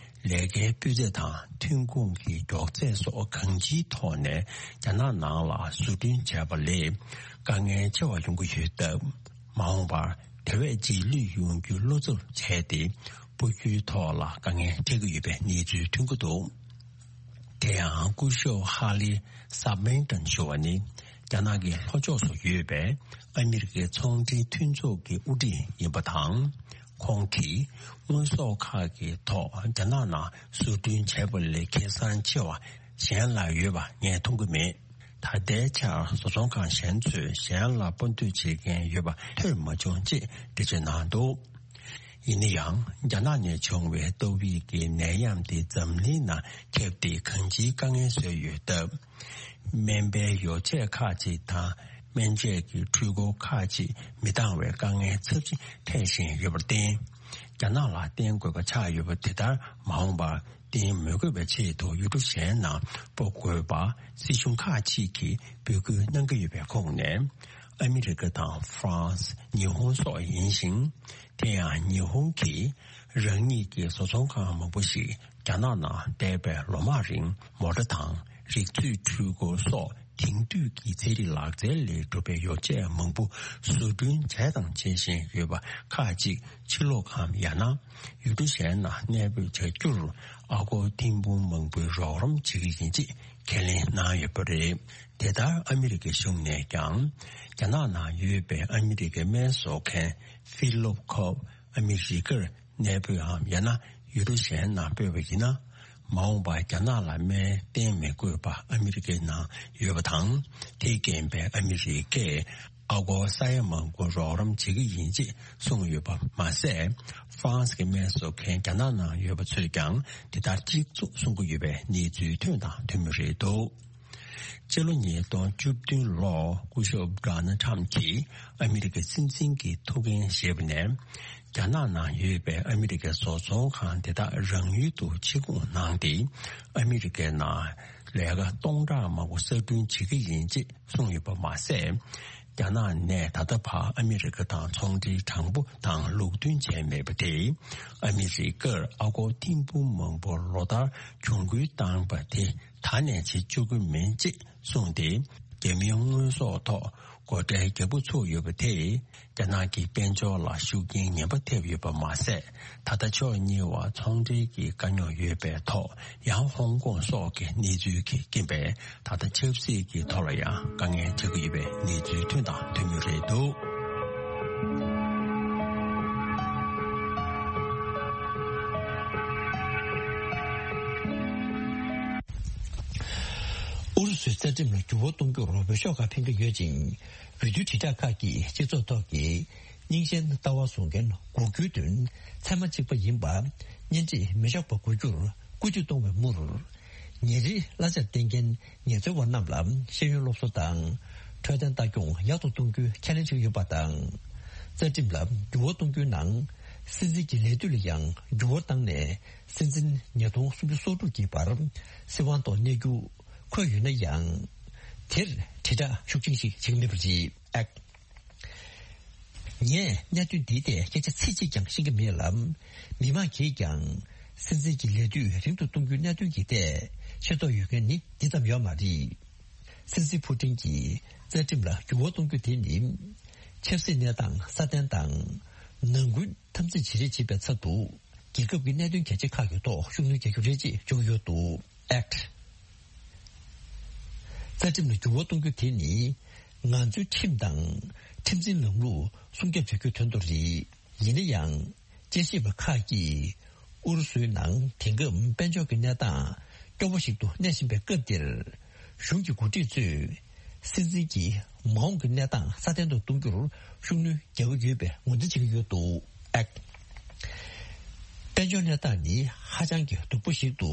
ལས་ཀའི་སྤུས་ཚད་དང་ཐོན་ཁུངས་ཀྱི་མགྱོགས་ཚད་སོགས་གང་ཅིའི་ཐོག་ནས་རྒྱ་ནག་ནང་ལ་བཟོ་སྐྲུན་བྱས་པ་ལས་དཀའ་ངལ་ཆེ་བ་ཡོང་གི་ཡོད་སྟབས། མ་འོངས་པར་དེ་བས་རྗེས་ལུས་ཡོང་རྒྱུའི་བློ་འཚབ་བྱས་ཏེ། སྤོ་རྒྱུའི་ཐོག་ལ་དཀའ་ངལ་འཕྲད་ཀྱི་ཡོད་པའི་གནས་ཚུལ་ཐོན་གྱི་འདུག་དེ་ཡང་སྐུ་ཞབས་ཧ་ལི་སབ་མེན་ཏན་ཞུ་བ་ནི། རྒྱ་ནག་གི་ལྷོ་ཕྱོགས་སུ་ཡོད་པའི་ཨ་མི་རི་ཀའི་ཚོང་འབྲེལ་མཐུན་ཚོགས་ཀྱི་དབུ་ཁྲིད་ཡིན་པ་དང་། ཁོང་གིས་དངོས་ཟོག་ཁག་གི་ཐོག་རྒྱ་ནག་ནང་བཟོ་སྐྲུན་བྱས་པ་ལས་ཁེ་བཟང་ཆེ་བ་གཞན་ལ་ཡོད་པ་ངས་མཐོང་གི་མེད། ད་ལྟའི་ཆར་བཟོ་ཚོང་ཁང་གཞན་ཚོས་གཞན་ལ་སྤོ་འདོད་བྱེད་མཁན་ཡོད་པ་ཐོས་མ་བྱུང་ཅེས་འགྲེལ་བརྗོད་གནང་འདུག་ཡིན་ན་ཡང་། རྒྱ་ནག་ནས་བྱུང་བའི་ཏོག་དབྱིབས་ཀྱི་ནད་ཡམས་དེ་འཛམ་གླིང་ནང་ཁྱབ་སྟེ་གང་ཅིའི་དཀའ་ངལ་བཟོས་ཡོད་སྟབས། སྨན་པའི་ཡོ་བྱད་ཁག་ཅིག་དང་སྨན་དཔྱད་ཀྱི་འཕྲུལ་འཁོར་ཁག་ཅིག་མི་འདང་བའི་དཀའ་ངལ་ཚབས་ཆེན་འཕྲད་བཞིན་ཡོད་པར་བརྟེན། རྒྱ་ནག་ལ་བརྟེན་དགོས་པ་ཆགས་ཡོད་པ་དེ་ལྟར་མ་འོངས་པར་བརྟེན་མི་དགོས་པའི་ཆེད་དུ་ཡུལ་གྲུ་གཞན་ནང་སྤོ་དགོས་པ་སྲིད་གཞུང་ཁག་ཅིག་གིས་འབོད་སྐུལ་གནང་གི་ཡོད་པའི་ཁོངས་ནས། ཨ་མི་རི་ཀ་དང་ཧྥ་རན་སི། ཉི་ཧོང་སོགས་ཡིན་ཞིང་། དེ་ཡང་ཉི་ཧོང་གིས་རང་ཉིད་ཀྱི་བཟོ་ཚོང་ཁང་མང་པོ་ཞིག་ རྒྱ་ནག་ནང་འདས་པའི་ལོ་མང་རིང་མོ་ཊ་དང་རིག་མཛོད་འཕྲུལ་འཁོར་སོགས་དེང་དུས་ཀྱི་ཚན་རིག་ལག་རྩལ་ལས་གྲུབ་པའི་ཡོ་བྱད་མང་པོ་བཟོ་སྐྲུན་བྱས་དང་བྱེད་བཞིན་ཡོད་པ་ཁག་ཅིག་ཕྱི་ལོགས་གམ་ཡང་ན་ཡུལ་གྲུ་གཞན་ནང་གནས་སྤོས་བྱ་རྒྱུར་ཨ་སྒོར་ཐེར་འབུམ་མང་པོའི་རོགས་རམ་བྱེད་ཀྱི་ཡིན་ཅེས་ཁས་ལེན་གནང་ཡོད་པ་རེད། དེ་ལྟར་ཨ་མི་རི་ཀའི་གཞུང་ནས་ཀྱང་རྒྱ་ནག་ནང་ཡོད་པའི་ཨ་མི་རི་ཀའི་སྨན་བཟོ་མཁན་ཕི་ལོབ་ཁོབ་ཨ་མི་རི་ཀར་གནས་སྤོས་འམ་ཡང་ན་ཡུལ་གྲུ་གཞན་ནང་སྤོས་པ་ཡིན་ན། མ་འོངས་པར་རྒྱ་ནག་ལ་སྨན་བསྟེན་མི་དགོས་པ་ཨ་མི་རི་ཀའི་ནང་ཡོད་པ་དང་། དེས་རྐྱེན་པས་ཨ་མི་རི་ཀས་ཨ་སྒོར་ས་ཡ་མང་པོ་རོགས་རམ་བྱེད་ཀྱི་ཡིན་ཅེས་གསུངས་ཡོད་པ་མ་ཟད། ཧྥ་རན་སི་གི་སྨན་བཟོ་མཁན་རྒྱ་ནག་ནང་ཡོད་པ་ཚོས་ཀྱང་དེ་ལྟར་གཅིག་མཚུངས་གསུང་གི་ཡོད་པའི་གནས་ཚུལ་ཐོན་དང་ཐོན་མུས་རེད་འདུག་སྤྱི་ལོ་ཉིས་སྟོང་བཅུ་བདུན་ལོར་སྐུ་ཞབས་ཌོ་ནལ་ཊམ་གྱིས་ཨ་མི་རི་ཀའི་སྲིད་འཛིན་གྱི་ཐུགས་འགན་བཞེས་པ་ནས། རྒྱ་ནག་ནང་ཡོད་པའི་ཨ་མི་རི་ཀའི་བཟོ་ཚོང་ཁང་དེ་དག་རང་ཡུལ་དུ་ཕྱིར་འབུད་གནང་སྟེ། ཨ་མི་རི་ཀའི་ནང་ལས་ཀ་སྟོང་ཕྲག་མང་པོ་གསར་སྐྲུན་བྱེད་ཀྱི་ཡིན་ཅེས་གསུངས་ཡོད་པ་མ་ཟད། རྒྱ་ནག་ནས་ད་ལྟ་བར་ཨ་མི་རི་ཀ་དང་ཚོང་འབྲེལ་དྲང་པོ་དང་ལུགས་མཐུན་བྱས་མེད་པ་དེས། ཨ་མི་རི་ཀར་ཨ་སྒོར་ཐེར་འབུམ་མང་པོ་ལོ་ལྟར་གྱོང་གུན་བཏང་པ་དེ་ད་ནས་བྱེད་བཅུག་གི་མིན་ཅེས་གསུངས་ཏེ། རྒྱ་མིའི་དངོས་ཟོག་ཐོག་སྒོ་ཁྲལ་རྒྱག་འགོ་ཚུགས་ཡོད་པ་དེས། རྒྱ་ནག་གི་དཔལ་འབྱོར་ལ་ཤུགས་རྐྱེན་ངན་པ་ཐེབས་ཡོད་པ་མ་ཟད། ད་ལྟ་ཕྱོགས་གཉིས་བར་ཚོང་འབྲེལ་གྱི་དཀའ་རྙོག་ཡོད་པའི་ཐོག་ཡང་ཧོང་ཀོང་སོགས་ཀྱི་གནས་ཚུལ་གྱི་རྐྱེན་པས། ད་ལྟ་ཆབ་སྲིད་ཀྱི་ཐོག་ལ་ཡང་དཀའ་ངལ་འཕྲད་ཀྱི་ཡོད་པའི་གནས་ཚུལ་ཐོན་དང་ཐོན་མུས་རེད་འདུག་ཨུ་རུ་སུའི་རྩ་ཁྲིམས་ལ་འགྱུར་བ་གཏོང་རྒྱུར་འོས་ཤོག་ཁག་འཕེན་གྱི་ཡོད་ཅིང་། འོས་བསྡུ་དྲིལ་བསྒྲགས་ཁག་གིས་སྤྱི་ཚོགས་ཐོག་གི་རྙིང་ཞེན་ལྟ་བ་བཟུང་མཁན་དགུ་བཅུའི་དོན་ཚད་མ་གཅིག་པ་ཡིན་པ་གཉེན་སྒྲིག་མི་ཆོག་པ་དགུ་བཅུར་བཀོད་སྒྲིག་གཏོང་བའི་མུར། ཉིན་རེའི་གླ་ཆ་བསྟེན་མཁན་ངལ་རྩོལ་བ་རྣམས་ལ་ཤེས་ཡོན་སློབ་གསོ་དང་འཕྲོད་བསྟེན་ལྟ་སྐྱོང་ཡག་ཏུ་གཏོང་རྒྱུའི་ཁས་ལེན་བྱེད་ཀྱི་ཡོད་པ་དང་། རྩ་ཁྲིམས་ལ་འགྱུར་བ་གཏོང་རྒྱུའི་ནང་སྲིད་འཛིན་གྱི་ལས་དུས་ལ་ཡང་འགྱུར་བ་བཏང་ནས་སྲིད་འཛིན་ཉིས་སྟོང་སུམ་ཅུ་སོ་དྲུག་གི་བར་སྲིད་དབང་ཐོག་གནས་རྒྱུ་འཁོད་ཡོད་ན་ཡང་། དེར་དྲིལ་བསྒྲགས་ཤུགས་ཆེན་ཞིག་བྱེད་ཀྱི་མེད་པ་རེད། ངས་གནད་དོན་འདིའི་ཐད་སྐད་ཆ་ཚིག་གཅིག་ཀྱང་ཤེས་ཀྱི་མེད་ལ། མི་མང་གིས་ཀྱང་སྲིད་འཛིན་གྱི་ལས་དུས་རིང་དུ་གཏོང་རྒྱུའི་གནད་དོན་གྱི་ཐད་ཤེས་རྟོགས་ཡོད་མཁན་ནི་འདི་ཙམ་ཡོད་མ་རེད། སྲིད་འཛིན་ཕུ་ཏིན་གྱིས་རྩ་ཁྲིམས་ལ་འགྱུར་བ་གཏོང་རྒྱུ་དེ་ནི། ཆབ་སྲིད་གནས་སྟངས་སྲ་བརྟན་དང་། ནང་ཁུལ་འཐབ་འཛིང་བྱེད་རེས་བྱེད་པའི་ཚབ་ཏུ། རྒྱལ་ཁབ་ཀྱི་གནད་དོན་གལ་ཆེ་ཁག་གི་ཐོག་ཤུགས་སྣོན་རྒྱག་རྒྱུ་རེད་ཅེས་བརྗོད་ཀྱི་ཡོད་འདུག་ཨེཀ་ཊི། རྩ་ཁྲིམས་ལ་འགྱུར་བ་གཏོང་རྒྱུ་དེ་ནི། ང་ཚོའི་ཁྲིམས་དང་། ཁྲིམས་འཛིན་ལམ་ལུགས་སྲུང་སྐྱོབ་བྱ་རྒྱུའི་དོན་དུ་རེད། ཡིན་ན་ཡང་། དཔྱད་ཞིབ་པ་ཁག་གིས། ཨུ་རུ་སུའི་ནང་དེང་སྐབས་དཔལ་འབྱོར་གྱི་གནས་སྟངས་སྐྱོ་བོ་ཞིག་ཏུ་གནས་བཞིན་པའི་སྐབས་འདིར། གཞུང་གི་འགོ་ཁྲིད་ཚོས། སྲིད་འཛིན་གྱིས་མ་འོངས་ཀྱི་གནས་སྟངས་སྲ་བརྟན་དུ་གཏོང་རྒྱུར་ཤུགས་སྣོན་རྒྱག་གི་ཡོད་པའི་ངོས་འཛིན་བྱེད་ཀྱི་ཡོད་འདུག་ཨེཀ་ཊི། དཔལ་འབྱོར་གནས་སྟངས་ནི་ཧ་ཅང་གི་སྡུག་པོ་ཞིག་ཏུ་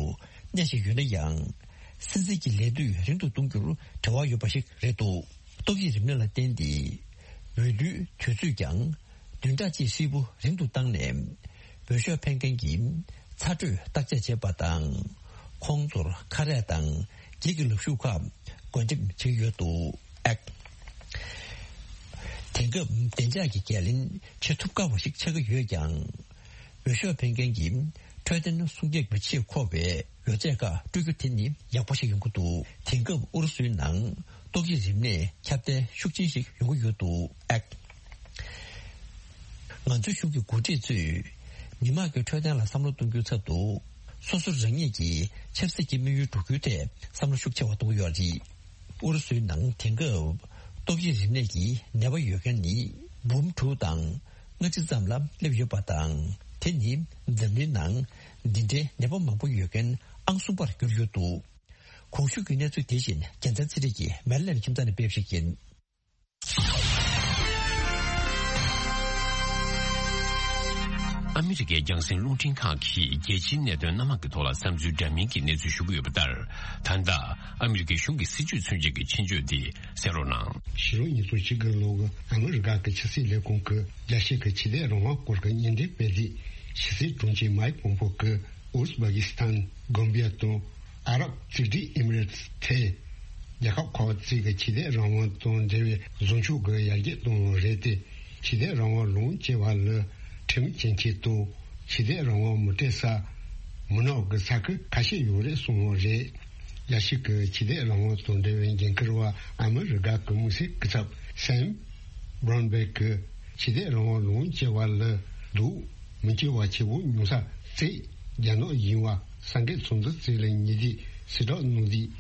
གནས་བཞིན་ཡོད་ན་ཡང་། སྲིད་འཛིན་གྱི་ལས་དུས་རིང་དུ་གཏོང་རྒྱུར་འབྲེལ་བ་ཡོད་པ་ཞིག་རེད་འདུག་ཏོག་དབྱིབས་རིམས་ནད་ལ་བརྟེན་ཏེ། འོས་བསྡུའི་དུས་ཚོད་ཀྱང་བདུན་ཕྲག་གཅིག་ཧྲིལ་པོ་རིང་དུ་བཏང་ནས། འོས་ཤོག་འཕེན་མཁན་གྱི་ཚ་དྲོད་བརྟག་དཔྱད་བྱེད་པ་དང་། ཁོང་ཚོར་ཁ་རས་དང་འགྱིག་གི་ལག་ཤུབས་ཁག་བགོ་འགྲེམས་བྱེད་ཀྱི་ཡོད་འདུག་ཨེཀ་ཊི། དེང་སྐབས་བདེ་འཇགས་ཀྱི་འགན་ལེན་བྱེད་ཐུབ་དཀའ་བ་ཞིག་ཆགས་ཀྱི་ཡོད་ཀྱང་། འོས་ཤོག་འཕེན་མཁན་གྱི་འཕྲོད་བསྟེན་སྲུང་སྐྱོབ་ཀྱི་ཆེད་མཁོ་བའི་ཡོ་བྱད་ཁག་སྤྲོད་རྒྱུ་དེ་ནི་ཡག་པོ་ཞིག་ཡོང་གི་འདུག་དེང་སྐབས་ཨུ་རུ་སུའི་ནང་ཏོག་དབྱིབས་རིམས་ནད་ཁྱབ་གདལ་ཤུགས་ཆེན་ཞིག་ཡོང་གི་ཡོད་འདུག་ཨེཀ་ཊི། ང་ཚོའི་གཞུང་གི་འགོ་ཁྲིད་ཚོས་མི་དམངས་ཀྱི་འཕྲོད་བསྟེན་ལ་བསམ་བློ་གཏོང་རྒྱུའི་ཚབ་ཏུ། སོ་སོ་རང་ཉིད་ཀྱི་ཆབ་སྲིད་ཀྱི་དམིགས་ཡུལ་འགྲུབ་རྒྱུའི་ཐད་བསམ་བློ་ཤུགས་ཆེ་བ་གཏོང་གི་ཡོད་རེད། ཨུ་རུ་སུའི་ནང་དེང་སྐབས་ཏོག་དབྱིབས་རིམས་ནད་ཀྱི་ནད་པ་ཡོད་མཁན་ནི་འབུམ་དྲུག་དང་ལྔ་བཅུ་ཙམ་ལ་སླེབས་ཡོད་པ་དང་། དེ་ནི་འཛམ་གླིང་ནང་འདི་འདྲའི་ནད་པ་མང་པོ་ཡོད་མཁན་ཨང་གསུམ་པར་གྱུར་ཡོད་འདུག་གོང་ཞུས་ཀྱི་གནས་ཚུལ་དེ་བཞིན་རྒྱལ་མཚན་ཚེ་རིང་གིས་མེ་རི་ལན་ཁྱིམ་ཚང་ནས་སྤེལ་བ་ཞིག་ཡིན། ཨ་མི་རི་ཀའི་རྒྱང་སྲིང་རླུང་འཕྲིན་ཁང་གིས་རྒྱལ་སྤྱིའི་གནད་དོན་སྣ་མང་གི་ཐོག་ལ་བསམ་ཚུལ་འདྲ་མིན་གྱི་གནས་ཚུལ་ཞུ་གི་ཡོད་པ་ལྟར། ད་ལྟ་ཨ་མི་རི་ཀའི་གཞུང་གི་སྲིད་བྱུས་མཚོན་བྱེད་ཀྱི་ཆེད་བརྗོད་འདི་གསན་རོགས་གནང་། ཕྱི་ལོ་ཉིས་སྟོང་བཅུ་དགུ་ལོར་ཨ་མི་རི་ཀ་གི་ཕྱི་སྲིད་ལས་ཁུངས་ཀྱིས་རྒྱལ་སྤྱི་གི་ཆོས་དད་རང་དབང་སྐོར་གྱི་སྙན་སྒྲོན་སྤེལ་དུས། ཕྱི་སྲིད་དྲུང་ཆེ་མའིག་པོམ་པོ་གིས་ཨུ་ཟ་བྷ་གི་སི་ཐན། གོམ་བྷི་ཡ་དང་། ཨ་རབ་གཅིག་སྒྲིལ་ཨི་མི་རེ་ཏི་ཐེ། རྒྱལ་ཁབ་ཁག་ཅིག་གི་ཆོས་དད་རང་དབང་དང་འབྲེལ་བའི་བཟོ་ཆོས་ཀྱི་ཡར་རྒྱས་གཏོང་བ་རེད་དེ། ཆོས་དད་རང་དབང་ལོངས་སྤྱོད་པ་ལ་ཁྲིམས་འགལ་ཆེད་དུ་ཆོས་དད་རང་དབང་མི་སྤྲད་ས། མུན་ནག་གི་ས་ཁུལ་ཁ་ཤས་ཡོད་རེད་གསུངས་པ་རེད། རྒྱལ་སྤྱི་གི་ཆོས་དད་རང་དབང་དང་འབྲེལ་བའི་འགན་འཁུར་བ་ཨ་མི་རི་ཀ་གི་དམིགས་བསལ་སྐུ་ཚབ་སེམ་བྷ་རོན་བྷེག་གིས་ཆོས་དད་རང་དབང་ལོངས་སྤྱད་པ་ལ་སྡུག་མི་སྐྱེ་བ་ཆེ་བོ་མྱོང་ས་བཙལ། རྒྱ་ནག་ཡིན་པ་གསར་འགོད་ཚོགས་འདུ་བཙུགས་ལ་ཉེ་དུས་གསལ་བསྒྲགས་གནང་དུས།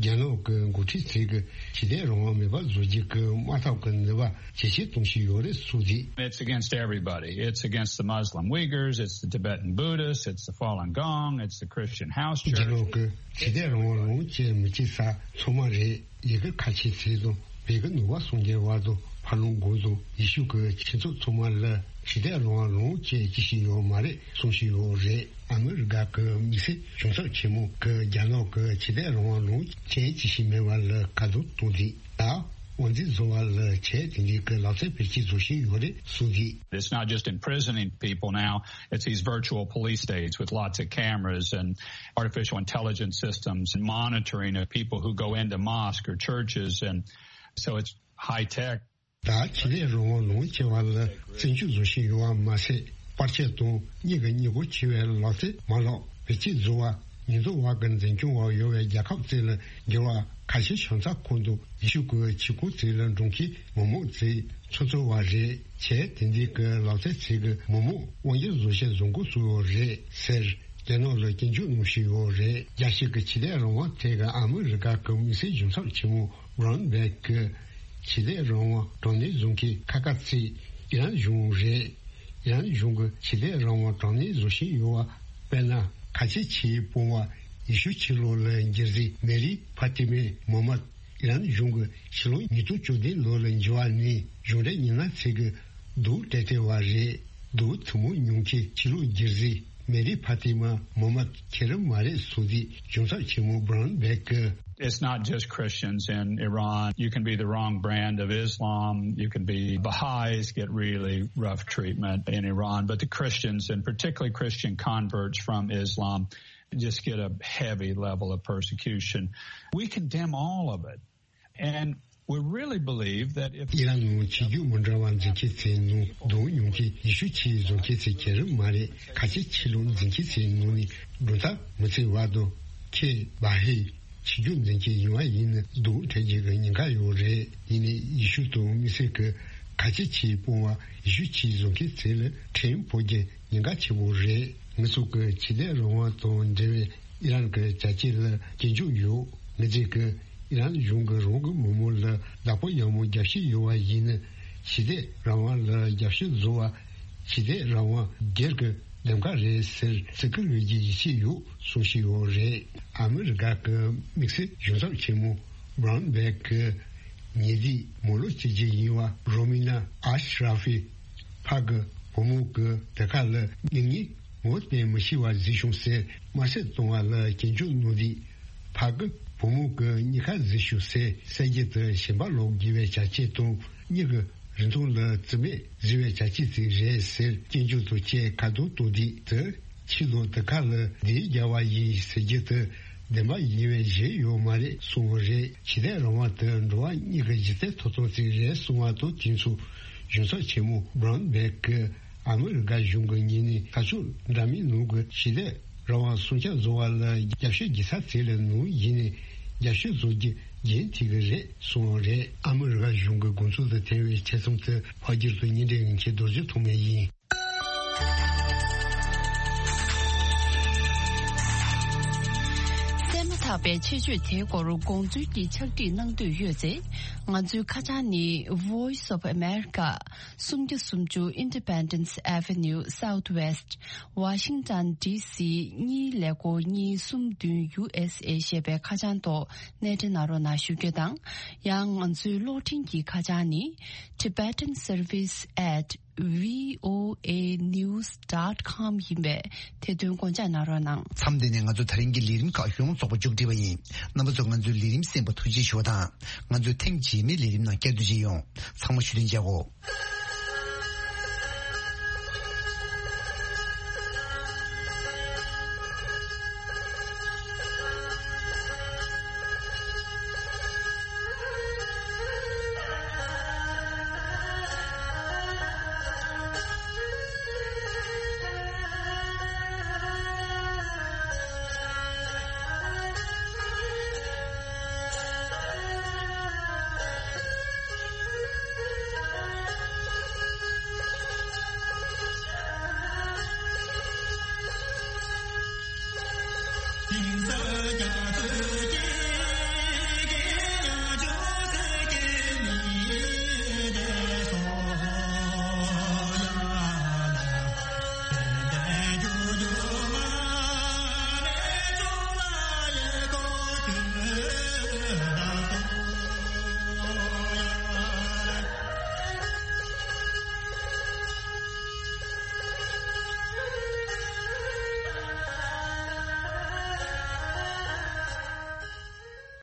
རྒྱ་ནག་གི་འགོ་ཁྲིད་ཚོས་ཀྱི་ཆོས་དད་རང་དབང་མེད་པ་བཟོ་རྒྱུ་གི་དམག་འཐབ་ཀྱི་ནུས་པ་ཇེ་ཆེ་གཏོང་བཞིན་ཡོད་རེད་གསུངས་རྗེས། It's against everybody. It's against the Muslim Uyghurs, it's the Tibetan Buddhists, it's the Falun Gong, it's the Christian house church. རྒྱ་ནག་གི་ཆོས་དད་རང་དབང་ལོངས་སྤྱད་མི་བྱེད་ས་ཚང་མ་རེད། ཡི་གེ་ཁ་ཆེ་ཚོས་དང་བོད་ཀྱི་ནུབ་པ་སངས་རྒྱས་པ་དང་ཕ་ལུང་དགོན་དང་ཡེ་ཤུ་གི་ཆོས་ཚོགས་ཚང་མ་ལ་ཆོས་དད་རང་དབང་ལོངས་སྤྱད་ཅི་ཞིག་ཡོད་མ་རེད་གསུང་བཞིན་ཡོད་རེད། ཨ་མི་རི་ཀ་གི་དམིགས་བསལ་གཞུང་ཚབ་ཆེན་མོ་གིས་རྒྱ་ནག་གི་ཆོས་དད་རང་དབང་ལོངས་སྤྱད་ཅི་ཞིག་མེད་པ་ལ་ཁ་རྡུང་གཏོང་དུས། ད་དབང་འཛིན་བཟོ་བ་ལ་ཆོས་དེ་འདྲའི་གི་ལག་རྩལ་བེད་སྤྱོད་བཟོ་བཞིན་ཡོད་རེད་གསུངས་དུས། It's not just imprisoning people now, it's these virtual police states with lots of cameras and artificial intelligence systems and monitoring of people who go into mosques or churches, and so it's high tech. ད་ཆོས་དད་རང་དབང་ལོངས་སྤྱད་པ་ལ་བཙན་སྐྱོབ་བཟོ་བཞིན་ཡོད་པ་མ་ཟད། པར་ཆས་དང་གཉིས་ཀྱི་སྙིང་པོ་ཆེ་བའི་ལག་རྩལ་མ་ལག་བེད་སྤྱོད་བཟོ་བ། ཉེན་རྟོག་པ་གི་འཛིན་སྐྱོང་འོག་ཡོད་པའི་རྒྱལ་ཁབ་ཅིག་ལ་འགྱུར་བ་ཁ་ཤས་བྱུང་ཚར་ཁོངས་དུ་ཡེ་ཤུ་གི་ཆོས་ཁོངས་ཅིག་ལ་འགྲོ་མཁན་མི་མང་ཅིག་ཚུད་ཚུད་པ་རེད། བྱས་དེ་འདྲའི་གི་ལག་རྩལ་ཅིག་གི་མི་མང་དབང་སྒྱུར་བཟོ་བྱེད་བཟོ་འགོ་ཚུགས་ཡོད་རེད་ཟེར། རྒྱ་ནག་ལ་སྐྱོན་བརྗོད་གནང་བཞིན་ཡོད་རེད། རྒྱལ་སྤྱི་གི་ཆོས་དད་རང་དབང་ཐད་ཀྱི་ཨ་མི་རི་ཀ་གི་དམིགས་བསལ་གཞུང་ཚབ་ཆེན་མོ་བྷ་རོན་བྷེག་གིས་ཆོས་དད་རང་དབང་དྲང་གནས་བཟོ་མཁན་ཁག་ཁག་ཅིག་ཨི་རན་གཞུང་རེད། ཨི་རན་གཞུང་གིས་ཆོས་དད་རང་དབང་དྲང་གནས་བཟོ་བཞིན་ཡོད་པ། དཔེར་ན། ཁ་ཆེ་ཆེའི་དཔོན་པོ་ཡེ་ཤུ་ཕྱི་ལོགས་ལ་རྒྱལ་སྲས་མེ་རི་ཕ་ཏི་མེ་མོ་མད། ཨི་རན་གཞུང་གིས་ཕྱི་ལོ་ཉིས་སྟོང་བཅུ་བདུན་ལོ་ལ་འགྱུར་བ་ནས་གཞུང་འབྲེལ་མི་སྣ་ཚོས་ཀྱི་སྡུག་སྤྲད་བསྡད་པ་རེད། སྡུག་ཐུན་མོང་མྱོང་མཁན་ཕྱི་ལོགས་རྒྱལ་སྲས་མེ་རི་ཕ་ཏི་མ་མོ་མད་ཁེར་མ་རེད་གསུངས་དུས། གཞུང་ཚབ་ཆེན་མོ་བྷ་རོན་བྷེག་གིས། It's not just Christians in Iran. You can be the wrong brand of Islam. You can be Baha'is get really rough treatment in Iran, but the Christians, and particularly Christian converts from Islam, just get a heavy level of persecution. We condemn all of it. And we really believe that if ཨི་རན་ནང་ཆོས་བརྒྱུད་མི་འདྲ་བ་འཛིན་མཁན་ཚོའི་ནང་སྡུག་མྱོང་གི་ཡེ་ཤུ་ཆོས་བཟུང་མཁན་ཚོ་ཁེར་མ་རེད། ཁ་ཆེ་ཆོས་ལུགས་འཛིན་མཁན་ཚོའི་ནང་ནས་གྲུབ་མཐའ་མི་གཅིག་པ་དང་ཁེ་བྷ་ཧེ་ཆོས་བརྒྱུད་འཛིན་མཁན་ཡིན་པ་ཡིན་ན་སྡུག་འཕྲད་རྒྱུ་གི་ཉེན་ཁ་ཡོད་རེད། ཡིན་ནའི་ཡེ་ཤུ་དང་དམིགས་བསལ་གྱི་ཁ་ཆེ་ཆོས་སྤོང་བ་ཡེ་ཤུ་ཆོས་བཟུང་མཁན་ཚོ་ལ་ཁྲིམས་ཕོག་རྒྱུ་ཉེན་ཁ་ཆེ་བོ་རེད། ངེད་ཚོ་གི་ཆོས་དད་རང་དབང་དང་འབྲེལ་བའི་ཨི་རན་གྱི་བྱ་སྤྱོད་ལ་སྐྱོན་བརྗོད་ཡོད། ངེད་ཚོས་ཀྱི་ཨི་རན་གཞུང་གིས་རང་གི་མི་མང་ལ་བདག་པོ་ཡག་མོ་རྒྱབ་བཤད་ཡོད་པ་ཡིན་ན། ཆོས་དད་རང་དབང་ལ་རྒྱབ་སྐྱོར་བཟོ་བ་ཆོས་དད་རང་དབང་སྒེར་གྱི་འདེམས་ཀ་རེད་ཟེར་བརྩི་བཀུར་ཡོད་རྒྱུ་ཡིད་ཆེས་ཡོད་གསུང་བཞིན་ཡོད་རེད། ཨ་མི་རི་ཀ་གི་དམིགས་བསལ་གཞུང་ཚབ་ཆེན་མོ་བྷ་རོན་བྷེག་གིས་ཉེ་དུས་མི་ལོ་གཅིག་ཅུ་ཡིན་པ་རོ་མི་ན་ཨ་ཤ་ར་ཧྥི་ཕ་གི་བུ་མོ་གི་དེ་ཁ་ལ་སྙིང་ཉེ་ངོ་བསྟན་མི་ཤེས་པ་བཟོས་བྱུང་ཟེར་དམར་གསོད་གཏོང་བ་ལ་སྐྱོན་བརྗོད་གནང་དུས། ཕ་གི་བུ་མོ་གི་གཉིས་ཀ་བཟོས་བྱུང་ཟེར་གསལ་རྒྱུ་དེ་ཞེན་པ་ལོག་དགོས་པའི་བྱ་སྤྱོད་དང་། གཉིས་ཀྱི་རིན་ཐང་ལ་བརྩི་མེད་བཟོས་པའི་བྱ་སྤྱོད་ཅིག་རེད་ཟེར་སྐྱོན་བརྗོད་དང་བཅས་ཁ་རྡུང་གཏོང་དུས། དེ་ཕྱི་ལོགས་དེ་ཁ་ལ་ལས་རྒྱག་པ་ཡིན་ཟེར་རྒྱུ་དེ་བདེན་པ་ཡིན་པའི་གཞི་ཡོད་མ་རེད་གསུངས་པ་རེད། ཆོས་དད་རང་དབང་དེ་འགྲོ་བ་མིའི་གཞི་རྩའི་ཐོབ་ཐང་ཅིག་རེད་གསུངས་པ་དང་དུས་མཚུངས། གཞུང་ཚབ་ཆེན་མོ་བྷ་རོན་བྷེག་གིས་ཨ་མི་རི་ཀ་གཞུང་གི་ངོས་ནས་ས་ཕྱོགས་འདྲ་མིན་ནང་གི་ཆོས་དད་རང་དབང་སྲུང་སྐྱོབ་བཟོ་བ་ལ་རྒྱབ་སྐྱོར་བགྱི་ས་ཚོ་ལ་ནང་བཞིན་རྒྱབ་སྐྱོར་བཟོ་རྒྱུ་རྒྱུན་མཐུད་ཀྱི་རེད་གསུངས་པ་རེད། ཨ་མི་རི་ཀ་གཞུང་གི་དགོངས་ཚུལ་དང་འཐད་པའི་ཆེད་རྩོམ་དེ་ཕལ་ཆེར་དུ་ཉིན་རེའི་ངེས་ཁྱེད་རྡོ་རྗེ་ཐོགས་མེད་ཡིན། གསན་མ་ཐག་པའི་ཆེད་བརྗོད་དེའི་སྐོར་དགོངས་ཚུལ་གྱི་ཕྱག་བྲིས་གནང་འདོད་ཡོད་ཚེ། ང་ཚོའི་ཁ་བྱང་ནི་Voice of America། སུམ་བརྒྱ་སུམ་ཅུ་Independence Avenue Southwest Washington D C གཉིས་ཀླད་ཀོར་གཉིས་གསུམ་བདུན་U S A ཞེས་པའི་ཁ་བྱང་ཐོག་གནས་འདྲེན་གནང་རོགས་གནང་ཞུ་རྒྱུ་དང་། ཡང་ང་ཚོའི་གློག་འཕྲིན་གྱི་ཁ་བྱང་ནི་Tibetan Service at V O A news dot com ཡིན་པས་དེ་དོན་དགོངས་འཇགས་གནང་རོགས་གནང་། མཚམས་འདི་ནས་ང་ཚོ་ད་རིང་གི་ལས་རིམ་ཁག་ཡོངས་རྫོགས་པ་མཇུག་སྒྲིལ་བ་ཡིན། རྣམ་པ་ཚོ་ང་ཚོའི་ལས་རིམ་གསན་པར་ཐུགས་རྗེ་ཆེ་ཞུ་བ་དང་། ང་ཚོའི་ཐེངས་རྗེས་མའི་ལས་རིམ་ནང་བསྐྱར་དུ་མཇལ་ཡོང་། ཚང་མ་བཞུགས་གདན་འཇགས་གོ།